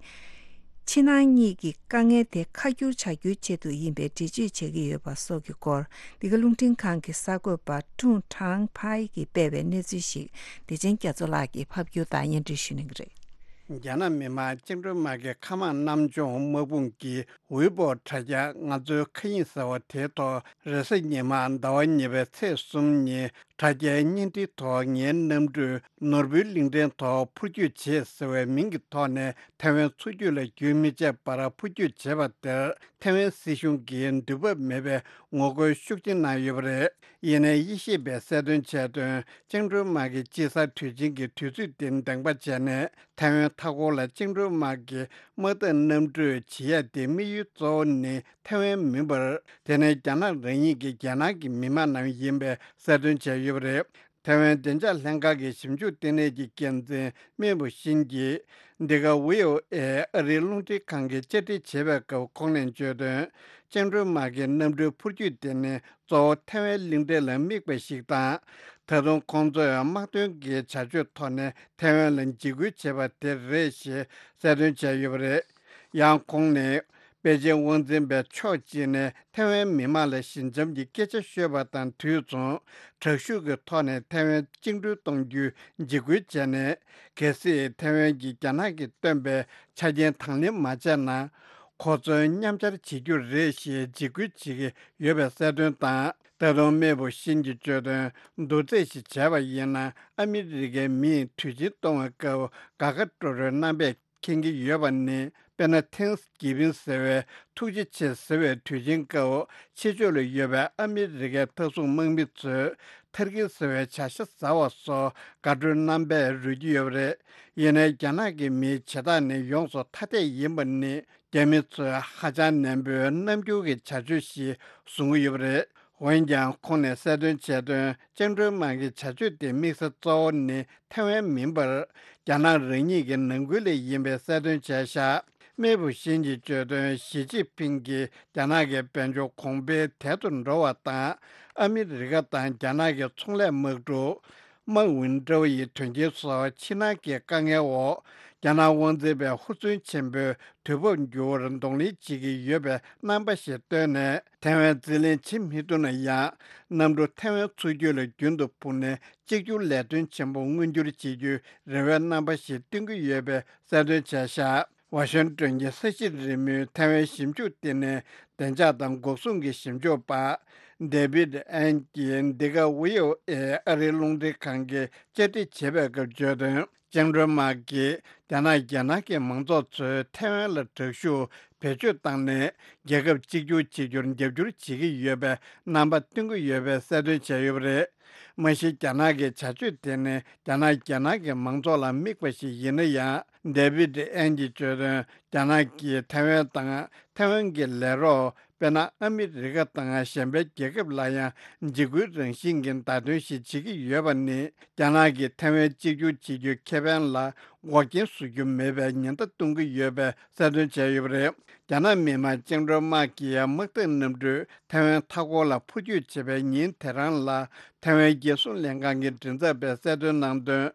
ཕྱི་ནང་གཉིས་ཀྱི་དཀའ་ངལ་དེ་ཁ་བསྒྱུར་བྱ་རྒྱུའི་ཆེད་དུ་ཡིན་པའི་འགྲེལ་བརྗོད་བྱེད་ཀྱི་ཡོད་པ་སོགས་ཀྱི་སྐོར། འདི་ག་རླུང་འཕྲིན་ཁང་གི་གསར་འགོད་པ་ཀྲུང་ཁྲང་ཕའེ་གིས་སྤེལ་བའི་གནས་ཚུལ་ཞིག་བདེ་ཆེན་རྒྱ་མཚོ་ལགས་ཀྱིས་ཕབ་སྒྱུར་དང་སྙན་སྒྲོན་ཞུ་གནང་གི་རེད། རྒྱ་ནག་མི་དམངས་བཅིངས་འགྲོལ་དམག་གི་མཁའ་དམག་གནམ་མཆོང་དམག་དཔུང་གི་ཝེ་པོ་དྲ་རྒྱ་ང་ཚོའི་མཁའ་དབྱིངས་ཟེར་བ་དེའི་ཐོག་རེས་གཟའ་ཉི་མ་ཟླ་བ་གཉིས་པའི་ཚེས་གསུམ་ཉིན་དྲ་རྒྱའི་བརྙན་འཕྲིན་ཐོག་ངའི་གནམ་གྲུས་ནོར་བུའི་གླིང་ཕྲན་ཐོག་འཕུར་སྐྱོད་བྱས་ཟེར་བའི་མིང་གི་ཐོག་ནས་ཐའེ་ཝན་མཚོ་རྒྱུད་ལ་རྒྱུན་མི་ཆད་པར་འཕུར་སྐྱོད་བྱས་པ་དེར་ཐའེ་ཝན་སྲིད་གཞུང་གིས་འདུད་འབབ་མེད་པའི་ངོ་རྒོལ་ཤུགས་ཆེན་གནང་ཡོད་པ་རེད། ཡིན་ནའི་དབྱེ་ཞིབ་པས་གསལ་སྟོན་བྱས་དོན། བཅིངས་འགྲོལ་དམག་གིས་དཔྱིད་གསར་དུས་ཆེན་གྱི་དུས་ཚོད་དེ་འདེངས་པ་བྱས་ནས་ཐའེ་ཝན་མཐའ་འཁོར་ལ་བཅིངས་འགྲོལ་དམག་གི་དམག་འཐབ་གནམ་གྲུས་བྱེད་ཡ་དེ་དམིགས་ཡུལ་གཙོ་བོ་ནི་ཐའེ་ཝན་མིན་པར། དེ་ནི་རྒྱ་ནག་རང་ཉིད་ཀྱི་རྒྱལ་ནང་གི་མི་དམངས་རྣམས་ཡིན་པའི་གསལ་སྟོན་བྱས་ཡོད་པ་རེད། ཐའེ་ཝན་བདེ་འཇགས་ལྷན་ཁང་གི་ཞིབ་འཇུག་ལྟེ་གནས་ཀྱི་འགན་འཛིན་སྨན་བུ་ཤིན་གྱིས། འདི་ག་ཝི་ཨོ་ཨེ་ཨ་རིའི་རླུང་འཕྲིན་ཁང་གིས་བཅར་འདྲི་བྱེད་པའི་སྐབས་ཁོང་ནས་བརྗོད་དོན། བཅིངས་འགྲོལ་དམག་གི་གནམ་གྲུའི་འཕུར་སྐྱོད་དེ་ནི་གཙོ་བོ་ཐའེ་ཝན་གླིང་ཕྲན་ལ་དམིགས་པ་ཞིག་དང་། ད་དུང་ཁོང་ཚོས་དམག་དོན་གྱི་བྱ་སྤྱོད་ཐོག་ནས་ཐའེ་ཝན་ལ་འཇིགས་སྐུལ་བྱས་པ་དེ་རེད་ཞེས་གསལ་སྟོན་བྱས་ཡོད་པ་རེད། ཡང་ཁོང་ནས། པེ་ཅིང་དབང་འཛིན་པས་ཕྱོགས་གཅིག་ནས་ཐའེ་ཝན་མི་དམངས་ལ་ཞི་འཇམ་གྱི་སྐད་ཆ་ཤོད་པ་དང་དུས་མཚུངས། དྲག་ཤུགས་ཀྱི་ཐོག་ནས་ཐའེ་ཝན་བཅིངས་འགྲོལ་གཏོང་རྒྱུའི་འཇིགས་སྐུལ་བྱས་ནས། གལ་སྲིད་ཐའེ་ཝན་གྱིས་རྒྱ་ནག་གིས་བཏོན་པའི་ཆ་རྐྱེན་དང་ལེན་མ་བྱས་ན། ཁོ་ཚོའི་མཉམ་འཆར་བྱེད་རྒྱུ་རེད་ཞེས་འཇིགས་སྐུལ་བྱེད་ཀྱི་ཡོད་པའི་གསལ་སྟོན་དང་། ད་དུང་སྨན་བུ་ཤིན་གྱིས་བརྗོད་དོན། བསྡུར་རྩིས་ཤིག་བྱས་པ་ཡིན་ན། ཨ་མི་རི་ཀའི་མིས་དུས་ཆེན་གཏོང་བའི་སྐབས་དགའ་དགའ་སྤྲོ་སྤྲོའི་རྣམ་པས་མཁྱེན་གྱི་ཡོད་པ་ནི། དཔེར་ན། ཐེངས་གི་བིན་ཟེར་བའི་ཐུགས་རྗེ་ཆེ་ཟེར་བའི་དུས་ཆེན་སྐབས། ཕྱི་ཕྱོགས་ལ་ཡོད་པའི་ཨ་མི་རི་ཀའི་མཐའ་སྲུང་དམག་མི་ཚོས་ཐར་ཀི་ཟེར་བའི་བྱ་ཤ་ཟ་བ་སོགས་དགའ་སྤྲོའི་རྣམ་པས་རོལ་གྱི་ཡོད་པ་རེད། ཡིན་ནའི་རྒྱ་ནག་གི་མིའི་བྱེད་སྟངས་ནི་ཡོངས་སུ་ཐ་དད་ཡིན་པ་ནི། རྒྱ་མི་ཚོས་ཧ་ཅང་ནན་པོའི་རྣམ་འགྱུར་གྱི་བྱ་སྤྱོད་ཞིག་བཟུང་གི་ཡོད་པ་རེད། འོན་ཀྱང་ཁོང་ནས་གསལ་སྟོན་བྱས་དོན། བཅིངས་འགྲོལ་དམག་གི་བྱ་སྤྱོད་དེ་དམིགས་ས་གཙོ་བོ་ནི་ཐའེ་ཝན་མིན་པར། རྒྱ་ནག་རང་ཉིད་ཀྱི་ནང་ཁུལ་ལ་ཡིན་པའི་གསལ་སྟོན་བྱས་བཞག་སྨན་བུ་ཤིན་གྱིས་བརྗོད་དོན། ཞི་ཅིན་ཕིང་གིས་རྒྱ་ནག་གི་དཔལ་འབྱོར་གོང་འཕེལ་དལ་དུ་འགྲོ་བ་དང་། ཨ་མི་རི་ཀ་དང་རྒྱ་ནག་གི་ཚོང་ལས་དམག་འཁྲུག་དམག་ཝིན་ཀྲོའུ་ཡི་དོན་རྐྱེན་སོགས་ཕྱི་ནང་གི་དཀའ་ངལ་འོག་རྒྱ་ནག་དབང་འཛིན་པས་ཧུར་བརྩོན་ཆེན་པོས་དུས་བབ་འགྱུར་བར་གདོང་ལེན་བྱེད་ཀྱི་ཡོད་པའི་རྣམ་པ་ཞིག་བཏོན་ནས། ཐའེ་ཝན་རྩིས་ལེན་བྱེད་མི་ཐུབ་ན་ཡང་། གནམ་གྲུ་ཐའེ་ཝན་མཚོ་རྒྱུད་ལ་རྒྱུན་དུ་འཕུར་ནས་གཅིག་གྱུར་ལས་དོན་ཆེན་པོ་མངོན་འགྱུར་བྱེད་རྒྱུའི་རེ་བའི་རྣམ་པ་ཞིག་སྟོན་གྱི་ཡོད་པའི་གསལ་སྟོན་བྱས་བཞག་ཝ་ཤིང་ཏོན་གྱི་ས་གཞི་རིལ་མོའི་ཐའེ་ཝན་ཞིབ་འཇུག་ལྟེ་གནས་བདེ་འཇགས་དང་འགོག་སྲུང་གི་ཞིབ་འཇུག་པ་ཌེ་བིད་ཨན་གྱིས་འདི་ག་ཝི་ཨོ་ཨེ་ཨ་རིའི་རླུང་འཕྲིན་ཁང་གིས་བཅར་འདྲི་བྱེད་པའི་སྐབས་བརྗོད་དོན། ཅིང་ཀྲུན་མཱ་གིས་རྒྱ་ནག་རྒྱལ་ནང་གི་མང་ཚོགས་ཚོས་ཐའེ་ཝན་ལ་དྲག་ཤུགས་བེད་སྤྱོད་བཏང་ནས་རྒྱལ་ཁབ་གཅིག་གྱུར་བྱེད་རྒྱུར་རྒྱབ་སྐྱོར་བྱེད་ཀྱི་ཡོད་པའི་རྣམ་པ་སྟོན་གྱི་ཡོད་པའི་གསལ་སྟོན་བྱས་ཡོད་པ་རེད། མ་གཞི་རྒྱ་ནག་གི་བྱ་སྤྱོད་དེ་ནི་རྒྱ་ནག་རྒྱལ་ནང་གི་མང་ཚོགས་ལ་དམིགས་པ་ཞིག་ཡིན་ན་ཡང་། ཌེ་བིད་ཨན་གྱིས་བརྗོད་དོན། རྒྱ་ནག་གིས་ཐའེ་ཝན་དང་ཐའེ་ཝན་གྱི་ལས་རོགས། དཔེར་ན། ཨ་མི་རི་ཀ་དང་གཞན་པའི་རྒྱལ་ཁབ་ལ་ཡང་འཇིགས་སྐུལ་རང་བཞིན་གྱི་བརྡ་སྟོན་ཞིག་བྱེད་ཀྱི་ཡོད་པ་ནི། རྒྱ་ནག་གིས་ཐའེ་ཝན་གཅིག་གྱུར་བྱེད་རྒྱུའི་ཁེ་ཕན་ལ་འགོག་རྐྱེན་བཟོ་རྒྱུ་མེད་པའི་ཉེན་བརྡ་གཏོང་གི་ཡོད་པའི་གསལ་སྟོན་བྱས་ཡོད་པ་རེད། རྒྱ་ནག་མི་དམངས་བཅིངས་འགྲོལ་དམག་གིས་དམག་འཐབ་གནམ་གྲུས་ཐའེ་ཝན་མཐའ་འཁོར་ལ་འཕུར་སྐྱོད་བྱེད་པའི་ཉིན་དེ་རང་ལ། ཐའེ་ཝན་རྒྱལ་སྲུང་ལྷན་ཁང་གི་མགྲིན་ཚབ་པས་གསལ་སྟོན་གནང་དོན།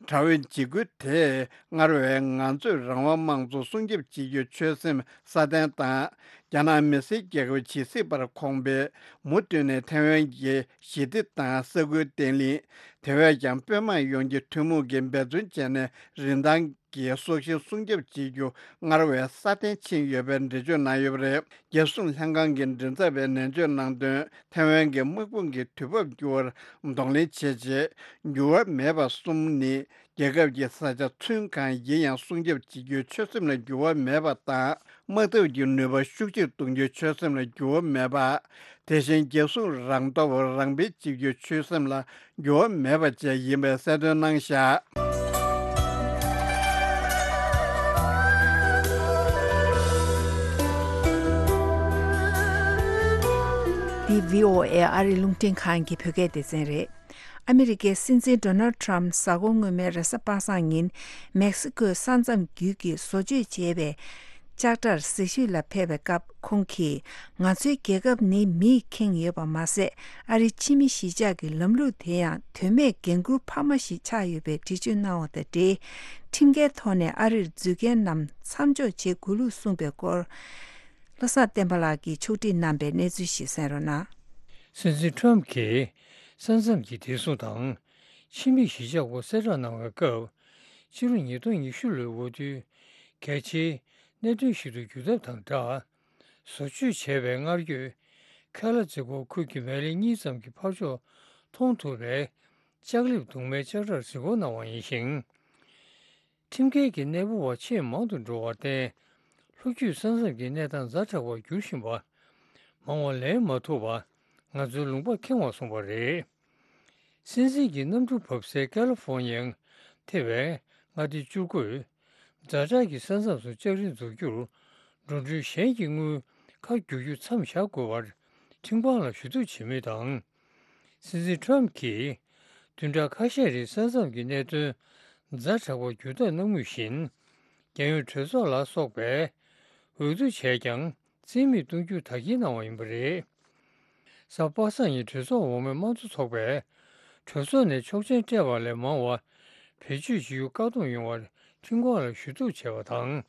དྲག་པོའི་འཇིགས་སྐུལ་དེས་སྔར་བས་ང་ཚོས་རང་དབང་དམངས་གཙོ་སྲུང་སྐྱོབ་བྱེད་རྒྱུའི་ཆོད་སེམས་སྲ་བརྟན་དང་། རྒྱ་ནག་མི་སེར་རྒྱལ་ཁབ་ཇི་སྲིད་བར་ཁོངས་པའི་མུ་མཐུད་ནས་ཐའེ་ཝན་གྱི་ཞི་བདེ་དང་ས་ཁུལ་བརྟན་ལྷིང་། དེ་བས་ཀྱང་དཔོན་དམག་ཡོངས་ཀྱི་ཐུན་མོང་གིས་འབད་བརྩོན་བྱས་ནས་རིན་ཐང་གི་སྲོག་ཤིང་སྲུང་སྐྱོབ་བྱེད་རྒྱུ་སྔར་བས་སྲ་བརྟན་ཕྱིན་ཡོད་པའི་འགྲེལ་བརྗོད་གནང་ཡོད་པ་རེད། རྒྱལ་སྲུང་ལྷན་ཁང་གི་མགྲིན་ཚབ་པས་ནན་བརྗོད་གནང་དོན། ཐའེ་ཝན་གྱི་དམག་དཔུང་གི་དུས་བབ་འགྱུར་བར་གདོང་ལེན་བྱས་རྗེས། འགྱུར་བ་མེད་པ་གསུམ་ནི། རྒྱལ་ཁབ་ཀྱི་ས་ཆ་ཚུན་གང་ཡིན་ཡང་སྲུང་སྐྱོབ་བྱེད་རྒྱུའི་ཆོད་སེམས་ལ་འགྱུར་བ་མེད་པ་དང་། དམག་འཐབ་ཀྱི་ནུས་པ་ཤུགས་ཆེར་གཏོང་རྒྱུའི་ཆོད་སེམས་ལ་འགྱུར་བ་མེད་པ། དེ་བཞིན་རྒྱལ་སྲུང་རང་སྟོབས་རང་སྤེལ་བྱེད་རྒྱུའི་ཆོད་སེམས་ལ་འགྱུར་བ་མེད་པ་བཅས་ཡིན་པའི་གསལ་སྟོན་གནང་བཞག། འདི་བྷི་ཨོ་ཨེ་ཨ་རིའི་རླུང་འཕྲིན་ཁང་གི་བོད་སྐད་སྡེ་ཚན་རེད། ཨ་མི་རི་ཀའི་སྲིད་འཛིན་ཌོ་ནལ་ཊམ་གཟའ་འཁོར་སྔོན་མའི་རེས་གཟའ་པ་སངས་ཉིན་མེག་སི་ཀོའི་ས་མཚམས་བརྒྱུད་ཀྱིས་བཟོ་བཅོས་བྱས་པའི་ལྕགས་དྲར་གཟིགས་ཞིབ་ལ་ཕེབས་པའི་སྐབས། ཁོང་གིས་ང་ཚོའི་རྒྱལ་ཁབ་ནི་མིས་ཁེངས་ཡོད་པ་མ་ཟད། ཨ་རིའི་ཕྱི་མི་གཞིས་ཆགས་ཀྱི་ལམ་ལུགས་དེ་ཡང་དོན་མེད་འགན་འཁུར་འཕར་མ་ཞིག་ཆགས་ཡོད་པའི་འགྲེལ་བརྗོད་གནང་བ་དང་འབྲེལ། ཁྲིམས་འགལ་ཐོག་ནས་ཨ་རིར་འཛུལ་མཁན་རྣམས་མཚམས་འཇོག་བྱེད་དགོས་ལུགས་གསུངས་པའི་སྐོར། བློ་བཟང་བསྟན་པ་ལགས་ཀྱིས་ཕྱོགས་སྒྲིག་གནང་པའི་གནས་ཚུལ་ཞིག་གསན་རོགས་གནང་། སྲིད་འཛིན་ཊམ་གྱིས་ས་མཚམས་ཀྱི་བདེ་སྲུང་དང་ཕྱི་མི་གཞིས་ཆགས་སྐོར་གསལ་བསྒྲགས་གནང་བའི་སྐབས། ཕྱི་ལོ་ཉིས་སྟོང་ཉི་ཤུ་ལོའི་འོས་བསྡུའི་གལ་ཆེའི་གནད་དོན་ཞིག་ཏུ་གྱུར་ཐབས་དང་སྦྲགས། བཟོ་བཅོས་བྱས་པའི་སྔར་ཡོད་ཁེ་ལ་ཛེ་ཀོ་ཁུལ་གྱི་མལ་ལེ་གཉིས་ཙམ་གྱི་ཕར་ཕྱོགས་མཐོང་ཐུབ་པའི་ལྕགས་ལེབ་གདུང་མའི་ལྕགས་དྲར་གཟིགས་སྐོར་གནང་བ་ཡིན་ཞིང་། ཁྲིམས་འགལ་གྱི་གནས་སྤོ་བ་ཆེས་མང་དུ་འགྲོ་བར་བརྟེན། ལྷོ་རྒྱུད་ས་མཚམས་ཀྱི་གནས་སྟངས་ཛ་དྲག་པར་འགྱུར་བཞིན་པ། མང་བ་ལེན་མ་ཐུབ་པ། ང་ཚོའི་ལུང་པ་ཁེངས་པར་སོང་བ་རེད། སྲིད་འཛིན་གྱི་གནམ་གྲུ་བབས་སའི་ཀ་ལི་ཧྥོར་ནི་ཡའི་ཐེ་བའི་མངའ་སྡེ་བཅུ་དགུས། ཛ་དྲག་གི་ས་མཚམས་སུ་ལྕགས་རི་འཛུགས་རྒྱུར། འགྲོ་གྲོན་གཞན་གྱི་དངུལ་ཁ་བསྒྱུར་རྒྱུ་མཚམས་བཞག་དགོས་པར་ཁྲིམས་ཁང་ལ་ཞུ་གཏུག་བྱེད་མུས་དང་། སྲིད་འཛིན་ཊམ་གྱིས་བདུན་ཕྲག་ཁ་ཤས་རིང་ས་མཚམས་ཀྱི་གནད་དོན་ཛ་དྲག་པར་འགྱུར་ཐབས་གནང་མུས་བཞིན། རྒྱལ་ཡོངས་གྲོས་ཚོགས་ལ་སོགས་པས་འོས་བསྡུ་བྱས་ཀྱང་། རྩིས་མེད་གཏོང་རྒྱུ་དག་སྐྱེལ་གནང་བ་ཡིན་པ་རེད། གཟའ་པ་སངས་ཉིན་གྲོས་ཚོགས་འོག་མའི་དམངས་གཙོ་ཚོགས་པས། གྲོས་ཚོགས་ནས་ཆོག་མཆན་སྤྲད་པ་ལས་མང་བ་བེད་སྤྱོད་བྱེད་རྒྱུ་བཀག་སྡོམ་ཡོང་བར་ཁྲིམས་ཁང་ལ་ཞུ་གཏུག་བྱས་པ་དང་།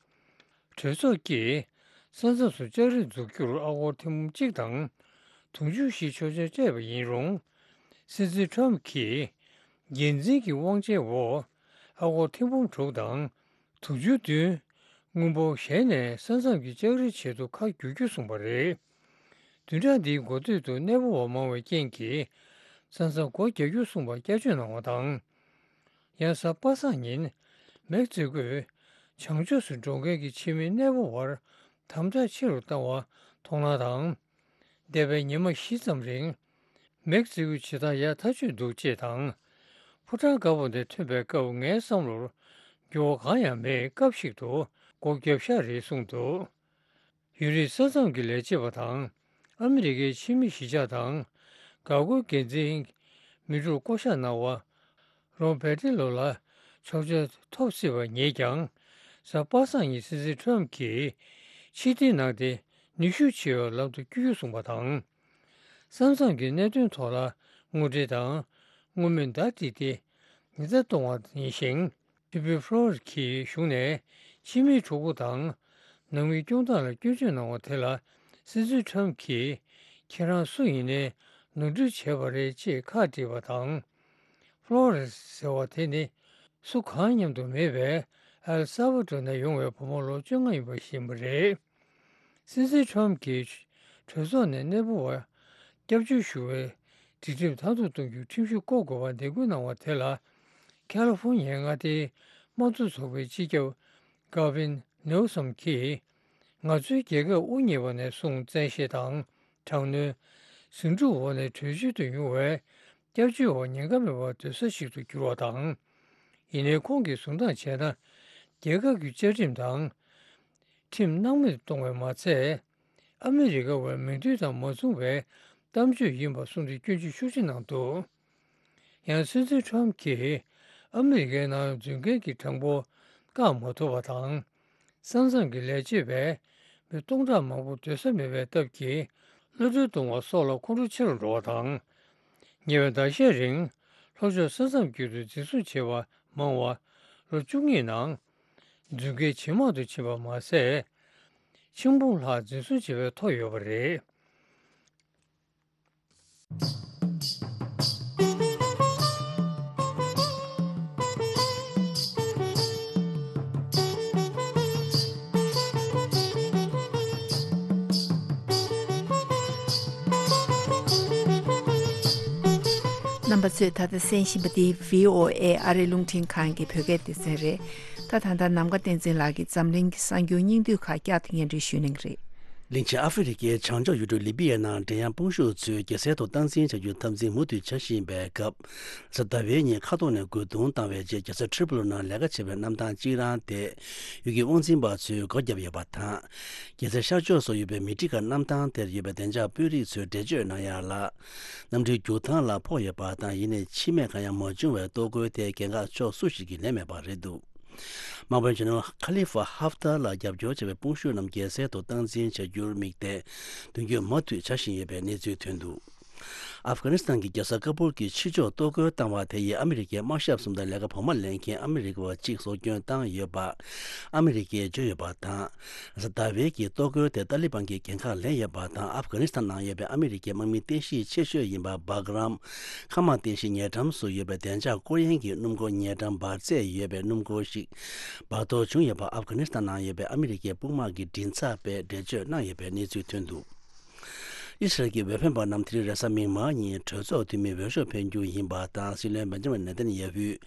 གྲོས་ཚོགས་ཀྱིས་ས་མཚམས་སུ་ལྕགས་རི་འཛུགས་རྒྱུར་ཨ་སྒོར་ཐེར་འབུམ་གཅིག་དང་དུང་ཕྱུར་བཞི་ཆོག་མཆན་སྤྲད་པ་ཡིན་རུང་། སྲིད་འཛིན་ཊམ་གྱིས་འགན་འཛིན་གྱི་དབང་ཆའི་འོག་ཨ་སྒོར་ཐེར་འབུམ་དྲུག་དང་། དུང་ཕྱུར་བདུན། དངུལ་འབོར་གཞན་ནས་ས་མཚམས་ཀྱི་ལྕགས་རི་ཆེད་དུ་ཁ་བསྒྱུར་རྒྱུ་གསུངས་པ་རེད། བདུན་ཕྲག་འདིའི་འགོ་སྟོད་དུ་གནས་སྤོ་བ་མང་བའི་རྐྱེན་གྱིས། ས་མཚམས་སྒོ་རྒྱག་རྒྱུ་གསུངས་པར་བསྐྱར་བཅོས་གནང་བ་དང་། ཡང་གཟའ་པ་སངས་ཉིན། མེག་སི་ཀོས་བྱང་ཕྱོགས་སུ་འགྲོ་མཁན་གྱི་ཕྱི་མི་གནས་སྤོ་བར་དམ་དྲག་ཆེ་རུ་བཏང་བ་མཐོང་སྣང་དང་། འདས་པའི་ཉི་མ་བཞི་ཙམ་རིང་། མེག་སི་ཀོའི་བྱེད་སྟངས་ཡག་ཐག་ཆོད་འདུག་ཅེས་དང་། ཕོ་བྲང་དཀར་པོ་ནས་ཐོན་པའི་སྐབས་ངའི་བསམ་བློར་འགྱུར་བ་གང་ཡང་མེད། སྐབས་ཤིག་ཏུ་སྒོ་བརྒྱབ་ཤག་རེད་གསུངས་འདུག་ཡུན་རིང་ས་མཚམས་ཀྱི་ལས་བྱེད་པ་དང་ཨ་མི་རི་ཀའི་ཕྱི་མི་གཞིས་ཆགས་དང་འགག་སྒོའི་འགན་འཛིན་མི་དྲུག་བསྐོ་གཞག་གནང་བ། རོན་པེ་ཏི་ལོ་ལ་ཆོག་མཆན་ཐོབ་སྲིད་པ་ངེས་ཀྱང་། གཟའ་པ་སངས་ཉིན་སྲིད་འཛིན་ཁྲོམ་གྱིས་ཕྱིར་འཐེན་གནང་སྟེ་ནུས་ཤུགས་ཆེ་བའི་ལམ་དུ་བསྐྱོད་རྒྱུ་གསུངས་པ་དང་། ས་མཚམས་ཀྱི་གནད་དོན་ཐོག་ལ་དངོས་འབྲེལ་དང་དངོས་མིན་བརྡ་སྤྲད་དེ་ཉེན་བརྡ་གཏོང་བ་ཡིན་ཞིང་། ཕི་པི་ཕོ་ལོ་རེས་ཀྱིས་གཞུང་ནས་ཕྱི་མིའི་གྲོགས་པོ་དང་ནང་མིའི་སྐྱོང་སྟངས་ལ་སྐྱོན་བརྗོད་གནང་བ་དེ་ལ་སྲིད་འཛིན་ཁྲོམ་གྱིས་ཁྱེད་རང་སུ་ཡིན་ནའི་ནོར་འཁྲུལ་བྱས་པ་རེད་ཅེས་ཁག་དཀྲིས་པ་དང་། ཕོ་ལོ་རེས་ཟེར་བ་དེ་ནི་སུ་གང་མཉམ་དུ་མེད་པའི་ ཨེལ་སཱ་བ་ཏོ་ནས་ཡོང་བའི་བུ་མོ་ལོ་བཅོ་ལྔ་ཡིན་པ་ཤེས་པ་རེད། སྲིད་འཛིན་ཁྲོམ་གྱིས་གྲོས་ཚོགས་ནས་གནས་སྤོ་བར་སྐྱབས་བཅོལ་ཞུ་བའི་སྒྲིག་ཁྲིམས་མཐར་ཐུག་གཏོང་རྒྱུའི་ཁྲིམས་གཞི་བཀོད་དགོས་པར་འདེད་སྐུལ་གནང་བ་དེ་ལ། ཁ་ལི་ཧྥོ་ཉི་ཡའི་མངའ་སྡེའི་དམངས་གཙོ་ཚོགས་པའི་སྤྱི་ཁྱབ་Gavin Newsom གྱིས། ང་ཚོའི་རྒྱལ་ཁབ་དབུ་བརྙེས་པ་ནས་བཟུང་བཙན་ཤེད་དང་། དྲག་གནོན། ཟིང་འཁྲུག་འོག་ནས་བྲོས་བྱོལ་དུ་ཡོང་བའི་སྐྱབས་བཅོལ་བ་ཉེན་ཁ་མེད་པར་སྡོད་ས་ཞིག་ཏུ་གྱུར་བ་དང་། ཡིན་ནའི་ཁོང་གིས་བཟུང་དང་བྱས་ན། རྒྱལ་ཁབ་ཀྱི་བཅའ་ཁྲིམས་དང་། ཁྲིམས་སྣང་མེད་གཏོང་བས་མ་ཚད། ཨ་མི་རི་ཀ་བའི་མོས་མཐུན་དང་མ་མཚུངས་པའི་གཏམ་བརྗོད་ཡིན་པ་གསུངས་ཏེ་སྐྱོན་བརྗོད་ཤུགས་ཆེ་གནང་འདུག་ཡང་སྲིད་འཛིན་ཁྲོམ་གྱིས་ཨ་མི་རི་ཀའི་ནང་འཛུལ་མཁན་གྱི་གྲངས་འབོར་བཀག་མ་ཐུབ་པ་དང་། ས་མཚམས་ཀྱི་ལས་བྱེད་པས་མི་སྟོང་ཕྲག་མང་པོ་སྡོད་ས་མེད་པའི་སྟབས་ཀྱིས་གློད་གྲོལ་གཏོང་བ་སོགས་ལ་ཁོང་ཁྲོ་ཆེ་རུ་འགྲོ་བ་དང་། ཉེ་བའི་ཟླ་ཤས་རིང་ལྷོ་ཕྱོགས་ས་མཚམས་བརྒྱུད་དུ་འཛིན་བཟུང་བྱས་པ་མང་བ་ལོ་བཅུ་གཉིས་ནང་འཛུལ་མཁན་ཇེ་མང་དུ་ཕྱིན་པ་མ་ཟད། ཆིག་འབུམ་ལྷག་འཛིན་བཟུང་བྱས་པའི་ཐོ་ཡོད་པ་རེད། རྣམ་པ་ཚོས་ད་ལྟ་གསན་བཞིན་པ་འདི་བྷི་ཨོ་ཨེ་ཨ་རིའི་རླུང་འཕྲིན་ཁང་གི་བོད་སྐད་སྡེ་ཚན་རེད། ད་ད་ལྟ་ནམ་མཁའ་བསྟན་འཛིན་ལགས་ཀྱིས་འཛམ་གླིང་གི་གསར་འགྱུར་སྙིང་བསྡུས་ཁག་བསྐྱར་དུ་སྙན་སྒྲོན་ཞུ་གནང་གི་རེད། གླིང་ཆེན་ཨ་ཧྥེ་རི་ཁའི་བྱང་ཕྱོགས་ཡུལ་གྲུ་ལི་པི་ཡའི་ནང་འགྲན་ཡངས་དཔུང་ཤུགས་ཚོས་རྒྱལ་སའི་ཐོག་སྟངས་འཛིན་བྱ་རྒྱུའི་འཐབ་འཛིང་མུ་མཐུད་བྱ་བཞིན་པའི་སྐབས། གཟའ་ཟླ་བའི་ཉིན་མཁའ་ཐོག་ནས་རྒོལ་རྡུང་བཏང་བའི་རྗེས་རྒྱལ་ས་ཏྲི་པོ་ལི་ནང་ལས་ཀ་བྱེད་པའི་གནམ་ཐང་གཅིག་རང་དེ་ཡུལ་གྱི་དབང་འཛིན་པ་ཚོས་སྒོ་བརྒྱབ་ཡོད་པ་དང་། རྒྱལ་སའི་ཤར་ཕྱོགས་སུ་ཡོད་པའི་མི་ཏི་ཀ་གནམ་ཐང་དེར་ཡོད་པའི་བདེ་འཇགས་དཔོན་རིགས་ཚོས་འགྲེལ་བརྗོད་གནང་ཡག་ལ། གནམ་གྲུའི་རྒྱུག་ཐང་ལ་ཕོག་ཡོད་པ་དང་། ཡིན་ནའི་འཆི་རྨས་གང་ཡང་མ་བྱུང་བའི་གཏོར་རྒོལ་དེ་འགན་ཁག་ཕྱོགས་སུ་ཞིག་གིས་ལེན་མེད་པ་རེད་འདུག་དམག་དཔོན་ཆེན་མོ་ཁ་ལི་ཧྥ་ཧབ་ཏཱ་ལ་རྒྱབ་སྐྱོར་བྱེད་པའི་དཔུང་ཤུགས་རྣམས་རྒྱལ་སའི་ཐོག་སྟངས་འཛིན་བྱ་རྒྱུར་དམིགས་ཏེ། མདུན་སྐྱོད་མུ་མཐུད་བྱ་བཞིན་ཡོད་པའི་གནས་ཚུལ་ཐོན་འདུག་ཨབ་གྷ་ནི་སི་ཐན་གྱི་རྒྱལ་ས་ཀ་པུལ་གྱི་ཕྱི་ཕྱོགས་གཏོར་རྒོལ་བཏང་བ་དེ་ཡིས་ཨ་མི་རི་ཀའི་དམག་ཞབས་གསུམ་དང་ལས་ཀ་བོགས་མ་ལེན་མཁན་ཨ་མི་རི་ཀ་བ་གཅིག་སྲོག་སྐྱོན་བཏང་ཡོད་པ་ཨ་མི་རི་ཀས་བརྗོད་ཡོད་པ་དང་། གཟའ་ཟླ་བའི་གི་གཏོར་རྒོལ་དེ་ཏཱ་ལི་བན་གྱིས་འགན་ཁག་ལེན་ཡོད་པ་དང་། ཨབ་གྷ་ནི་སི་ཐན་ནང་ཡོད་པའི་ཨ་མི་རི་ཀའི་དམག་མི་རྟེན་གཞི་ཆེ་ཤོས་ཡིན་པ་སྦག་རམ་མཁའ་དམག་རྟེན་གཞི་ཉེ་འགྲམ་སུ་ཡོད་པའི་བདེ་འཇགས་སྐོར་གཡེང་གི་སྣུམ་འཁོར་ཉེ་འགྲམ་འབར་རྫས་ཡོད་པའི་སྣུམ་འཁོར་ཞིག་འབར་གཏོར་བྱུང་ཡོད་པ་ཨབ་གྷ་ནི་སི་ཐན་ནང་ཡོད་པའི་ཨ་མི་རི་ཀའི་དཔུང་དམག་གི་མགྲིན་ཚབ་པས་འགྲེལ་བརྗོད་གནང་ཡོད་པའི་གནས་ཚུལ་ཐོན་འདུག་ཨི་སི་རལ་གྱི་འོས་འཕེན་པ་རྣམས་དེ་རིང་རེས་གཟའ་མིག་དམར་ཉིན་གྲོས་ཚོགས་འཐུས་མིའི་འོས་ཤོག་འཕེན་རྒྱུ་ཡིན་པ་དང་། སྲིད་བློན་བེན་ཇ་མིན་ནེ་ཐན་ཡ་ཧུས་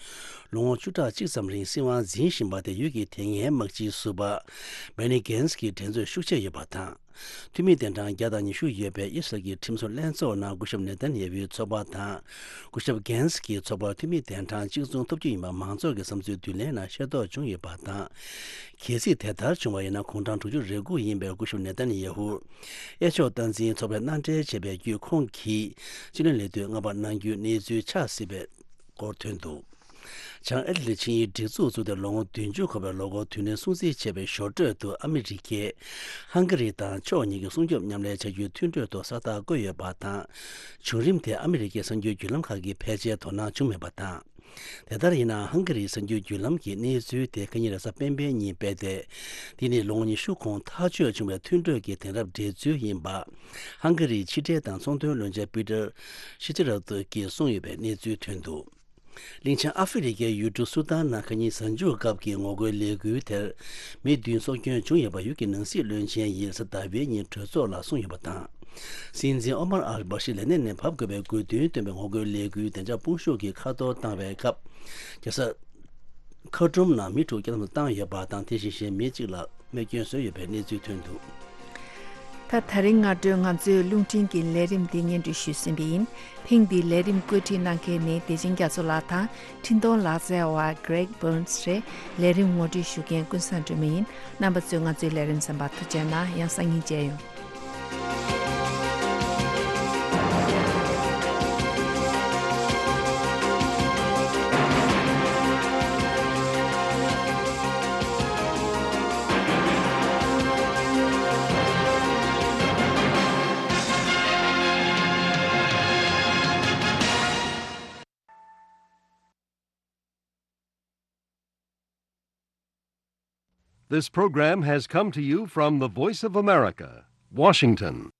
ལོ་ངོ་བཅུ་ཕྲག་གཅིག་ཙམ་རིང་སྲིད་དབང་འཛིན་བཞིན་པ་དེ་ཡུལ་གྱི་དེ་སྔའི་དམག་སྤྱིའི་ཟུར་པ་བེ་ནི་གྷན་སི་གྱི་འགྲན་རྩོད་ཤུགས་ཆེ་ཡོད་པ་དང་། འཐུས་མི་གདན་གྲངས་བརྒྱ་དང་ཉི་ཤུ་ཡོད་པའི་ཨི་སི་རལ་གྱི་ཁྲིམས་བཟོ་ལྷན་ཚོགས་ནང་སྐུ་ཞབས་ནེ་ཐན་ཡ་ཧུའི་ཚོགས་པ་དང་། སྐུ་ཞབས་གྷན་སི་གྱི་ཚོགས་པར་འཐུས་མི་གདན་གྲངས་གཅིག་མཚུངས་ཐོབ་རྒྱུ་ཡིན་པ་མང་ཚོགས་ཀྱི་བསམ་ཚུལ་བསྡུ་ལེན་ནང་ཤེས་རྟོགས་བྱུང་ཡོད་པ་དང་། གལ་སྲིད་དེ་ལྟར་བྱུང་བ་ཡིན་ན། དགུང་གྲངས་དྲུག་ཅུ་རེ་དགུ་ཡིན་པའི་སྐུ་ཞབས་ནེ་ཐན་ཡ་ཧུ་གཡས་ཕྱོགས་སྟངས་འཛིན་ཚོགས་པས་མནའ་འབྲེལ་བྱས་པའི་བརྒྱུད། ཁོང་གིས་སྤྱི་བློན་ལས་དུས་མངའ་འབར་གནང་རྒྱུའི་གནས་ཚུལ་ཆགས་སྲིད་པའི་སྐོར་ཐོན་འདུག་བྱང་ཨེ་ཊ་ལན་ཊིག་ཆིངས་ཡིག་སྒྲིག་འཛུགས་བཙུགས་ཏེ་ལོ་ངོ་བདུན་ཅུ་འཁོར་བའི་ལོ་འཁོར་དུས་སྟོན་སྲུང་བརྩི་བྱས་པའི་ཞོར་འཕྲོས་སུ། ཨ་མི་རི་ཀས་ཧང་ག་རི་དང་ཕྱོགས་གཉིས་ཀྱི་སྲུང་སྐྱོབ་མཉམ་ལས་བྱ་རྒྱུའི་མཐུན་གྲོས་ཐོག་ས་རྟགས་བཀོད་ཡོད་པ་དང་། བྱུང་རིམ་དེ་ཨ་མི་རི་ཀའི་གསར་འགྱུར་བརྒྱུད་ལམ་ཁག་གིས་ཕལ་ཆེར་དོ་སྣང་བྱུང་མེད་པ་དང་། དེ་ལྟར་ཡིན་ནའང་། ཧང་ག་རིའི་གསར་འགྱུར་བརྒྱུད་ལམ་གྱིས་གནས་ཚུལ་དེ་ཁ་ཉིན་རེས་གཟའ་སྤེན་པའི་ཉིན་སྤེལ་ཏེ། འདི་ནི་ལོ་ངོ་ཉི་ཤུ་གོང་ཐག་གཅོད་བྱུང་བའི་མཐུན་གྲོས་ཀྱི་དེང་རབས་འགྲེལ་ཚུལ་ཡིན་པ། ཧང་ག་རིའི་ཕྱི་འབྲེལ་དང་ཚོང་དོན་བློན་ཆེན་པི་ཏར་ཤི་ཅི་ར་ཏོ་གིས་གསུངས་ཡོད་པའི་གནས་ཚུལ་ཐོན་འདུག་གླིང་ཆེན་ཨ་ཧྥེ་རི་ཁའི་ཡུལ་གྲུ་སུ་དཱན་ནང་ཁ་ཉིན་གཟའ་མཇུག་སྐབས་ཀྱི་ངོ་རྒོལ་ལས་འགུལ་དེར་མི་བདུན་སྲོག་སྐྱོན་བྱུང་ཡོད་པ་ཡུལ་གྱི་ནང་སྲིད་བློན་ཆེན་ཡིས་གཟའ་ཟླ་བའི་ཉིན་གྲོས་ཚོགས་ལ་གསུངས་ཡོད་པ་དང་། སྲིད་འཛིན་ཨོ་མར་ཨལ་བྷ་ཤི་ལས་གནས་ནས་བབས་དགོས་པའི་དགོས་འདུན་བཏོན་པའི་ངོ་རྒོལ་ལས་འགུལ་བདེ་འཇགས་དཔུང་ཤུགས་ཀྱིས་ཁ་གཏོར་བཏང་བའི་སྐབས། རྒྱལ་ས་ཁར་ཏུམ་ནང་མི་དྲུག་བསྐྱར་དམ་བཏང་ཡོད་པ་དང་། དེ་བཞིན་གཞན་མི་གཅིག་ལ་རྨས་སྐྱོན་བཟོས་ཡོད་པའི་གནས་ཚུལ་ཐོན་འདུག་ད་ད་རིང་སྔ་དྲོའི་ང་ཚོའི་རླུང་འཕྲིན་གྱི་ལས་རིམ་འདི་སྙན་སྒྲོན་ཞུས་ཟིན་པ་ཡིན། ཐེངས་འདིའི་ལས་རིམ་བཀོད་སྒྲིག་གནང་མཁན་ནི་བདེ་ཆེན་རྒྱ་མཚོ་ལགས་དང་། འཕྲིན་གཏོང་ལག་རྩལ་བ་Greg Burns་རེད། ལས་རིམ་ངོ་སྤྲོད་ཞུ་མཁན་ཀུན་བཟང་སྒྲོལ་མ་ཡིན། རྣམ་པ་ཚོས་ང་ཚོའི་ལས་རིམ་གསན་པར་ཐུགས་རྗེ་གནང་། ཡང་སང་ཉིན་མཇལ་ཡོང་། This program has come to you from the Voice of America, Washington.